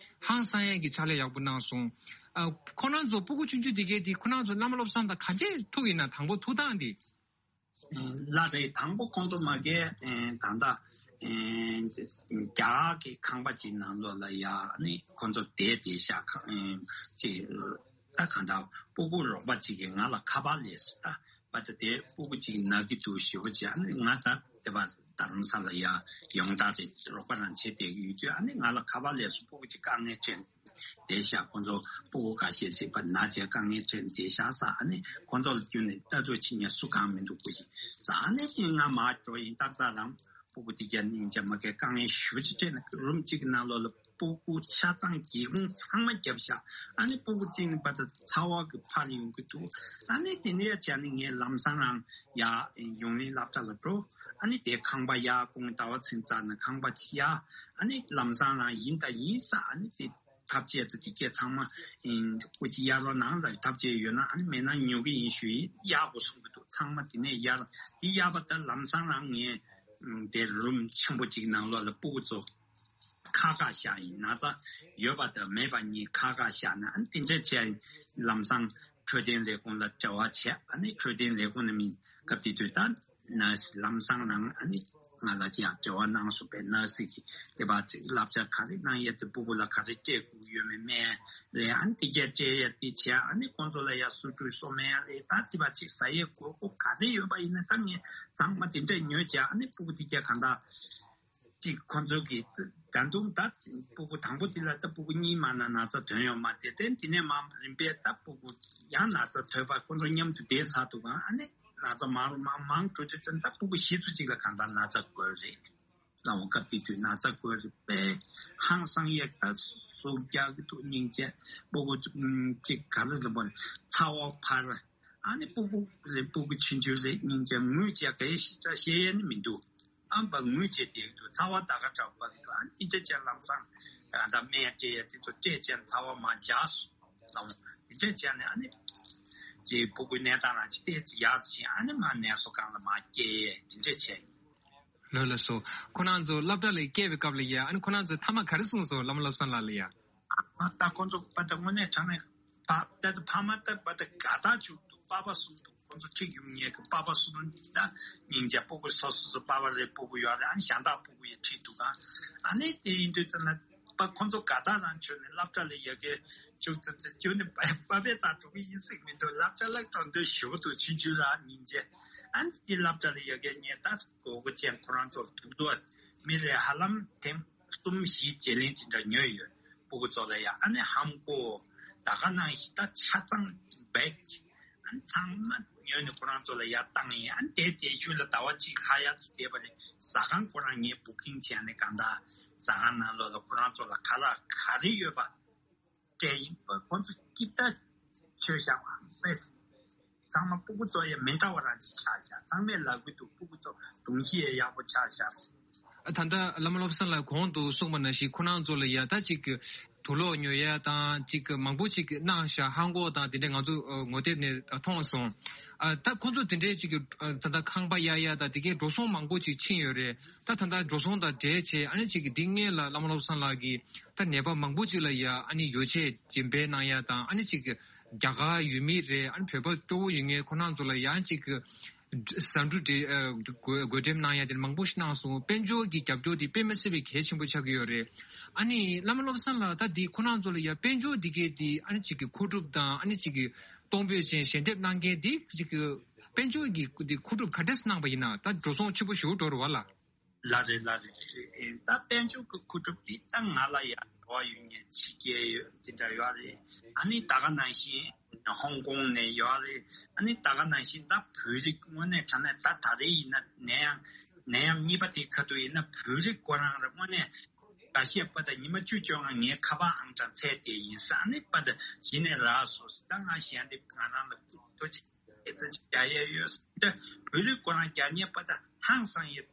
ཧང་སང་ཡས་ཀྱི་ཕྱག་ལས་ཡག་པོ་གནང་སོང་། ཨ་ཁོ་རང་ཚོ་སྤུ་གུ་ཆུང་ཆུང་དེ་གས་དེ་ཁོ་རང་ཚོ་བླ་མ་བློ་བཟང་དང་ག་འདྲས་ཐུག་ཡིན་ན། དང་པོ་ཐུག་སྟངས་དེ། ལགས་རེད། དང་པོ་ཁོང་ཚོ་མ་གིར་ད་ལྟ་རྒྱ་གར་གྱི་ཁང་པ་ཅིག་ནང་ལོགས་ལ་ཡ་ནི་ཁོང་ཚོ་བསྡད་བསྡད་ཤག་ཁང་ཅིག་ད་གང་ལྟར་སྤུ་གུ་རོགས་པ་ཅིག་གིས་ང་ལ་ཁ་པར་སླེབས་སོང་། ད་པ་ད་དེ་སྤུ་གུ་ཅིག་ན་གི་འདུག་ཞེ་པོ་བྱས། ཨ་ནི་ང་ད་དེ་པ་རྡ་རམ་ས་ལ་ཡ་ཡོངས་གྲགས་རེད། རོགས་པ་རང་བྱེད་བསྡད་ཀྱི་ཡོད་དུས་ཨ་ནི་ང་ལ་ཁ་པར་སླེབས་སོང་། སྤུ་གུ་ཅིག་དཀའ་ངལ་འཕྲད་བསྡད་ཤག་ཁོང་ཚོ་སྤུ་གུ་ཁ་ཤས་ཤིག་པ་ན་བྱས་དཀའ་ངལ་འཕྲད་བསྡད་ཤག་ཟེར། ཨ་ནི་ཁོང་ཚོ་ལ་བསྐྱོན་ནས་ལྟ་རྟོག་བྱེད་མཁན་སུ་གང་མི་འདུག་སྐུ་མཁྱེན་ཟེར། ཨ་ནི་ང་མར་འགྲོ་ཡིན། ཏག་ཏག་རང་སྤུ་གུ་དེ་ག་སྙིང་རྗེ་མ་གིར་དཀའ་ངལ་ཞེ་པོ་ཅིག་འཕྲད་ནས་རུམ་གཅིག་གི་ནང་ལོགས་ལ་སྤུ་གུ་ཆ་ཚང་སྒེའུ་ཁུང་ཚང་མ་བརྒྱབ་ཤག་ཨ་ནི་སྤུ་གུ་གཅིག་ནི་པ་ད་ཚ་བ་གིས་འཕར་ཡོང་གི་འདུག་ཨ་ནི་དེ་ནས་བྱས་ནས་ངས་ལམ་སང་རང་ཡར་ཡོངས་གླིང་སློབ་གྲྭ་ལ་འགྲོ། ཨ་ནི་དེ་ཁང་པ་ཡར་དགོང་ཟླ་བ་ཚེས་བཙག་ནས་ཁང་པ་ཕྱེ་ཡ། ཨ་ནི་ལམ་སང་རང་ཡིན་ད་ཡིན་ཟེར། ཨ་ནི་དེ་ཐབས་ཤེས་དང་དེ་གས་ཚང་མ་སྐུ་མཁྱེན་གཡར་རོགས་གནང་ལབ། ཐབས་ཤེས་ཡོད་ན། ཨ་ནི་མེད་ན་ཉོ་གི་ཡིན་ཞུ་ཡིན། གཡར་དགོས་གསུང་གི་འདུག་ཚང་མ་དེ་ནས་གཡར། དེ་གཡར་བ་ད་ལམ་སང་རང་ངས་དེ་རུམ་ཆེན་པོ་ཅིག་ནང་ལོགས་ལ་སྤུ་གུ་ཚོ་ཁ་ཁ་བཞག་ཡིན། ན་ཚ་ཡོད་པ་དང་མེད་པ་གཉིས་ཁ་ཁ་བཞག་ནས། ཨ་ནི་དེ་འདྲ་བྱས་ལམ་སང་འཕྲོད་བསྟེན་ལས་ཁུངས་ལ་འབྲེལ་བ་བྱས། ཨ་ནི་འཕྲོད་བསྟེན་ལས་ཁུངས་ནས་མི་སྐབས་དེ་དུས་ད་ནར་སི་ལམ་སང་ནང་ཨ་ནི་ང་ལ་ཡང་འབྲེལ་བ་གནང་སོང་པས། ནར་སི་གིས་དེ་བ་ཅིག་བསླབ་བྱ་ག་རེ་གནང་ཡས་དེ་སྤུ་གུ་ལ་ག་རེ་སྤྲད་དགོས་ཡོད་མེད་སྨན་ལས་ཨ་ནི་དེ་གས་སྤྲད་ཡས་དེ་བྱས། ཨ་ནི་ཁོང་ཚོ་ལ་ཡང་གསོ་བཀྲུས་གསོ་སྨན་ལས་ད་དེ་བ་ཅིག་ཟ་ཡས་དགོས་མཁོ་ག་རེ་ཡོད་པ་ཡིན་ན་ད་ངས་ཚང་མ་དེ་འདྲས་ཉོས་བྱས། ཨ་ནི་སྤུ་གུ་དེ་གས་གང་ལྟར་ཅིག་ཁོང་ཚོ་གིས་ད་དུང་ད་སྤུ་གུ་དང་པོ་དེ་ལ་ད་སྤུ་གུ་གཉིས་མ་ན་ན་ཚ་ཐོན་ཡོད་མ་རེད་དེ། དེ་ནས་མ་རིམ་པས་ད་སྤུ་གུ་ཡང་ན་ཚ་ཐོན་པ་ཁོང་ཚོ་མཉམ་དུ་བསྡད་ཚར་འདུག་ག་ཨ་ནི་ན་ཚ་མང་རུ་མང་མང་འགྲོ་དུས་ཙམ་ད་སྤུ་གུ་བཞི་ཚོ་གཅིག་ལ་གང་ལྟར་ན་ཚ་འགོས་རེད། ལའང་སྐབས་དེ་དུས་ན་ཚ་འགོས་རེད་པས། ཧང་སང་ཡས་ད་སུ་རྒྱག་གི་འདུག་སྙིང་རྗེ། སྤུ་གུ་གཅིག་ག་ལ་ཟེར་བ་ཚ་བ་འཕར། ཨ་ནི་སྤུ་གུ་རེད། སྤུ་གུ་ཆུང་ཆུང་རེད། སྙིང་རྗེ། ངུས་བྱས་ག་ཡེ་ཞིག་ད་བཤད་ཡས་ནི་མི་འདུག་ཨ་ནི་པ་ངུས་བྱས་བསྡད་ཀྱི་འདུག་ཚ་བ་ད་ག་འདྲ་པ་གི་འདུག་ཨ་ནི་དེ་འདྲ་བྱས་ལམ་སང་ད་སྨན་སྤྲད་ཡས་དེ་ཚོ་སྤྲད་བྱས་ཚ་བ་མར་འཇགས་སོང་། ལའང་དེ་འདྲ་བྱས་ནས་ཨ་ནི་ཅིག་སྤུ་གུའི་གནས་སྟངས་ལ་ཅིག་ཏོག་ཙམ་ཡག་ཕྱིན། ཨ་ནི་མར་ནད་གསོ་ཁང་ལ་མར་སྐྱེལ་ཡས་དེ་འདྲ་བྱས། ལགས་ལགས་སོ། ཁོ་རང་ཚོ་སློབ་གྲྭ་ལ་སྐྱེལ་བའི་སྐབས་ལ་ཡ། ཨ་ནི་ཁོ་རང་ཚོ་མཐའ་མ་ག་རེ་གསུངས་སོང་། བླ་མ་བློ་བཟང་ལགས་ལ་ཡ། ཨ་ད་ཁོ་ཚོ་པ་ད་དངོས་གནས་དྲང་གནས་ཕ་ད་ད་ཕ་མ་ད་པ་ད་དགའ་ཐག་ཆོད་འདུག་པ་ཕ་གསུམ་འདུག་ཁོ་ཚོ་ཁྲིད་རྒྱུ་ངེས་ཀྱི་པ་ཕ་གསུམ་འདུག་ད་སྙིང་རྗེ། སྤུ་གུ་སོ་སོ་སོ་པ་ཕ་རེ་སྤུ་གུ་ཡོད་རེད། ཨ་ནི་གཞན་དག་སྤུ་གུ་ཡི་ཁྲིད་འདུག་ཨ་ནི་དེ་ཡིན་དུས་ཙམ་ན་པ་ཁོ་ཚོ་དགའ་ཐག་རང་ཆོད་ནས་སློབ་གྲྭ་ལ་ཡ་གི་ཅུང་ཙི་ཙི་ཅུང་ནི་པ་པ་ཕའི་རྩར་འགྲོ་གི་ཡིན་ཟེར་གི་མི་འདུག་སློབ་གྲྭ་ལ་འགྲོ་འདོད་ཞེ་པོ་འདུག་ཆུང་ཆུང་རང་སྙིང་རྗེ། ཨ་ནི་དེ་སློབ་གྲྭ་ལ་ཡ་གི་ངས་ད་གོ་གོ་ཅན་ཁོ་རང་ཚོར་ཐུག་འདུག་མི་རེ་ཧ་ལམ་ཐེངས་གསུམ་བཞི་བརྗེ་ལེན་ཅི་འདྲ་ཉོས་ཡོད། སྤུ་གུ་ཚོ་ལ་ཡ་ཨ་ནི་ཧམ་གོ་ ད་ག་ནང་བཞིན་ད་ཆ་ཚང་བེག་ཨ་ཚང་མ་ཉོས་ནས་ཁོ་རང་ཚོ་ལ་ཡར་བཏང་ཡིན། ཨ་དེ་དེ་ཤུལ་ལ་ཟླ་བ་གཅིག་ལྷག་ཡར་ཚུར་བསྡད་པ་ནས་ཟ་ཁང་ཁོ་རང་ངས་བུ་ཀིང་བྱས་ནས་གང་ལྟར་ཟ་ཁང་ནང་ལོགས་ལ་ཁོ་རང་ཚོ་ལ་ཁ་ལག་ག་རེ་ཡོད་པ་སྤྲད་ཡིན་པ། ཁོ་ཚོ་སྐྱིད་ད་ཆོས་བཞག་པ་མེད། ཚང་མ་སྤུ་གུ་ཚོ་ཡང་མི་འདྲ་བ་རང་ཅིག་ཆགས་བཞག་ཚང་མས་ལབ་གི་འདུག་སྤུ་གུ་ཚོ་གདོང་ཤི་ཡང་ཡག་པོ་ཆགས་བཞག་ད་ལྟ་བླ་མ་བློ་བཟང་ལགས་གོང་དུ་གསུངས་པ་ནང་བཞིན་ཁོ་རང་ཚོ་ལ་ཡ་ད་ཅིག་དུག་ལོག་ཉོ་ཡ་དང་ཅིག་མང་པོ་ཅིག་གནང་བཞག་ཧང་གོ་དང་དེ་འདྲ་ང་ཚོ་ངོ་དེབ་ནས་མཐོང་སོང་། ད་ཁོ་ཚོ་དེ་འདྲའི་ཅིག་ད་ལྟ་ཁང་པ་གཡར་ཡ་དང་དེ་གའི་འགྲོ་སོང་མང་པོ་ཅིག་ཕྱིན་ཡོད་རེད། ད་ད་ལྟ་འགྲོ་སོང་དང་འབྲེལ་བྱས་ཨ་ནི་ཅིག་འདི་སྔོན་ལ་བླ་མ་བློ་བཟང་ལགས་ཀྱིས་ད་ནད་པ་མང་པོ་ཅིག་ལ་ཡ་ཨ་ནི་ཡོ་བྱད་སྦྱིན་པ་གནང་ཡ་དང་ཨ་ནི་ཅིག་རྒྱ་གར་ཡུལ་མི་རེད། ཨ་ནི་བོད་པ་སྐྱོ་བོ་ཡོད་མཁན་ཁོ་རང་ཚོ་ལ་ཡང་ཅིག་ཟ་འབྲུ་དེ་བགོ་བགོ་འགྲེམས་གནང་ཡ་དེ་མང་པོ་ཞིག་གནང་སོང་། དཔལ་འབྱོར་གྱི་རྒྱབ་སྐྱོར་དེ་དཔེ་མི་སྲིད་པའི་གལ་ཆེན་པོ་ཆགས་ཀྱི་ཡོད་རེད། ཨ་ནི་བླ་མ་བློ་བཟང་ལགས་ད་འདི་ཁོ་རང་ཚོ་ལ་ཡ་དཔལ་འབྱོར་འདི་གའི་དེ་ཨ་ནི་ཅིག་གི་མཁོ་སྒྲུབ་དང་ཨ་ནི་ཅིག་གི་གཏོང་ཕོད་ཅན་ཞལ་འདེབས་གནང་མཁན་དེ་ཅིག་གི་དཔལ་འབྱོར་གྱི་དེ་མཁོ་སྒྲུབ་ག་འདྲས་གནང་པ་ཡིན་ན་ད་འགྲོ་སོང་ཆེན་པོ་ཞེ་པོ་འགྲོ་རེད་བ་ལ། ལ་རེད་ལ་རེད། ད་དཔལ་འབྱོར་གྱི་མཁོ་སྒྲུབ་དེ་ད་ང་ལ་ཡང་འབྲེལ་བ་ཡོད་མཁན་ཕྱི་རྒྱལ་ཡོད་དེ་འདྲ་ཡོད་རེད། ཨ་ནི་ད་ག་ནང་བཞིན་ཧོང་ཀོང་ནས་ཡོད་རེད། ཨ་ནི་ད་ག་ནང་བཞིན་ད་བོད་རིགས་དངོས་གནས་དྲང་གནས་ད་ད་རེས་ཡིན་ན་ནད་ཡམས་ནད་ཡམས་གཉིས་པ་དེ་ཁ་ཐུག་ཡིན་ན་བོད་རིགས་ཁོ་རང་ར་དངོས་གནས་འགའ་ཤས་པ་ད་ཉི་མ་བཅུ་བཅོ་ལྔ་ངའི་ཁ་པར་ཨང་གྲངས་འཚོལ་བསྡད་ཡིན་ས། ཨ་ནི་པ་ད་གཞི་ནས་རག་སོང་ཟེར། ད་ང་གཞན་དེ་ང་རང་ལ་ཐུགས་རྗེ་ཨེ་ཙི་ཅིག་རྒྱག་ཡས་ཡོད་ཟེར། ད་བོད་རིགས་ཁོ་རང་རྒྱག་མཁན་པ་ད་ཧང་སང་ཡས་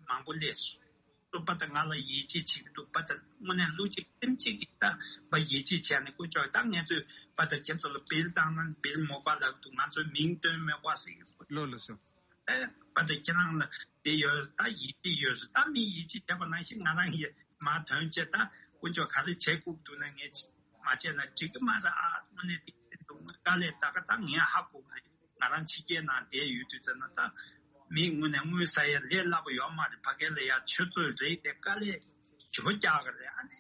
མང་པོ་སླེབས་སོང་། སོ་པ་ད་ང་ལ་ཡིད་ཆེས་བྱེད་ཀྱི་འདུག་པ་ད་དངོས་གནས་ལུས་གཅིག་སེམས་གཅིག་གིས་ད་པ་ཡིད་ཆེས་བྱས་ནས་དཀོན་མཆོག་ད་ངེད་ཚོས་པ་ད་ཁྱེད་ཚོ་ལ་བིལ་བཏང་ན་བིལ་མོ་པ་ལབ་འདུག་ང་ཚོའི་མིང་བཏོན་མེད་པ་ཟེར་གྱི་འདུག་ལོ་ལོ་སོ། ཨེ་པ་ད་ཁྱེད་རང་ལ་དེ་ཡོད་ད་ཡིད་ཆེས་ཡོད་ཟེར། ད་མི་ཡིད་ཆེས་བྱས་པ་ནང་བཞིན་ང་རང་ཡིད་མ་དོན་བྱས་ད་དཀོན་མཆོག་ག་རེ་བྱེད་དགོས་འདུག་ན་ངས་མ་བྱས་ན་འགྲིག་གི་མ་རེད། ཨ་དངོས་གནས་དེ་འདུག་དཀའ་ལས་ད་ག་ད་ངས་ཧ་གོ་གི་རེད། ང་རང་ཕྱི་རྒྱལ་ནང་བསྡད་ཡོད་དུས་ཙམ་ན་ད་མི་དངོས་གནས་དངུལ་ཟ་ཡ་ལས་སླ་པོ་ཡོད་མ་རེད། ཕ་གི་ལ་ཡ་ཆུ་ཚོད་རེད་དེ་དཀའ་ལས་ཞེ་པོ་རྒྱག་གི་རེད། ཨ་ནི་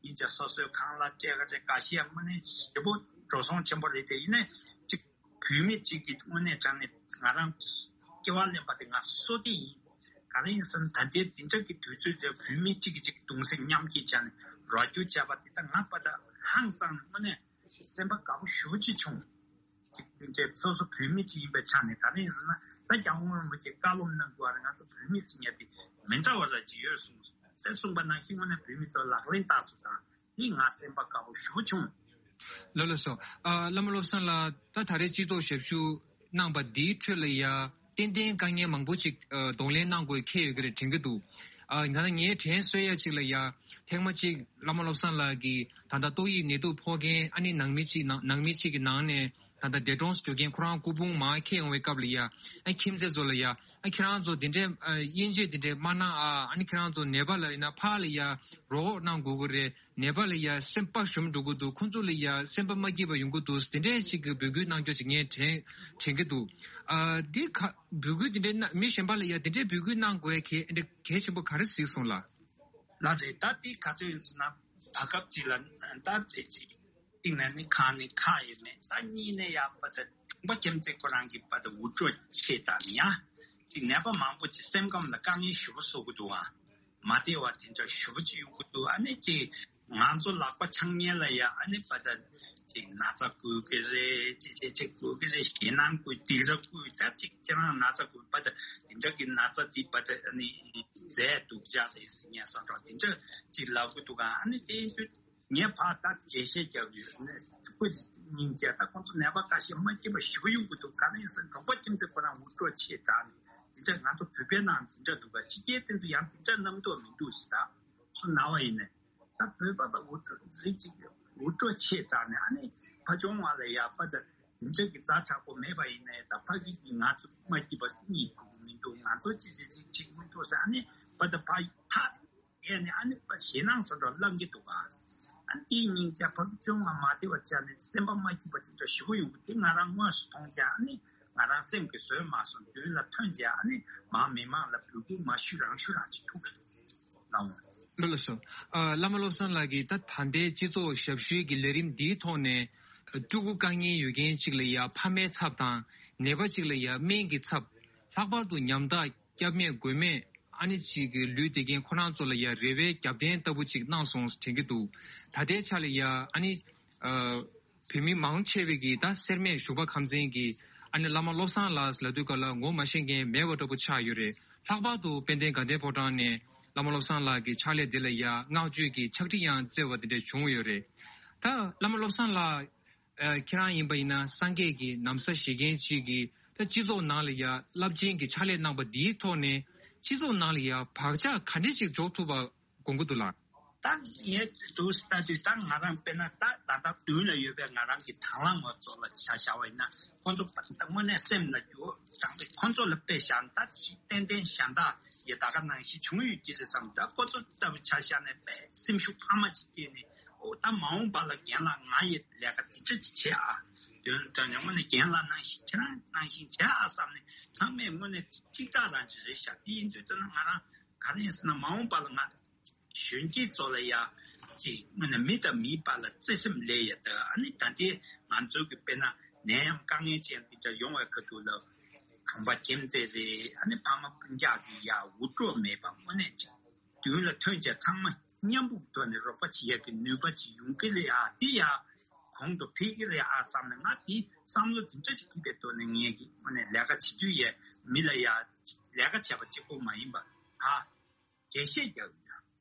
ཡིན་ཙང་སོ་སོའི་ཁང་གླ་སྤྲད་གི་རེད། འགའ་ཤས་དངོས་གནས་ཞེ་པོ་འགྲོ་སོང་ཆེན་པོ་རེད་དེ། ཡིན་ནའི་ཅིག་བོད་མི་གཅིག་གིས་དངོས་གནས་དྲང་གནས་ང་རང་སྐྱེ་བ་ལེན་པ་དེ་ང་བསོད་བདེ་ཡིན། ག་རེ་ཡིན་ཟེར་ན་ད་ལྟའི་འདི་འདྲ་གི་དུས་ཚོད་དེ་བོད་མི་གཅིག་གིས་གཅིག་གདུང་སེམས་མཉམ་སྐྱེད་བྱས་ནས་རོགས་སྐྱོར་བྱས་པ་དེ་ད་ང་པ་ད་ཧང་སང་ནས་དངོས་གནས་སེམས་པ་དགའ་པོ་ཞེ་པོ་ཅིག་བྱུང་། གཅིག་སྤུན་མཆེད་སོ་སོ་བོད་མི་གཅིག་ཡིན་པའི་ཆ་ནས་ག་རེ་ཡིན་ཟེར་ན་ད་སྐྱབས་མགོན་རིན་པོ་ཆེས་བཀའ་སློབ་གནང་དགོས་པ་རེད། ང་ཚོ་བོད་མི་ཟེར་མཁན་དེ་མི་འདྲ་བ་ར་ཅིག་ཡོད་གསུངས་སོང་། དེ་གསུངས་པ་ནང་བཞིན་དངོས་གནས་བོད་མི་ཚོ་ལག་ལེན་བསྟར་སོང་ཙང་འདི་ང་སེམས་པ་དགའ་པོ་ཞེ་པོ་བྱུང་། ལགས་ལགས་སོ། ཨ་བླ་མ་བློ་བཟང་ལགས་ད་ད་རེས་སྤྱི་ཚོགས་ཞབས་ཞུ་གནང་པ་འདིའི་ཁྲོད་ལ་ཡ་ཏན་ཏན་དཀའ་ངལ་མང་པོ་ཅིག་ཨ་གདོང་ལེན་གནང་དགོས་འཁེལ་ཡོད་ཀྱི་རེད་དྲན་གྱི་འདུག་ཨ་ད་ལྟ་ངས་དྲན་གསོ་ཡ་ཅིག་ལ་ཡ་ཐེངས་མ་གཅིག་བླ་མ་བློ་བཟང་ལགས་ཀྱིས་ད་ལྟ་ཏོག་དབྱིབས་ནད་དུག་ཕོག་མཁན་ཨ་ནི་ནང་མི་གཅིག་ནང་ནང་མི་གཅིག་གི་ནང་ནས་ད་ལྟ་འདས་གྲོངས་སུ་གྱུར་མཁན་ཁོ་རང་སྐུ་ཕུང་མར་འཁྱེར་ཡོང་བའི་སྐབས་ལ་ཡ་ཨ་ཁྱིམ་མཚེས་ཚོ་ལ་ཡ་ཨ་ཁྱེད་རང་ཚོ་དེ་འདྲའི་ཨ་དབྱེ་འབྱེད་དེ་འདྲའི་མ་གནང་ཨ། ཨ་ནི་ཁྱེད་རང་ཚོ་ནད་པ་ལ་ཡིན་ན་ཕར་ལ་ཡ་རོགས་གནང་དགོས་ཀྱི་རེད། ནད་པ་ལ་ཡ་སེམས་པ་ཞུམ་འགྲོ་གི་འདུག་ཁོང་ཚོ་ལ་ཡ་སེམས་པ་མ་སྐྱིད་པ་ཡོང་གི་འདུག་དེ་འདྲའི་ཞིག་གི་འབོད་སྐུལ་གནང་རྒྱུ་ཅིག་ངས་དྲན་དྲན་གྱི་འདུག་ཨ་འདི་ག་འབོད་སྐུལ་དེ་འདྲའི་གནང་མི་གཞན་པ་ལ་ཡ་དེ་འདྲའི་འབོད་སྐུལ་གནང་དགོས་གལ་གལ་ཆེན་པོ་ག་རེ་གཟིགས་སོང་ལ། ལགས་རེད། ད་འདི་ག་ཚོད་ཡིན་ཟེར་ན་བར་སྐབས་ཅིག་ལ་ད་ཚེ་གཅིག་གཅིག་ནས་ནི་ཁག་ནི་ཁག་ཡོད་མེད། ད་གཉིས་ནས་ཡ་པ་ད་གྲོང་པ་ཁྱིམ་མཚེས་ཁོ་རང་གི་པ་ད་འུར་སྒྲོག་ཆེ་དྲགས་ནི་ཡ་གཅིག་ནད་པ་མང་པོ་ཅིག་སེམས་ཁམས་ལ་དཀའ་ངལ་ཞེ་པོ་བཟོ་གི་འདུག་ཨ། མ་བདེ་བ་དེ་འདྲ་ཞེ་པོ་ཅིག་ཡོང་གི་འདུག་ཨ་ནི་ཅིག་ང་ཚོ་ལག་པ་འཆང་མཁན་ལ་ཡ་ཨ་ནི་པ་ད་ཅིག་ན་ཚ་འགོས་ཀྱི་རེད། ཅིག་ཅིག་ཅིག་འགོས་ཀྱི་རེད། ཞེད་སྣང་འགོས་སྡིགས་ར་འགོས། ད་ཅིག་ཁྱེད་རང་ན་ཚ་འགོས་པ་ད་དེ་འདྲ་གི་ན་ཚ་འདི་པ་ད་ཨ་ནི་རྫས་སྡུག་ཅག་རེད་ཟེར་མཁན་སོང་འགྲོ་དེ་འདྲ་ཅིག་ལབ་གི་འདུག་ཨ་ནི་དེ་ཡིན་དུས་ངས་ཕར་ད་འགྲེལ་བཤད་རྒྱག་གི་ཡོད་ནས་ཁོ་སྙིང་རྗེ། ད་ཁོང་ཚོ་ནད་པ་ཁ་ཤས་མ་སྐྱིད་པ་ཞེ་པོ་ཡོང་གི་འདུག་ག་ནས་ཡིན་ཟེར་གྲོང་པ་ཁྱིམ་མཚེས་ཁོ་རང་འུར་སྒྲོག་ཆེ་དྲགས་ནས་དེ་འདྲ་ང་ཚོ་བོད་པའི་ནང་དེ་འདྲ་འདུག་ག་ཕྱི་རྒྱལ་དེ་ཚོ་ཡང་དེ་འདྲ་རྣམ་རྟོག་མི་འདུག་ཟེར། ད་སུ་ན་བ་ཡིན་ནས་ད་བོད་པ་པ་འུར་སྒྲོག་རིགས་གཅིག་འུར་སྒྲོག་ཆེ་དྲགས་ནས་ཨ་ནི་ཕ་ཆུང་བ་ལ་ཡ་པ་ད་དེ་འདྲ་གི་ཛ་དྲག་པོ་མེད་པ་ཡིན་ནས་ད་ཕ་གི་གི་ང་ཚོ་མ་སྐྱིད་པ་གཉིད་ཁུག་མི་འདུག་ང་ཚོ་ཅི་ཅི་ཅིག་ཅིག་མི་འདུག་ཟེར། ཨ་ནི་པ་ད་ཕ་ཐག་ཡས་ནས་ཨ་ནི་པ་ཞེད་སྣང་སོགས་ལ་བསླང་གི་འདུག་ག་ཨ་ནི་དེའི་སྙིང་རྗེ་ཕ་གི་ཆུང་བ་མ་བདེ་བ་བྱས་ནས་སེམས་པ་མ་སྐྱིད་པ་དེ་འདྲ་ཞེ་པོ་ཡོང་གི་དེ་ང་རང་དངོས་སུ་མཐོང་བྱས། ཨ་ནི་ང་རང་སེམས་ཀྱིས་བཟོད་མ་སོང་། མདུན་ལ་ཐོན་བྱས་ཨ་ནི་མང་མི་མང་ལ་འབོད་སྐུལ་མ་ཞུ་རང་ཞུ་རང་ཅིག་ཐུག་ལ་འོང་། ལགས་ལགས་སོ། ཨ་བླ་མ་བློ་བཟང་ལགས་ཀྱིས་ད་ད་ལྟའི་སྤྱི་ཚོགས་ཞབས་ཞུའི་གི་ལས་རིམ་འདིའི་ཐོག་ནས་ཕྲུ་གུ་དཀའ་ངལ་ཡོད་མཁན་གཅིག་ལ་ཡ་ཕ་མའི་ཚབ་དང་ནད་པ་གཅིག་ལ་ཡ་སྨན་གྱི་ཚབ། ལྷག་པར་དུ་ཉམ་ཐག་སྐྱབས་མེད་མགོན་མེད་ཨ་ནི་གཅིག་གི་ལུས་བདེ་མཁན་ཁོ་རང་ཚོ་ལ་ཡ་རེ་བའི་རྒྱབ་རྟེན་ལྟ་བུ་གཅིག་གནང་སོང་དྲན་གྱི་འདུག་ད་ལྟའི་ཆ་ལ་ཡ་ཨ་ནི་ཨ་ བོད་མི་མང་ཆེ་བས་ཀྱི་ད་སེར་སྨད་ཞོགས་པ་ཁམས་ཚན་གྱི་ཨ་ནི་བླ་མ་བློ་བཟང་ལགས་ལབ་དུས་སྐབས་ལ་ངོ་མ་ཤེས་མཁན་མེད་པ་འདྲ་པོ་ཆགས་ཡོད་རེད། ལྷག་པར་དུ་དཔལ་ལྡན་དགའ་ལྡན་ཕོ་བྲང་ནས་བླ་མ་བློ་བཟང་ལགས་ཀྱི་ཕྱག་ལས་འདི་ལ་ཡ་བསྔགས་བརྗོད་ཀྱི་ཕྱག་བྲིས་ཡང་བསྩལ་བ་དེ་འདྲ་བྱུང་ཡོད་རེད། ད་བླ་མ་བློ་བཟང་ལགས་ཨ་ཁྱེད་རང་ཡིན་པ་ཡིན་ན་སངས་རྒྱས་ཀྱི་ན་བཟའ་བཞེས་མཁན་ཅིག་གིས་ད་སྤྱི་ཚོགས་ནང་ལ་ཡ་རླབས་ཆེན་གྱི་ཕྱག་ལས་གནང་པ་འདིའི་ཐོག་ནས་སྤྱི་ཚོགས་ནང་ལ་ཡ་བག་ཆགས་ག་འདྲས་ཅིག་འཇོག་ཐུབ་པ་དགོངས་ཀྱི་འདུག་ལགས། ད་ངས་འདུག་ལྟ་དུས་ད་ང་རང་དཔེར་ན་ད་ད་ལྟ་མདུན་ལ་ཡོད་པའི་ང་རང་གི་དང་བླངས་ངོ་ཚོ་ལ་ཆ་བཞག་པ་ཡིན་ན་ཁོང་ཚོ་ད་དངོས་གནས་སེམས་ལ་འགྱུར་བ་དྲངས་ཏེ་ཁོང་ཚོ་ལ་དཔེ་བཞག་ན་ད་ཏན་ཏན་གཞན་དག་ཡི་ད་ག་ནང་བཞིན་བྱུང་ཡོད་ཀྱི་རེད་བསམ། ད་ཁོ་ཚོ་ལྟ་བུ་ཆ་བཞག་ནས་དཔེ་སེམས་ཤུགས་འཕར་མ་ཅིག་སྐྱེས་ནས་ཨོ་ད་མ་འོངས་པ་ལ་རྒན་ལགས་ང་ཡི་ལས་ཀ་འདི་འདྲ་ཅིག་བྱེད་ཨ། དོན་དོན་ནས་དངོས་གནས་རྒན་ལགས་ནང་བཞིན་ཁྱེད་རང་ནང་བཞིན་བྱེད་ཨ་བསམ་ནས་ཚང་མས་དངོས་གནས་གཅིག་ཐག་རང་ཅིག་རེད་ཤག་དེ་ཡིན་དུས་ད་ན་ང་རང་ག་རེ་ཡིན་ཟེར་ན་མ་འོངས་པ་ལ་ང་གཞོན་སྐྱེས་ཚོ་ལ་ཡ་ཅིག་དངོས་གནས་མི་དང་མིའི་བར་ལ་བརྩེ་སེམས་ལས་ཡ་ད་ཨ་ནི་ད་ལྟའི་ང་ཚོ་གི་དཔེར་ན་ནད་ཡམས་དཀའ་ངལ་ཅན་འདི་འདྲ་ཡོང་བའི་ཁ་ཐུག་ལ་གྲོང་པ་ཁྱིམ་མཚེས་རེད་ཨ་ནི་ཕ་མ་སྤུན་ཀྱག་གི་ཡ་འུར་སྒྲོག་མེད་པ་དངོས་གནས་ཅིག་མདུན་ལ་ཐོན་བྱས་ཚང་མ་མཉམ་པོ་གི་ཐོག་ནས་རོགས་པ་བྱེད་ཡ་གི་ནུས་པ་ཅིག་ཡོང་གི་རེད་ཨ་འདི་ཡ་གོང་དུ་འཕེལ་གི་རེད་ཨ་བསམ་ནས་ང་འདི་བསམ་བློ་འདི་འདྲ་ཅིག་སྐྱིད་པའི་ཐོག་ནས་ངས་ཀྱི་དངོས་གནས་ལས་ཀ་བྱེད་དུས་ཡས་མི་ལ་ཡ་ལས་ཀ་བྱས་པ་གཅིག་པོ་མ་ཡིན་པ་ད་འགྲེལ་བཤད་རྒྱག་གི་ཡ།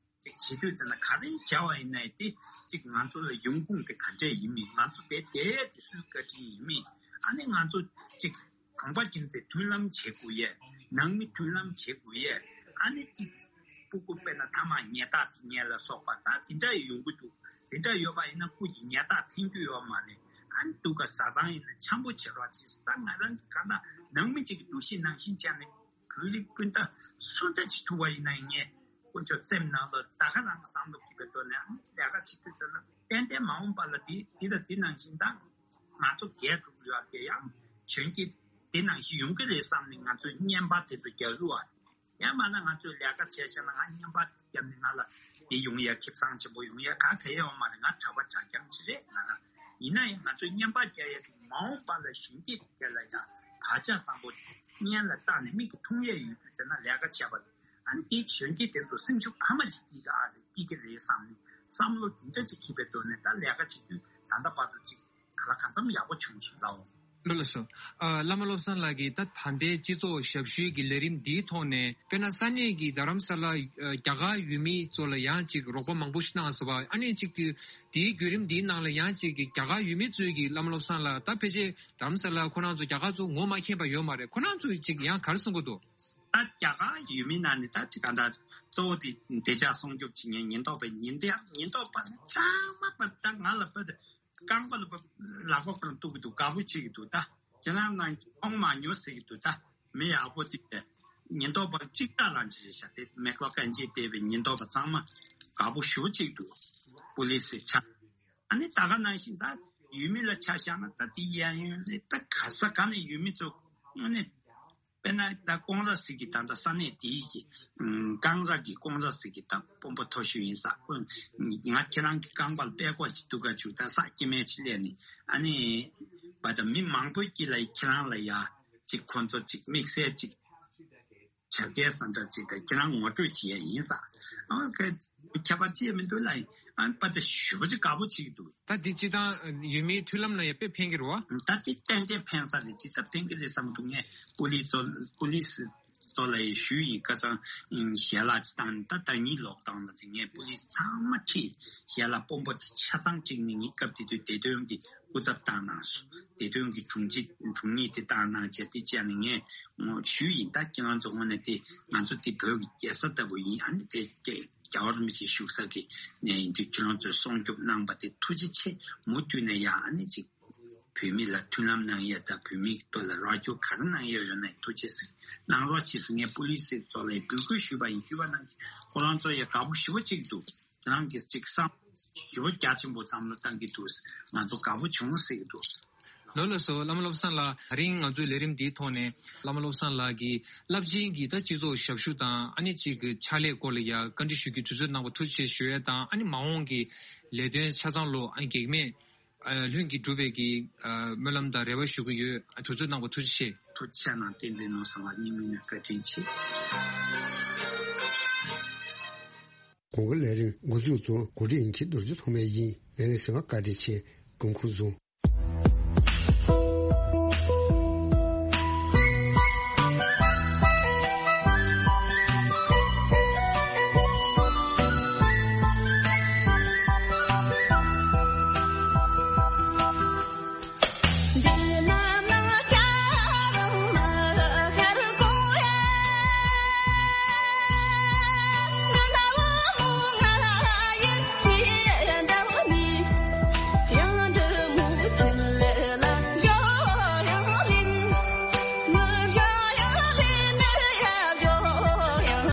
ཅིག་བྱེད་དུས་ཙམ་ན་ག་རེ་བྱ་བ་ཡིན་ནའི་དེ་ཅིག་ང་ཚོ་ལ་ཡོང་ཁུངས་དེ་ག་འདྲས་ཡིན་མིན་ང་ཚོ་དེ་དེ་དེ་སུའི་བཀའ་དྲིན་ཡིན་མིན་ཨ་ནི་ང་ཚོ་ཅིག་གྲོང་པ་ཁྱིམ་མཚེས་མཐུན་ལམ་བྱེད་དགོས་ཡས་ནང་མི་མཐུན་ལམ་བྱེད་དགོས་ཡས་ཨ་ནི་ཅིག་སྤུ་གུ་དཔེར་ན་ཐ་མག་ཉལ་ཐག་དེ་ཉལ་ལ་སོགས་པ་ད་དེ་འདྲ་ཡོང་གི་འདུག་དེ་འདྲ་ཡོད་པ་ཡིན་ན་སྐུ་གྱི་ཉལ་ཐག་འཐེན་རྒྱུ་ཡོད་མ་རེད་ཨ་ནི་སྡུག་ག་བཟའ་ཚང་ཡིན་ན་འཆམ་པོ་བྱེད་རོགས་བྱེད་ད་ང་རང་གི་ག་ད་ནང་མི་ཅིག་གི་འདུ་ཤེས་ནང་བཞིན་བྱས་ནས། བོད་རིགས་སྤུན་ཟླ་སུ་འདྲ་ཅིག་ཐུག་པ་ཡིན་ན་ཡང་ངས་དཀོན་མཆོག་སེམས་ནང་ལ་ད་ག་རང་བསམ་བློ་སྐྱིད་པའི་ཐོག་ནས་ཨ་ནི་ལས་ཀ་བྱེད་དུས་ཚོད་ལ་ཏན་ཏན་མ་འོངས་པ་ལ་འདི་འདི་དང་འདི་ནང་བཞིན་ད་ང་ཚོ་རྒས་འགྲོ་གི་ཡོད་དེ་ཡང་གཞོན་སྐྱེས་འདི་ནང་བཞིན་ཡོང་གི་རེད་བསམ་ནས་ང་ཚོས་བརྙན་པར་དེ་ཚོ་རྒྱག་རུ་བ་ཡང་མ་ན་ང་ཚོས་ལས་ཀ་བྱས་ཤེ་ན་ང་བརྙན་པར་བརྒྱབ་ནས་ང་ལ་འདི་ཡོང་ཡ་ཁེ་བཟང་ཆེན་པོ་ཡོང་ཡ་ག་ག་ཡ་ཡོང་མ་རེད། ང་གྲྭ་པ་གྲྭ་རྐྱང་ཅིག་རེད་ང་རང་ཡིན་ན་ཡང་ང་ཚོས་བརྙན་པར་རྒྱག་ཡ་དེ་མ་འོངས་པ་ལ་གཞོན་སྐྱེས་དེ་ལ་ཡང་བག་ཆགས་བཟང་པོ་སྔོན་ལ་བཏང་ནས་མིག་གིས་མཐོང་ཡས་ཡོད་དུས་ཟེར་ན་ལས་ཀ་བྱས་པ་རེད། ཨ་ནི་དེའི་གཞོན་སྐྱེས་དེ་ཚོ་སེམས་ཤུགས་ཕ་མ་ཅིག་སྐྱེ་གི་ཨ་རེད་སྐྱེ་གི་རེད་བསམ་ནས་བསམ་བློ་དེ་འདྲ་ཅིག་འཁྱེར་པའི་ཐོག་ནས་ད་ལས་ཀ་བྱེད་དུས་ད་ལྟ་བར་དུ་ཅིག་ག་ལ་གང་འཚམ་ཡག་པོ་བྱུང་སོང་ལའོ། ལགས་སོ། ཨ་བླ་མ་བློ་བཟང་ལགས་ཀྱིས་ད་ད་ལྟའི་སྤྱི་ཚོགས་ཞབས་ཞུའི་གི་ལས་རིམ་འདིའི་ཐོག་ནས་དཔེར་ན་ས་གནས་ཀྱི་རྡ་རམ་ས་ལ་ཨ་རྒྱ་གར་ཡུལ་མི་ཚོ་ལ་ཡང་ཅིག་རོགས་པ་མང་པོ་ཞིག་གནང་སོང་བ་ཨ་ནི་ཅིག་དེའི་བརྒྱུད་རིམ་འདིའི་ནང་ལ་ཡང་ཅིག་གི་རྒྱ་གར་ཡུལ་མི་ཚོའི་གི་བླ་མ་བློ་བཟང་ལགས་ད་ཕལ་ཆེར་རྡ་རམ་ས་ལ་ཁོ་རང་ཚོ་རྒྱ་གར་ཚོ་ངོ་མ་མཁྱེན་པ་ཡོད་མ་རེད། ཁོ་རང་ཚོས་ཅིག་ཡང་ག་རེ་གསུང་གི་འདུག་ད་རྒྱ་གར་ཡུལ་མི་ནང་ནས་ད་ཅིག་ག་འདྲ་གཙོ་བོ་དེ་བདེ་འཇགས་སྲུང་སྐྱོབ་བྱེད་མཁན་ཉེན་རྟོག་པའི་ཉེན་བརྡ་ཉེན་རྟོག་པ་ནི་ཚང་མ་པ་ད་ང་ལ་པ་རྐང་པ་ལ་པ་ལག་པ་ཁོ་རང་གཏུག་གི་འདུག་དགའ་པོ་བྱེད་ཀྱི་འདུག་ད་ཁྱེད་རང་ནང་ཁོང་མ་ཉོ་ཟེར་གྱི་འདུག་ད་མི་ཡག་པོ་དེ་ཉེན་རྟོག་པ་གཅིག་ལྟ་རང་ཅི་རེད་ཤག་དེ་མེ་ཁོ་གན་ཇི་སྤེལ་བའི་ཉེན་རྟོག་པ་ཚང་མ་དགའ་པོ་ཞུ་གཅིག་འདུག་པུ་ལི་སི་ཆ་ཨ་ནི་ད་ག་ནང་བཞིན་ད་ཡུལ་མི་ལ་ཆ་བཞག་ན་ད་དེ་གཡས་གཡོན་ལས་ད་ག་ས་ག་ནས་ཡུལ་མི་ཚོ་དངོས་གནས་དཔེར་ན་ད་ཀོང་ར་ཟེར་གི་ད་ད་ས་གནས་དེའི་གི་ཀང་ར་གི་ཀོང་ར་ཟེར་གི་ད་དཔོན་པོ་མཐོ་ཤོས་ཡིན་ས། ང་ཁྱེད་རང་གི་རྐང་པར་པད་ཀོག་ཅིག་འདུག་ག་བྱུག་ད་ས་སྐྱེ་དམན་ཅིག་སླེབས་ནས་ཨ་ནི་བ་ད་མི་མང་པོའི་དཀྱིལ་ལ་ཁྱེད་རང་ལ་ཡ་ཅིག་ཁོ་ཚོ་ཅིག་དམིགས་བསལ་ཅིག་བྱ་དགའི་ས་འདྲ་ཅིག་ད་ཁྱེད་རང་ངོ་སྤྲོད་བྱེད་ཡ་ཡིན་ས། ཨ་ཁྱད་པར་ཅི་ཡང་མི་འདུག་ལ་ཨ་པ་ད་ཞུ་བ་ཅིག་དགའ་པོ་བྱེད་ཀྱི་འདུག་ད་འདི་སྤྱི་བཏང་ཡུལ་མིའི་མཐུན་ལམ་ལ་ཡང་དཔེ་ཕན་གྱི་རེད་བ། ད་འདི་ཏན་ཏན་ཕན་ས་རེད། འདི་ད་ཕན་གྱི་རེད་བསམ་གྱི་འདུག་ངས་པུ་ལི་ཚོ་པུ་ལི་ཚོ་ལ་ཡང་ཞུས་ཡིན། ཁ་སང་ཞལ་ལག་ཅིག་བཏང་ནས་ད་ཟླ་ཉིན་ལོག་བཏང་ལ་དེ་ངས་པུ་ལི་ཚང་མ་ཁྲིད་ཞལ་ལག་དཔོན་པོ་དེ་ཆ་ཚང་ཁྲིད་ནས་ངས་སྐབས་དེ་དུས་བདེ་དོན་གྱི་སྐུ་ཚབ་བཏང་གནང་སོང་། བདེ་དོན་གྱི་དྲུང་ཆེ་དྲུང་ཡིག་དེ་བཏང་གནང་བྱས་དེ་བྱས་ནས་ངས་ཞུས་ཡིན། ད་ཁྱེད་རང་ཚོ་དངོས་གནས་དེ་ང་ཚོ་དེ་བོད་ཀྱི་རྒྱལ་ས་ལྟ་བུ་ཡིན། ཨ་ནི་དེ་རྒྱལ་རྒྱལ་བ་རིན་པོ་ཆེ་བཞུགས་ས་གི་གནས་ཡིན་དུས་ཁྱེད་རང་ཚོས་སྲུང་སྐྱོབ་གནང་པ་དེ་ཐུགས་རྗེ་ཆེ། མུ་མཐུད་ནས་ཡང་ཨ་ནི་ཅིག་བོད་མི་ལ་མཐུན་ལམ་གནང་ཡས་དང་བོད་མིའི་ཐོག་ལ་རོགས་སྐྱོར་ག་རེ་གནང་ཡས་ཡོད་ན་ཐུགས་རྗེ་ཆེ་གནང་རོགས་གྱིས་ཟེར་ངས་པུ་ལི་སི་ཚོ་ལ་འབོད་སྐུལ་ཞུས་པ་ཡིན། ཞུས་པ་གནང་གི་ཁོ་རང་ཚོ་ཡང་དགའ་པོ་ཞེ་པོ་ཅིག་འདུག་ཁྱེད་རང་གིས་ཅིག་བསམ་ཞེ་པོ་རྒྱ་ཆེན་པོ་བསམ་བློ་བཏང་གི་འདུག་ང་ཚོ་དགའ་པོ་བྱུང་ཟེར་གྱི་འདུག་ལགས་ལགས་སོ། བླ་མ་བློ་བཟང་ལགས། དེ་རིང་ང་ཚོའི་ལས་རིམ་འདིའི་ཐོག་ནས་བླ་མ་བློ་བཟང་ལགས་ཀྱིས་རླབས་ཆེན་གྱི་ད་སྤྱི་ཚོགས་ཞབས་ཞུ་དང་ཨ་ནི་གཅིག་གི་ཕྱག་ལས་སྐོར་ལ་ཡ་བཀའ་འདྲི་ཞུ་རྒྱུའི་དུས་ཚོད་གནང་བ་ཐུགས་རྗེ་ཆེ་ཞུ་ཡས་དང་ཨ་ནི་མ་འོངས་ཀྱི་ལས་དོན་ཆ་ཚང་ལོ་ཨ་ནི་གེགས་མེད་ཨ་ལྷུན་གྱིས་གྲུབ་པའི་གི་ཨ་སྨོན་ལམ་དང་རེ་བ་ཞུ་གི་ཡོད། ཨ་དུས་ཚོད་གནང་བ་ཐུགས་རྗེ་ཆེ། ཐུགས་རྗེ་ཆེ་གནང་། བསྟན་འཛིན་ནོར་བཟང་ལགས་སྙིང་དབུས་ནས་བཀའ་དྲིན་ཆེ། གོང་གི་ལས་རིམ་འགོ་འཛུགས་དང་གོ་སྒྲིག་ཡིན་གྱི་རྡོ་རྗེ་ཐོགས་མེད་ཡིན། ལས་རིམ་གསན་པར་བཀའ་དྲིན་ཆེ། སྐུ་ཁམས་བཟང་།